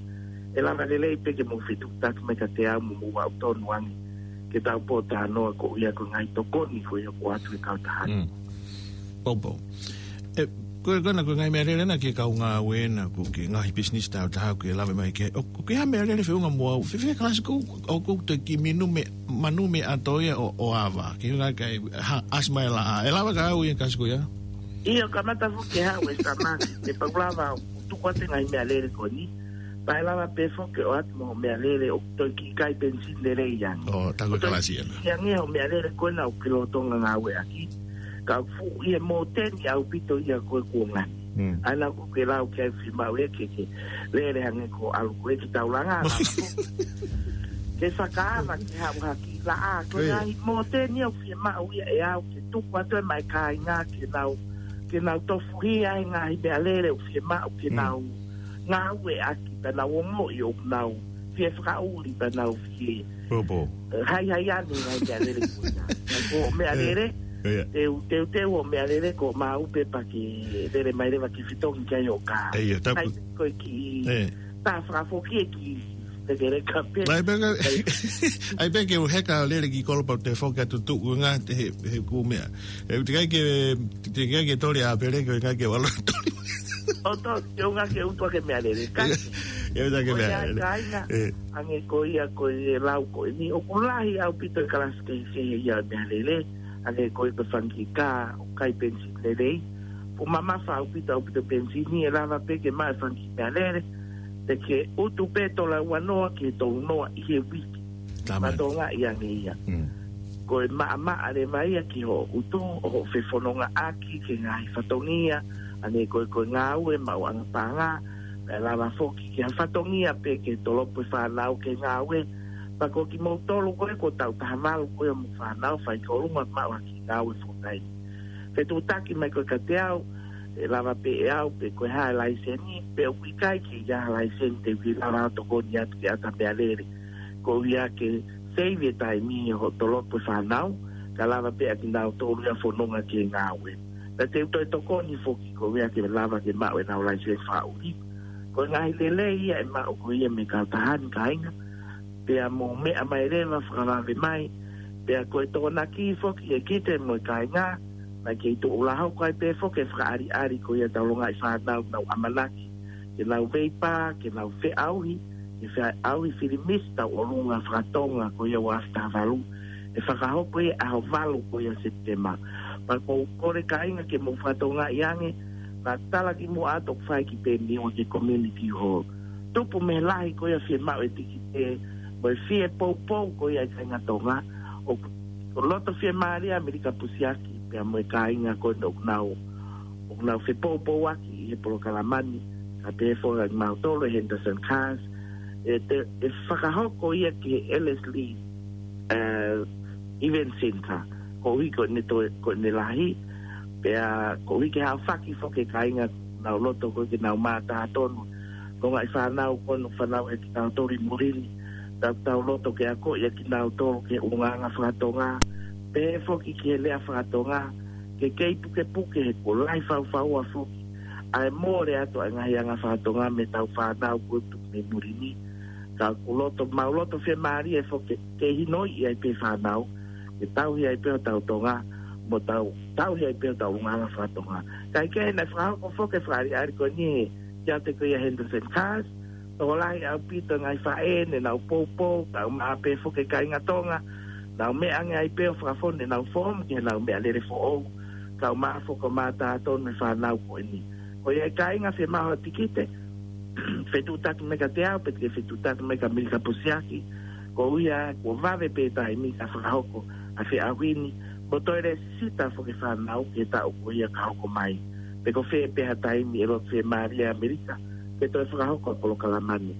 ʻe lava lelei pē ke mou fetuʻutaki mai kiate au mo mou aʻutonu ange ke tau pōtalanoa koeʻuhi ko e ngaahi tokoni ko ia ʻoku ʻoatu ʻe he kautaha ni. Mm. Poupou. ʻE, ko e, ko ena ko e ngaahi meʻalele na ki he kau ngāue na, ko e ngaahi business tau taha ʻoku ke lave mai ki ai. ʻOku, ʻoku ʻi ai ha meʻalele feʻunga mo au. Fēfē kalasi ʻoku, ʻoku, ʻoku te kiʻi minu me, manu meʻa ʻato ia ʻo, ʻo ava. Ke ngā kai, ha, ʻasi mai la. ʻE lava ka au ia kalasi ko ia? ʻIo, kamata foki ke haʻu e samaki, te pau lava ʻo tuku atu e ngaahi meʻalele ko eni. Pea ʻe lava pē foki ʻo ʻoatu mo e meʻalele ʻoku toe kiʻi kai penisini lelei ange. ʻO, tā ko e kalasi ena. Kiʻi ange hoʻo meʻalele ko ena ʻoku ke lolotonga ngāueʻaki. Ka ʻoku fuʻu ʻi he mōteni ʻaupito ia ko e kuonga ni. Mm. ʻA ia naʻa ku ke lau ke fiemaʻu ia ke ke lele hangē ko e ʻalu ko ē ki taulanga, lava foki ke fakaava ke haʻu hake. Laʻā, ko e ngaahi mōteni ʻoku fiemaʻu ia ʻe au ke tuku atu e mai kāinga ke nau, ke nau tofuhia he ngaahi meʻalele ʻoku fiemaʻu ke nau ngāueʻaki pea nau ongoʻi ʻoku nau fie fakaʻuli pea nau fie, eh, haihai ʻa e ngaahi meʻalele ko ia. Ka ko e meʻalele, te u, te u, te u ʻo meʻalele ko mau pē pea ke lele mai leva ke fetongi ki ai ʻo ka. Ko e kiʻi tā fakafoki e kiʻi pekeleka pē. ʻAi pē ke, ʻai pē ke u heka ʻo lele ki kolo pea te foki atu tuʻu ngā te he, he kū meʻa. ʻE, te kai ke, te kai ke toli ʻa pele, ko e kai ke walo toli. ʻO tō, ke unga ke utu ake meʻalele. Kai. Ke utu ake meʻalele. Kāinga, hangē ko ia ko e lau ko eni. ʻOku lahi ʻaupito e kalasi ke, ke he ia meʻalele. Hangē ko e ko e fanga kiʻi kā, ʻoku kai penisini lelei. Fuʻu mamafa ʻaupito, ʻaupito penisini, ʻe lava pē ke maʻu e fanga kiʻi meʻalele. Te ke utu pē tola uanoa ki he tolunoa ʻi he uike. Mātuʻaki ange ia. Ko e maʻamaʻa leva ia ki hoʻo utu, ʻo hoʻo fefonongaʻaki ki he ngaahi fatongia, hangē ko e, ko e ngāue maʻuʻanga paʻanga, pea lava foki ki ha fatongia pē ke tolopu e fānau ke ngāue, pea ko kimoutolu ko ē ʻoku tau taha valu ko ē mo e fānau fai ki ʻolunga maʻu ha kiʻi ngāue full time. Fetuʻutaki mai ko ē kiate au, ʻe lava pē ʻe au, pe ko e hā e laiseni, pe ʻoku ʻikai ke ʻi ai ha laiseni te u lava ʻo tokoni atu ke ʻata meʻalele. Koeʻuhi ke save e taimi ʻo hoʻo tolopu e fānau, ka lava pē ʻa kinautolu ia ʻo fononga ki he ngāue. Pea te u toe tokoni foki koeʻuhi ke lava ke maʻu ʻenau laiseni fakaʻuli. Ko e ngaahi lelei ia ʻe maʻu ko ia mei he kautaha ni kāinga, pea mou meʻa mai leva fakavave mai, pea ko e tokonaki foki ʻe Kite mo e kāinga, naʻe kei tuʻu ʻo hoko ai pē foki e fakaʻaliʻali ko ia ʻetau longaʻi fānau ʻoku nau ʻamanaki ke nau veipā, ke nau feʻauhi, ke feʻauhi filimisi tauʻolunga fakatonga ko ia ʻo e afi taha valu, ʻe fakahoko ia ʻaho valu ko ia Sepitema. Pea ʻoku ou kole kāinga ke mou fakatokangaʻi ange, naʻa ku tala kimuʻa atu ʻoku fai ki Peniua ki he community hall. Tupu mei he lahi ko ia fiemaʻu e tikite, mo e fie poupou ko ia ʻa e kāinga Tonga, ʻoku, ʻoku loto fiemālie ʻa Melika Pusiaki, pea mo e kāinga ko eni ʻoku nau, ʻoku nau fepoupouaki ʻi he polokalama ni, ka pehē foki kimautolu ʻe Henderson Cars, ʻe te, ʻe fakahoko ia ki he Ellerslie, eh, Event Centre, koeʻuhi ko ʻene toe, ko ʻene lahi, pea koeʻuhi ke haofaki foki e kāinga ʻoku nau loto ko ē ke nau mātā tonu. Ko e ngaahi fānau ko eni ʻoku fanauʻi ʻe kitautolu ʻi muli ni, tau, tau loto ke akoʻi ʻa kinautolu ki he ʻulungaanga fakatonga, pehē foki ki he lea fakatonga, ke kei pukepuke he kuo lahi faufaua foki ʻa e mole atu ʻa e ngaahi anga fakatonga mei heʻetau fānau ko ē tupu mei muli ni. Ka ʻoku loto, mau loto fiemālie foki ke, ke hinoiʻi ai pē fānau, ke tauhi ai pē hotau Tonga, mo tau, tauhi ai pē hotau ʻulungaanga fakatonga. Kae kehe naʻe fakahoko foki e fakaʻaliʻali ko eni he kiate ko ia Henderson Cars, tokolahi ʻaupito e ngaahi faʻē ne nau poupou, kae ʻumaʻā pē foki e kāinga Tonga, nau meʻa ange ai pē ʻo fakafonu ʻenau foomu ki heʻenau meʻalele foʻou, kae ʻumaʻā foki ʻo mātā tonu e fānau ko eni. Ko ia e kāinga fiemaʻu ha tikite, fetuʻutaki mai kiate au, pe te ke fetuʻutaki mai kia Melika Pusiaki, koeʻuhi kuo vave pē taimi ka fakahoko ʻa e feʻauhi ni, mo toe lēsisita foki e fānau ki he taʻu ko ia ka hoko mai. Pe ko fē pē ha taimi ʻe loto fiemālie ʻa Melika ke toe fakahoko ʻa e polokalama ni.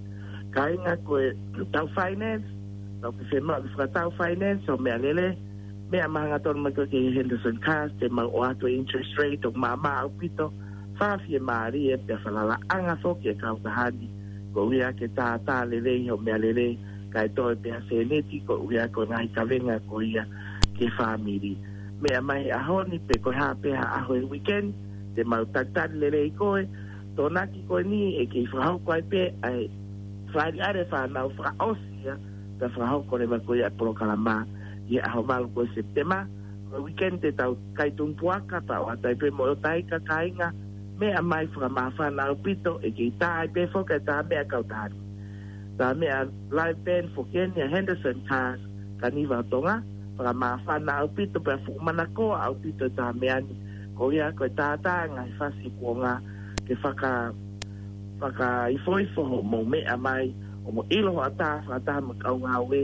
Kāinga ko ʻetau finance, tau ke fiemaʻu ke fakatau finance hoʻo meʻalele, meʻa mai hangatonu mai ko ē ki he Henderson Cars, te mau ʻoatu e interest rate ʻoku maʻamaʻa ʻaupito, fakafiemālie pea falalaʻanga foki e kautaha ni, koeʻuhi ke tātā lelei hoʻo meʻalele, kae toe pē ha sēniti, koeʻuhi ko e ngaahi kavenga ko ia ki he fāmili. Meʻa mai he ʻaho ni pe ko e hā pē ha ʻaho he weekend, Te mau tatali lelei koe, Tokonaki, ko eni ʻe kei fakahoko ai pē ʻa e fāʻeleʻele fānau fakaʻosi ia, pea fakahoko leva ko ia ʻa e polokalama ʻi he ʻaho valu ko ē Sepitema. Ko e weekend te tau kai tunu puaka, pea ʻoatu ai pē mo e ʻotaika kāinga, meʻa mai fakamāfana ʻaupito, ʻe kei tā ai pē foki ʻa e tā meʻa kautari. Tā meʻa live band foki eni ʻa Henderson Cars, Kaniva ʻo Tonga, fakamāfana ʻaupito pea fuʻu manakoa ʻaupito e tā meʻa ni, ko ia ko e tātā ngaahi fasi kuonga ke faka-, fakaifoifo hoʻomou meʻa mai, hoʻomou ʻilo hoʻatā fakataha mo e kau ngāue,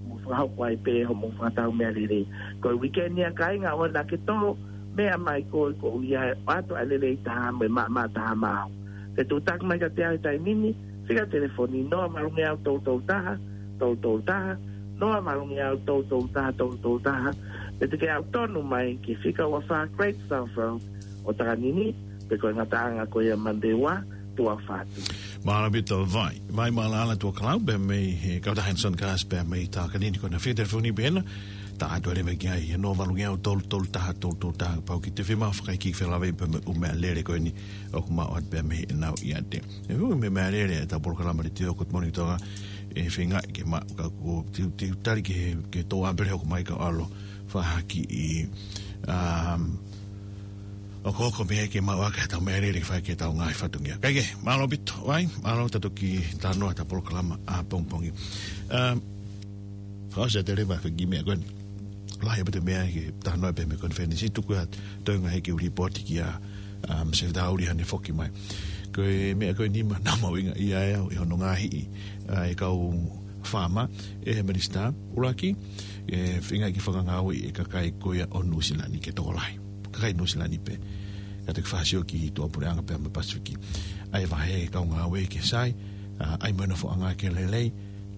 mo fakahoko ai pē hoʻomou fakatau meʻa lelei. Ko e weekend ia kāinga, ʻoua naʻa ke tō, meʻa mai koe, ko ia ʻe ʻoatu ʻa e lelei taha mo e maʻamaʻa taha maʻau. Ke tuʻutaki mai kiate au he taimi ni, fika telefoni noa valu ngeau tolu tolu taha, tolu tolu taha, noa valu ngeau tolu tolu taha, tolu tolu taha, pe te ke aʻu tonu mai ki he fika ua fā Great South Road ʻo Takanini, pe ko e ngataʻanga ko ia Monday ua, two oh five. Mālō ʻaupito, Vai. Vai Mālala Tuʻakalau, pea mei he kautaha Henderson Cars, pea mei Takanini, ko ʻena fika telefoni pē ena, tā atu leva ki ai, he noa valu ngeau tolu tolu taha, tolu tolu taha, pau ke te fiemaʻu fakaikiiki felāveʻi pea mei he ʻū meʻalele ko eni ʻoku maʻu atu pea mei heʻenau ʻiate. ʻE ʻū meʻalele ʻetau polokalama letiō Good Morning Tonga, ʻe feinga ke maʻu, ka ko e teu, teu tali ke, ke tō apele hoko mai ka ʻalu fakahaki ʻi, um, ʻokoʻoko mei ai ke maʻu ʻaki ʻetau meʻalele ke fai ki heʻetau ngaahi fatongia. Kae kehe, mālō ʻaupito, Vai, mālō, tau toki talanoa ʻetau polokalama ʻapongipongi. Um, Fakaʻosi atu leva ki he kiʻi meʻa ko eni. Lahi ʻaupito e meʻa ke talanoa pē mei he konifelenisi, tuku atu, toe ngaahi kiʻi lipooti kia, um, Sefitā Uli haʻane foki mai. Ko e meʻa ko eni naʻa mau ʻinga ia ʻe au ʻi hono ngaahi, ʻa e kau faama, ʻe he minisitā, ʻuluaki, ʻe feinga ke fakangāueʻi e kakai ko ia ʻo Nuʻusila ni ke tokolahi. Kakai Nuʻusila ni pē. Ka te ke fakasio ki tuʻapuleʻanga pea mo e Pasifiki. ʻA e vahe e kau ngāue ke sai, ʻa, ʻai mo e nofoʻanga ke lelei,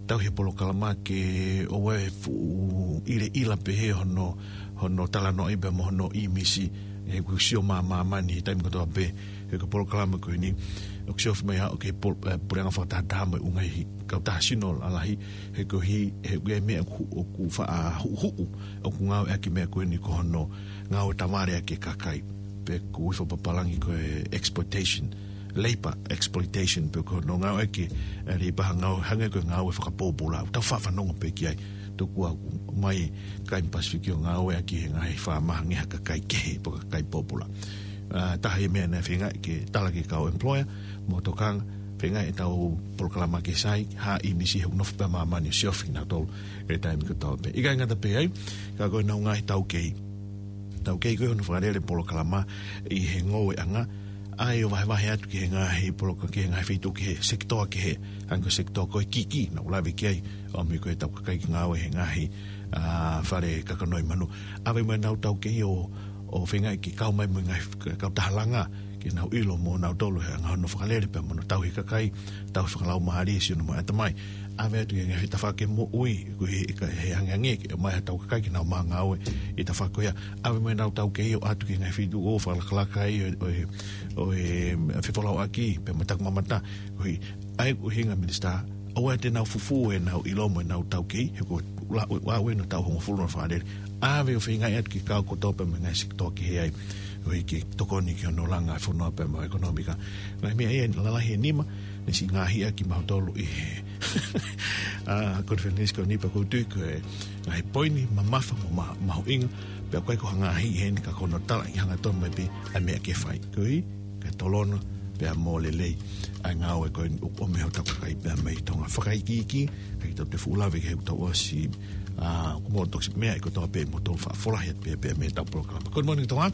tauhi e polokalama ke ʻoua ʻe fuʻu ʻileʻila pehē hono, hono talanoaʻi pea mo hono ʻīmisi, he ʻoku sio mā-, māmani he taimi kotoa pē, he ko e polokalama ko eni, ʻoku siofi mai ʻa e, ʻoku pol-, ʻe, puleʻanga fakatahataha mo e ʻū ngaahi kautaha sino lalahi, he ko e hā, he ʻoku ʻi ai e meʻa ʻoku, ʻoku faʻa huʻuhuʻu, ʻoku ngāueʻaki e meʻa ko eni ko hono ngāue tavale ʻaki e kakai. Pe ko e foʻi papālangi ko e exploitation, labor exploitation, pe ko hono ngāueʻaki e, ʻe, labor ha ngāue, hangē ko e ngāue fakapōpula, ʻoku tau faʻa fanongo pē ki ai. Tokua ʻoku ʻomai kakai Pasifiki ʻo ngāueʻaki he ngaahi faama hangē ha kakai kehe, pe ko e kakai pōpula. ʻA, taha e meʻa naʻe feinga ke tala ki he kau employer, mo e tokanga, feinga ʻetau polokalama ke sai, ha ʻīmisi he ʻoku nofo pē ʻa māmani ʻo siofi kinautolu he taimi kotoa pē. ʻIkai ngata pē ai, ka ko ʻenau ngaahi taukei. Taukei ko ē hono fakalele polokalama ʻi he ngoueʻanga, ʻa ia ʻo vahevahe atu ki he ngaahi poloka-, ki he ngaahi feituʻu, ki he sekitoa kehe, hangē ko e sekitoa ko ē kiʻi, naʻa ku lave ki ai, ʻo ʻomi ko ē ʻetau kakai ke ngāue he ngaahi, ʻa, fale kakano ʻi Manu. ʻAve mo ʻenau taukei ʻo, ʻo feinga ke kau mai mo e ngaahi kautaha langa, ke nau ʻilo mo nautolu he anga hono fakalele pea mo hono tauhi e kakai, tauhi fakalaumālie, sino mo e ʻatamai. ʻAve atu ki he ngaahi tafaʻaki moʻui, ko e he, ka, he angeange ke ʻomai haʻatau kakai ke nau maʻu ngāue ʻi he tafaʻaki ko ia. ʻAve mo ʻenau taukei ʻo ʻoatu ki he ngaahi feituʻu ʻo fakalakalaka ai ʻo, ʻo e, ʻo e fefolauʻaki, pea mo e takimamata, koeʻuhi, ʻa ia ko e ʻuhinga minisitā, ʻoua te nau fufū ʻenau ʻilo mo ʻenau taukei, he ko e la-, ʻo, ʻo, ʻo ʻenau taʻu hongofulu hono fakalele. ʻAve ʻo feinga atu ki he kau kotoa pē mo e ngaahi sekitoa kehe ai, koeʻuhi ke tokoni ki hono langa e fonua pea mo e ʻekonōmika. Ngaahi meʻa ia lalahi ʻe nima, naʻe siʻi ngaahi ʻaki kimautolu ʻi he, ʻa, konifelenisi ko eni pea ʻoku ou tui ko e ngaahi poini mamafa mo ma-, mahuʻinga, pea ʻoku ʻikai ko ha ngaahi heni ka ko hono talaʻi hangatonu mai pē ʻa e meʻa ke fai. Koeʻuhi, ke tolonga, pea mo lelei ʻa e ngāue ko eni ʻoku ʻomi ʻe hotau kakai pea mei Tonga. Fakaikiiki, ʻikai ke tau toe fuʻu lave ki he ʻoku tau ʻosi, ʻa, ʻoku mou toki meʻa ʻi kotoa pē mo tau faʻa folahi atu pē, pē mei heʻetau polokalama. Good Morning Tonga,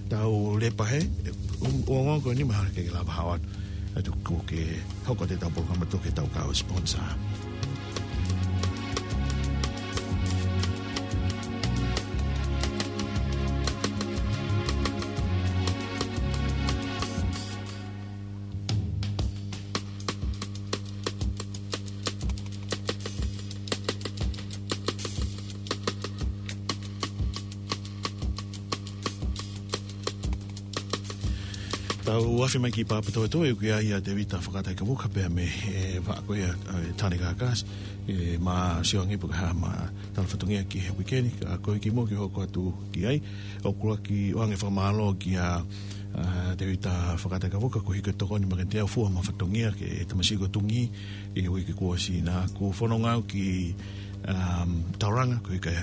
tau lepa he, ʻe, um, ongo ko eni mahalo ke lava hao atu. ʻA ia tuku ke hoko atu ʻetau polokalama, tuku ke tau kau sponsor. Tau afe mai ki Papatoetoe, ʻoku ʻi ai ʻa Tevita Fakataikavuka pea mei he vaʻa ko ia ʻa e Tāne Kākasi, ē, mou sio ange pe ko e hā ʻema tala fatongia ki he uike ni, ka ko e kimuʻa ke hoko atu ki ai, ʻoku ou ʻoange fakamālō kia, ā, Tevita Fakataikavuka, koeʻuhi ko e tokoni makehe ʻo fua ʻema fatongia ki he tamasiʻi ko Tungi, ʻi he uike kuo ʻosi. Naʻá ku fononga au ki, um, Tauranga, koeʻuhi ke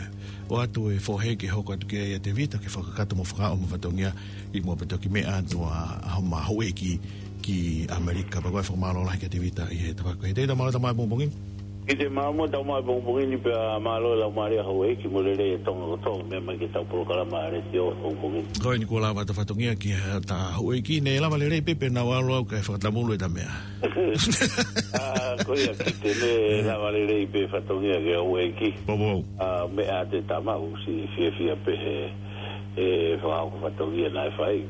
ʻoatu e fohe ke hoko atu ki ai ʻa Tevita, ke fakakakato mo fakaʻomi ʻema fatongia ʻi muʻa pea toki meʻa atu ʻa, ʻa homa houʻeiki ki ʻAmelika. Pea ko e fakamālō lahi kia Tevita ʻi he tafaʻaki ko ē. Tevita, mālō e tau maʻu e pongipongi ni. Kiate koe mo e tau maʻu e pongipongi ni pea mālō e laumālie houʻeiki mo e lelei ʻa Tonga kotoa, meʻa mai ki heʻetau polokalama letiō pongipongi ni. Ko eni kuo lava ʻeta fatongia ki heʻeta houʻeiki, ne lava lelei pē pea naʻá ku ʻalu au kae fakatamulu ʻeta meʻa. Ā, ko ia kiate koe, ne lava lelei pē fatongia ki he houʻeiki. Poupou. Ā, meʻa ʻa e tama, ʻosi fiefia pē he, he fakahoko fatongia naʻe fai.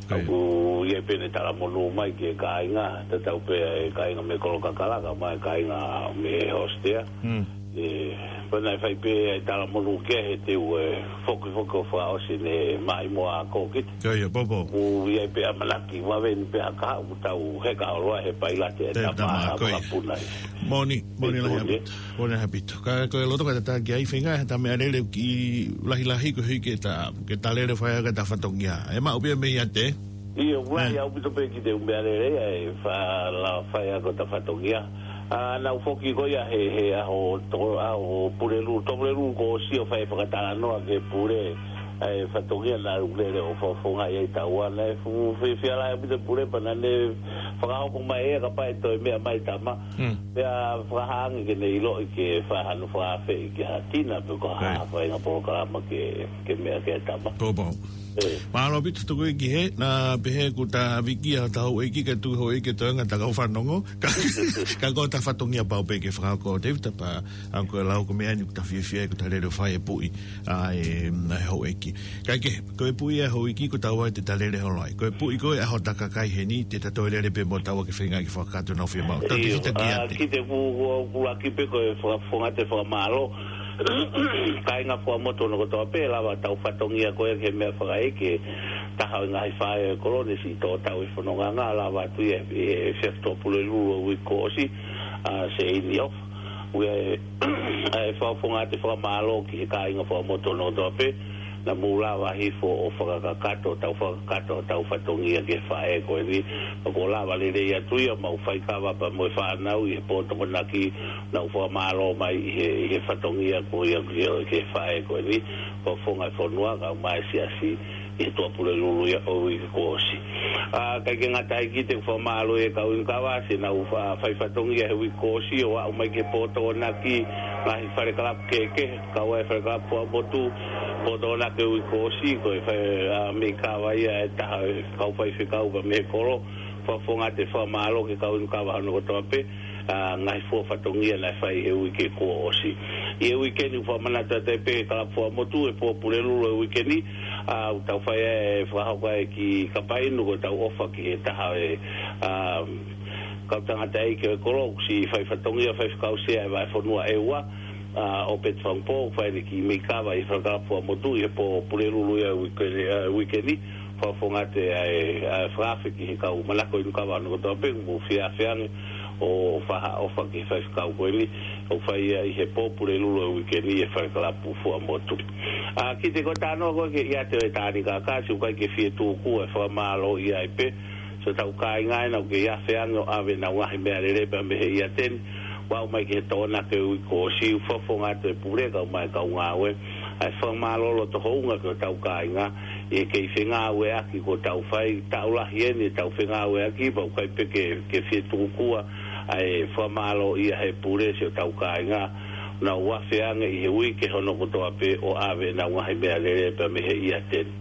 Ko ia. ʻOku ʻi ai pē ʻene talamonū mai ki he kāinga, tatau pē ʻa e kāinga mei Kolokakalaka, mo e kāinga mei Hōstea. Mm. Ē, pea naʻe fai pē ʻa e talamonū ki ai he teu ʻe fokifoki ʻo fakaʻosi ʻene maʻimoa ko ē ki. Ko ia, poupou. ʻOku ʻi ai pē ʻamanaki vave ni pē ʻa e kahaʻu ʻoku tau heka ʻo loa he pailate ʻa e tama, tama, ko ia. Fakapuna. Moʻoni, moʻoni lahi ʻaupito. Moʻoni lahi ʻaupito. Ka ko e loto ka tataki ai feinga, he ʻeta meʻalele ʻoku lahilahi koeʻuhi ke ta, ke ta lele fai ʻaki ʻeta fatongia. ʻE maʻu pē ia meiate. ʻIo, ʻoku lahi ʻaupito pē kiate koe ʻeku meʻalele ʻa e fa-, la fai ʻaki ʻeta fatongia. Ā, naʻá ku foki ko ia he, he ʻaho to-, ʻaho Pulelulu, Tō Pulelulu kuo ʻosi ʻo fai e fakatalanoa ki he pule, ʻa e fatongia naʻá ku lele ʻo fofongaʻi ai taua. Naʻe fuʻu fiefia lahi ʻaupito e pule pea naʻá ne fakahoko mai ʻe ia kapau ʻe toe meʻa mai tama. Mm. Pea fakahā ange ke ne ʻiloʻi ke fai hano fakaafeʻi ki ha tina pe ko ha faʻahinga polokalama ke, ke meʻa ki ai tama. Poupou. Ē. Mālō ʻaupito tuku ki he, naʻá pehē kuo ta viki ʻa hota houʻeiki kae tuku houʻeiki ʻo toenga ʻeta kau fanongo. Ka, ka ko ʻeta fatongia pau pē ke fakahoko, Tevita, pea ʻoku ou lau ko e meʻa eni ʻoku ta fiefia ai, ko ʻeta lele ʻo fai e puʻi ʻa e, ʻa e houʻeiki. Kae kehe, ko e puʻi ʻa e houʻeiki ko taua te ta lele holo ai. Ko e puʻi ko ē ʻa hota kakai heni, te ta toe lele pē mo taua ke feinga ke fakakakato ʻenau fiemaʻu. Tau te fita ki ai. Kiate koe, ʻoku, ʻoku, ʻoku ʻuluaki pē ko e faka-, fakafofonga atu e fakamālō. Kāinga Fuaʻamotu hono kotoa pē, lava ʻetau fatongia ko ē ki he meʻafakaʻeiki, taha ʻo e ngaahi faʻē ʻo e kolo ne siʻi toʻo tau e fononga, lava atu ia he, he efiafi Tuʻapulelulu ʻo e uike kuo ʻosi, ʻa Seini ʻOfa. ʻOku ʻi ai e, ʻa e fakafofonga atu e fakamālō ki he kāinga Fuaʻamotu hono kotoa pē, naʻa mou lava hifo ʻo fakakakato, tau fakakakato, tau fatongia ki he faʻē ko eni. Pea kuo lava lelei atu ia, mau faikava pea mo e fānau ʻi he pō Tokonaki, naʻa nau fakamālō mai ʻi he, ʻi he fatongia ko ia ki he, ki he faʻē ko eni. Fakafofonga e fonua, kae ʻumaʻā e siasi, ʻi he Tuʻapulelulu ia ʻo e uike kuo ʻosi. Ā, ʻikai ke ngata ai, kiate koe, fakamālō e kau inu kava, siʻenau fa-, fai fatongia he uike kuo ʻosi, ʻo aʻu mai ki he pō Tokonaki, ngaahi fale kalapu kehekehe, kau ai e fale kalapu Fuaʻamotu, pō Tokonaki he uike kuo ʻosi, ko e fai, ā, meʻi kava ia ʻa e taha e kau faifekau pea mei he kolo, fakafofonga atu e fakamālō ki he kau inu kava hono kotoa pē, ā, ngaahi fua fatongia naʻe fai he uike kuo ʻosi. ʻI he uike ni ʻoku fakamanatu atu ai pē ʻe he kalapu Fuaʻamotu e pō Pulelulu ʻo e uike ni, ā, ʻoku tau fai ai e fakahoko ai ki Kapainu, ko ʻetau ʻofa ki he taha e, ā, kau tangataʻeiki ʻo e kolo, ʻoku siʻi fai fatongia, faifekau sea ʻo e vahefonua ʻEua, ā, ʻo Peti Fangupō, fai ʻene kiʻi meʻi kava ʻi he fale kalapu Fuaʻamotu ʻi he pō Pulelulu ia ʻo e uike, ā, uike ni, fakafofonga atu e, ā, fakaafe ki he kau manako inu kava hono kotoa pē, mou fie afe ange ʻo fai ha ʻofa ki he faifekau ko eni, ʻoku fai ia ʻi he pō Pulelulu ʻo e uike ni ʻi he fale kalapu Fuaʻamotu. Ā, kiate koe, talanoa ko ē ki he ʻiate ʻo e Tāne Kākasi, ʻoku ʻikai ke fie tūkua e fakamālō ia ai pē, siʻotau kāinga ena ʻoku kei afe ange ʻo ʻave ʻenau ngaahi meʻalele pea mei he ʻiate ni, ʻo aʻu mai ki he Tokonaki he uike kuo ʻosi, ʻoku fakafofonga atu e pule kae ʻumaʻā e kau ngāue, ʻa e fakamālō loto houngaʻia ki hotau kāinga, ʻi he kei fengāueʻaki kuo tau fai, taʻu lahi eni ʻetau fengāueʻaki, pea ʻoku ʻikai pē ke, ke fie tūkua ʻa e fakamālō ia he pule siʻotau kāinga, naʻa nau afe ange ʻi he uike hono kotoa pē ʻo ʻave ʻenau ngaahi meʻalele pea mei he ʻiate ni.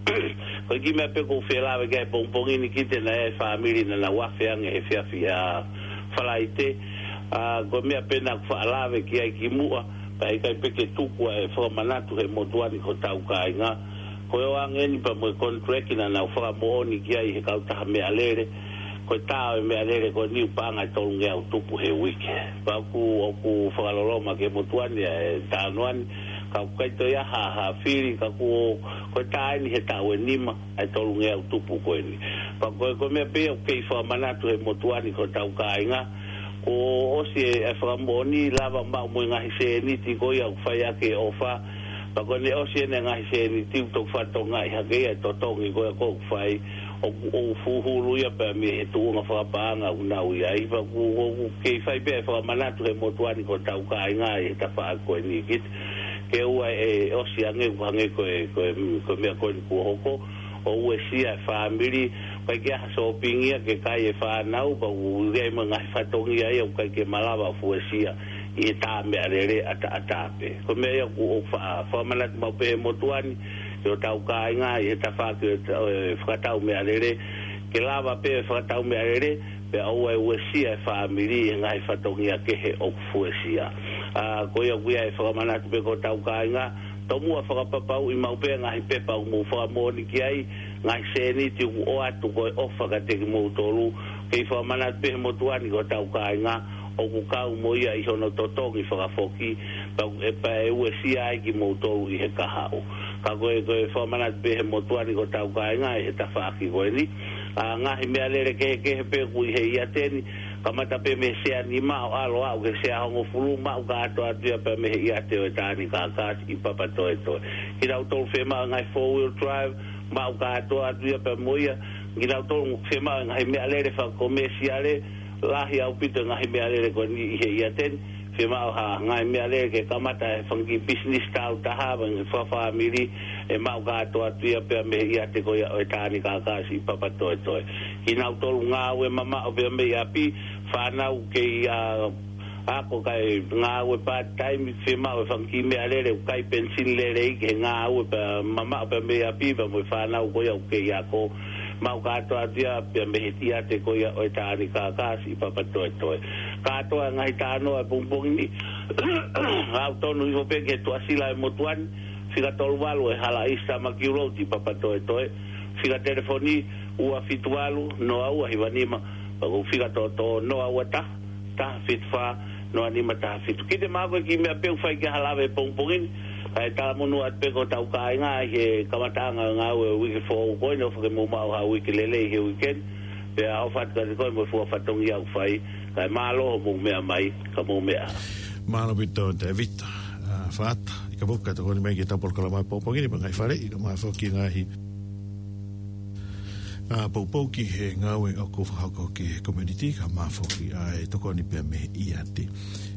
Ko e kiʻi meʻa pē ʻoku ou fie lave ki ai he pongipongi ni, kiate koe, naʻe ʻi ai e fāmili naʻa nau afe ange he efiafi ʻa Falaite. Ā, ko e meʻa pē naʻá ku faʻa lave ki ai kimuʻa, pea ʻikai pē ke tuku ʻa e fakamanatu he motuʻa ni ki hotau kāinga. Ko e ʻoange eni pea mo e contract naʻa nau fakamoʻoni ki ai he kautaha meʻalele. ko e tā ʻo e meʻalele ko eni ʻoku paʻanga ʻe tolungeau tupu he uike. Pea ʻoku, ʻoku fakaloloma ki he motuʻa ni ʻa e talanoa ni, ka ʻoku ʻikai toe ʻi ai ha, ha fili, ka kuo, ko e tā eni he taʻu ʻe nima ʻa e tolungeau tupu ko eni. Pea ko e, ko e meʻa pē ia ʻoku kei fakamanatu he motuʻa ni ki hotau kāinga, kuo ʻosi e, e fakamoʻoni lava maʻu mo e ngaahi sēniti ko ia ʻoku fai ʻaki e ʻofa. Pea ko ʻene ʻosi ʻene ngaahi sēniti ʻoku toki fatongia hake ia e totongi ko ia ʻoku fai, ʻoku, ʻoku fuhulu ia pea mei he tuʻunga fakapaʻanga ʻoku nau ʻi ai. Pea ʻoku, ʻoku kei fai pē e fakamanatu he motuʻa ni ki hotau kāinga ʻi he tafaʻaki ko eni ki, ke ʻoua ʻe ʻosi ange, ʻoku hangē ko e, ko e, ko e meʻa ko eni kuo hoko, ʻo uesia e fāmili, ʻikai ke ʻi ai ha sōpingi ia ke kai e fānau, pea ʻoku ʻi ai mo e ngaahi fatongia ia ʻoku ʻikai ke malava ʻo uesia ʻi he tā meʻalele ʻataʻatā pē. Ko e meʻa ia ʻoku, ʻoku fa-, fakamanatu maʻu pē he motuʻa ni ki hotau kāinga ʻi he tafaʻaki ʻo e ta-, ʻo e fakatau meʻalele, ke lava pē e fakatau meʻalele, pea ʻoua ʻe uesia e fāmili ʻi he ngaahi fatongia kehe ʻoku uesia. ʻA, ko ia ʻoku ʻi ai e fakamanatu pē ki hotau kāinga, tomuʻa fakapapauʻi maʻu pē ngaahi pepa ʻoku mou fakamoʻoni ki ai, ngaahi sēniti ʻoku ʻoatu ko e ʻofa kiate kimoutolu, kei fakamanatu pē he motuʻa ni ki hotau kāinga, ʻoku kau mo ia ʻi hono totongi fakafoki, pea ʻe, pea ʻe uesia ai kimoutolu ʻi he kahaʻu. Ka ko e, ko e fakamanatu pē he motuʻa ni ki hotau kāinga ʻi he tafaʻaki ko eni. ʻA, ngaahi meʻalele kehekehe pē ʻoku ʻi he ʻiate ni, kamata pē mei he sea nima ʻo ʻalu ʻo aʻu ki he sea hongofulu, maʻu kātoa atu ia pea mei he ʻiate ʻo e Tāni Kākāsi ʻi Papatoetoe. Kinautolu fiemaʻu e ngaahi four wheel drive, maʻu kātoa atu ia pea mo ia. Kinautolu fiemaʻu e ngaahi meʻalele fakakomesiale, lahi ʻaupito e ngaahi meʻalele ko eni ʻi he ʻiate ni. Fiemaʻu ha ngaahi meʻalele ke kamata e fanga kiʻi pisinisi tāutaha, fanga fakafāmili, ʻe maʻu kātoa atu ia pea mei he ʻiate ko ia ʻo e Tāni Kākāsi ʻi Papatoetoe. Kinautolu ngāue mamaʻo pea mei ʻapi, fānau kei, ʻa, ako kae ngāue part-time, fiemaʻu e fanga kiʻi meʻalele ʻoku kai penisini lelei ki he ngāue pea mamaʻo pea mei ʻapi, pea mo e fānau ko ia ʻoku kei ako, maʻu kātoa atu ia pea mei he ʻiate ko ia ʻo e Tāni Kākāsi ʻi Papatoetoe. Kātoa e ngaahi talanoa e pongipongi ni, ʻoku tonu hifo pē ki he tuʻasila e motuʻa ni, fika tolu valu e Hala East Tamaki Road ʻi Papatoetoe, fika telefoni ua fitu valu, noa ua hiva nima, pea ko e fika toʻotoʻo noa ua taha, taha fitu fā, noa nima taha fitu. Kiʻi te mako e kiʻi meʻa pē ʻoku fai ki ai ha lave he pongipongi ni, kae talamonū atu pē ki hotau kāinga ʻi he kamataʻanga e ngāue ʻo e uike foʻou ko eni, ʻofa ke mou maʻu ha uike lelei he uike ni, pea ʻofa atu kiate koe mo e fua fatongia ʻoku fai, kae mālō hoʻomou meʻa mai, ka mou meʻa. Mālō ʻaupito Tēvita, ʻa, Faata, ʻi ka puka tokoni mai ki he tau polokalama pongipongi ni, pea ngaahi faleʻi, kae ʻumaʻā foki ngaahi ʻa, poupou ki he ngāue ʻoku fakahoko ki he community, kae ʻumaʻā foki ʻa e tokoni pea mei he ʻiate.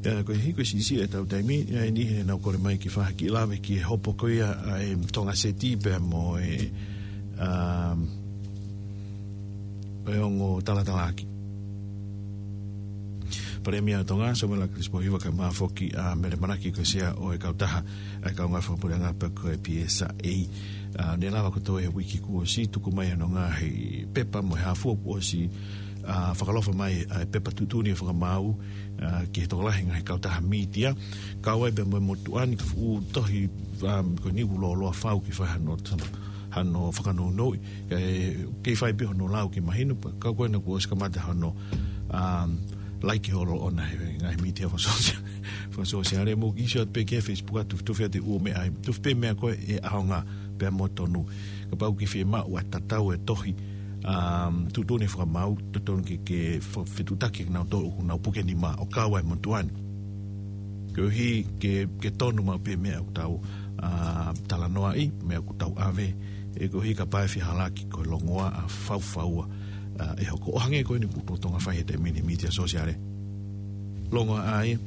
ʻA, ko e hiko siʻisiʻi e tau taimi, ʻa eni he naʻa ku kole mai ke fai ha kiʻi lave ki he hopo ko ia ʻa e Tonga Seti pea mo e, ʻa, e ongo talatalaaki. Palēmia ʻo Tonga, Samuela Chris Pohiva, kae ʻumaʻā foki ʻa Mele Manaki ko e sea ʻo e kautaha ʻa e kaungā fakapuleʻanga pe ko e P S A. ʻA, ne lava kotoa he uike kuo ʻosi, tuku mai hono ngaahi pepa mo e hā fua kuo ʻosi, ʻa, fakalofa mai ʻa e pepa tuʻutuʻuni ʻo e fakamaau, ʻa, ki he tokolahi ngaahi kautaha mītia, kau ai pea mo e motuʻa ni ka fuʻu tohi, ʻa, ko eni ʻoku lōloa fau ke fai hano, hano fakanounou, ʻa, kei fai pē hono lau ke mahino, pea ka ko ena kuo ʻosi kamata hono, ʻa, laiki holo ʻona he ngaahi mītia fakasosia-, fakasosiale, mou kiʻi sio atu pē ki he Facebook ʻa Tufitufi ʻa e ʻū meʻa ai, tufi pē meʻa ko ē ʻe ʻaonga pea mo tonu. Kapau ʻoku ke fiemaʻu ʻa e tatau e tohi, ʻa, tuʻutuʻuni fakamaau, totonu ke, ke fa-, fetuʻutaki kinautolu ʻoku nau puke nima ʻo kau ai motuʻa ni. Koeʻuhi ke, ke tonu maʻu pē meʻa ʻoku tau, ʻa, talanoaʻi, meʻa ʻoku tau ʻave, ʻe koeʻuhi kapau ʻe fehālaaki ko e longoaʻa faufaua, ʻa, ʻe hoko. ʻO hangē ko eni ʻoku totonu ke fai he taimi ni mītia sosiale. Longoaʻa ia,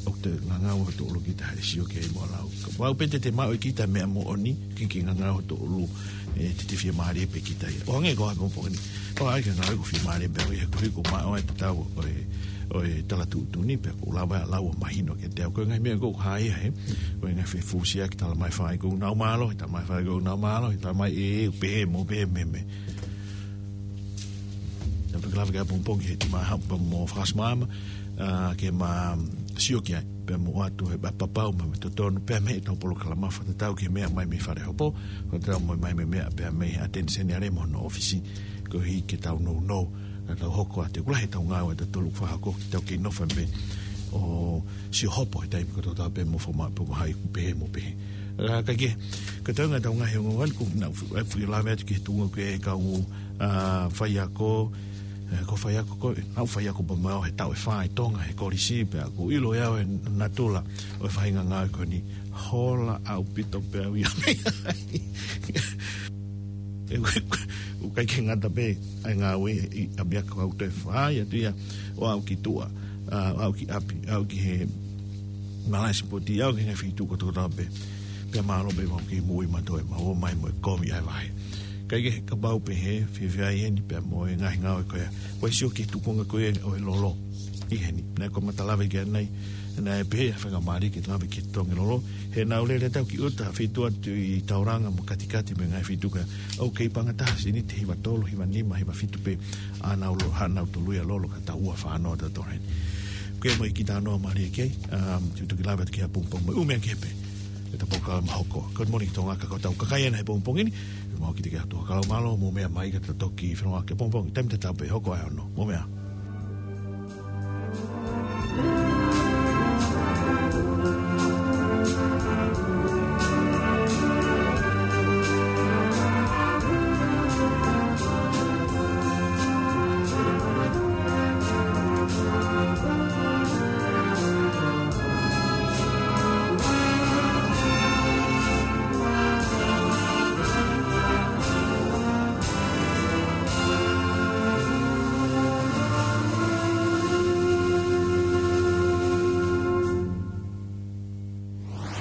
ʻoku te ngangau ʻa e toʻulu kita he sio ki ai mo lau. Kapau pē te te maʻu ʻe kita meʻa moʻoni, ke ke ngangau ʻa e toʻulu, ʻe te te fiemālie pē kita ia. ʻO hangē ko e pongipongi ni. ʻO ai ke ngāue ko e fiemālie pē ʻo ia he ko e hiko maʻu ai e tatau ʻo e, ʻo e tala tuʻutuʻuni pea ʻoku lava ʻa e lau ʻo mahino kiate au. Ko e ngaahi meʻa ʻoku hā ia he, ko e ngaahi fefusiaki talamai fai ko e nau mālohi, talamai fai ko e nau mālohi, talamai ʻe, ʻe, pehē mo pehē meimei. Naʻa ku lava ke pongipongi he te ma haʻu pea mo fakaʻosi māmā, ʻa, ke ma sio ki ai. Pea mo ʻoatu he papau mo e totonu, pea mei heʻetau polokalama fakatatau ki he meʻa mai mei fale hopo, fakatatau mo e mai mei meʻa pea mei he ʻateniseni ale mo hono ʻōfisi, koeʻuhi ke tau nounou, ka tau hoko atu, ʻoku lahi ʻetau ngāue ʻatautolu fakahoko, ke tau kei nofo pē ʻo sio hopo he taimi kotoa pē mo foma pe mo hai pehē mo pehē. Ka, ka ke, ka tau ngā tau ngaahi ongoongo ko ena ʻoku ou fie lave atu ki he tuʻunga ko e kau, ʻa, faiako, ʻe, ko e faiako ko, ʻa, faiako pea mo au he taʻu ʻe fā ʻi Tonga he kolisi, pea ʻoku ou ʻilo ʻe au e natula ʻo e faʻahinga ngāue ko eni, hola ʻaupito pē au ia. ʻE, ʻoku ʻikai ke ngata pē ʻa e ngāue ʻi ʻapiako, ʻoku ou toe fai atu ia ʻo aʻu ki tuʻa, ʻa, aʻu ki ʻapi, aʻu ki he malaʻe sipoti, aʻu ki he ngaahi feituʻu kotoa pē. Pea mālō pē mau kei moʻui mautolu ʻe mau ō mai mo e kovi ʻa e vahe. Kae kehe, kapau pehē, fiefia ai eni pea mo e ngaahi ngāue ko ia. Ko e sio ki he tuʻunga ko ia ʻo e lolo ʻi heni. Naʻe ko e mata lave ki ai ʻanenai, naʻe pehē ʻe he faingamālie ke lave ki he tongi lolo. He naʻa nau lele atu ki ʻuta, feituʻu atu ʻi Tauranga mo Katikati mo e ngaahi feituʻu ko ia. ʻOku kei paʻanga taha, sēniti hiva tolu, hiva nima, hiva fitu pē ʻa ʻenau lo-, ʻa ʻenau toluʻi ʻa e lolo ka tau ua fānau ʻatautolu heni. Ko ia mo e kiʻi talanoa mālie ki ai, um, te u toki lave atu ki ai ʻapongipongi mo e ʻū meʻa kehe pē ʻi heʻetau polokalama hoko. Good Morning Tonga, ka ko ʻetau kakai ena he pongipongi ni, ʻoku mau kiʻi teke atu ha kalo mālō, mou meʻa mai ka tau toki feʻiloaki ʻapongipongi, taimi tatau pē hoko ʻa e ono. Mou meʻa.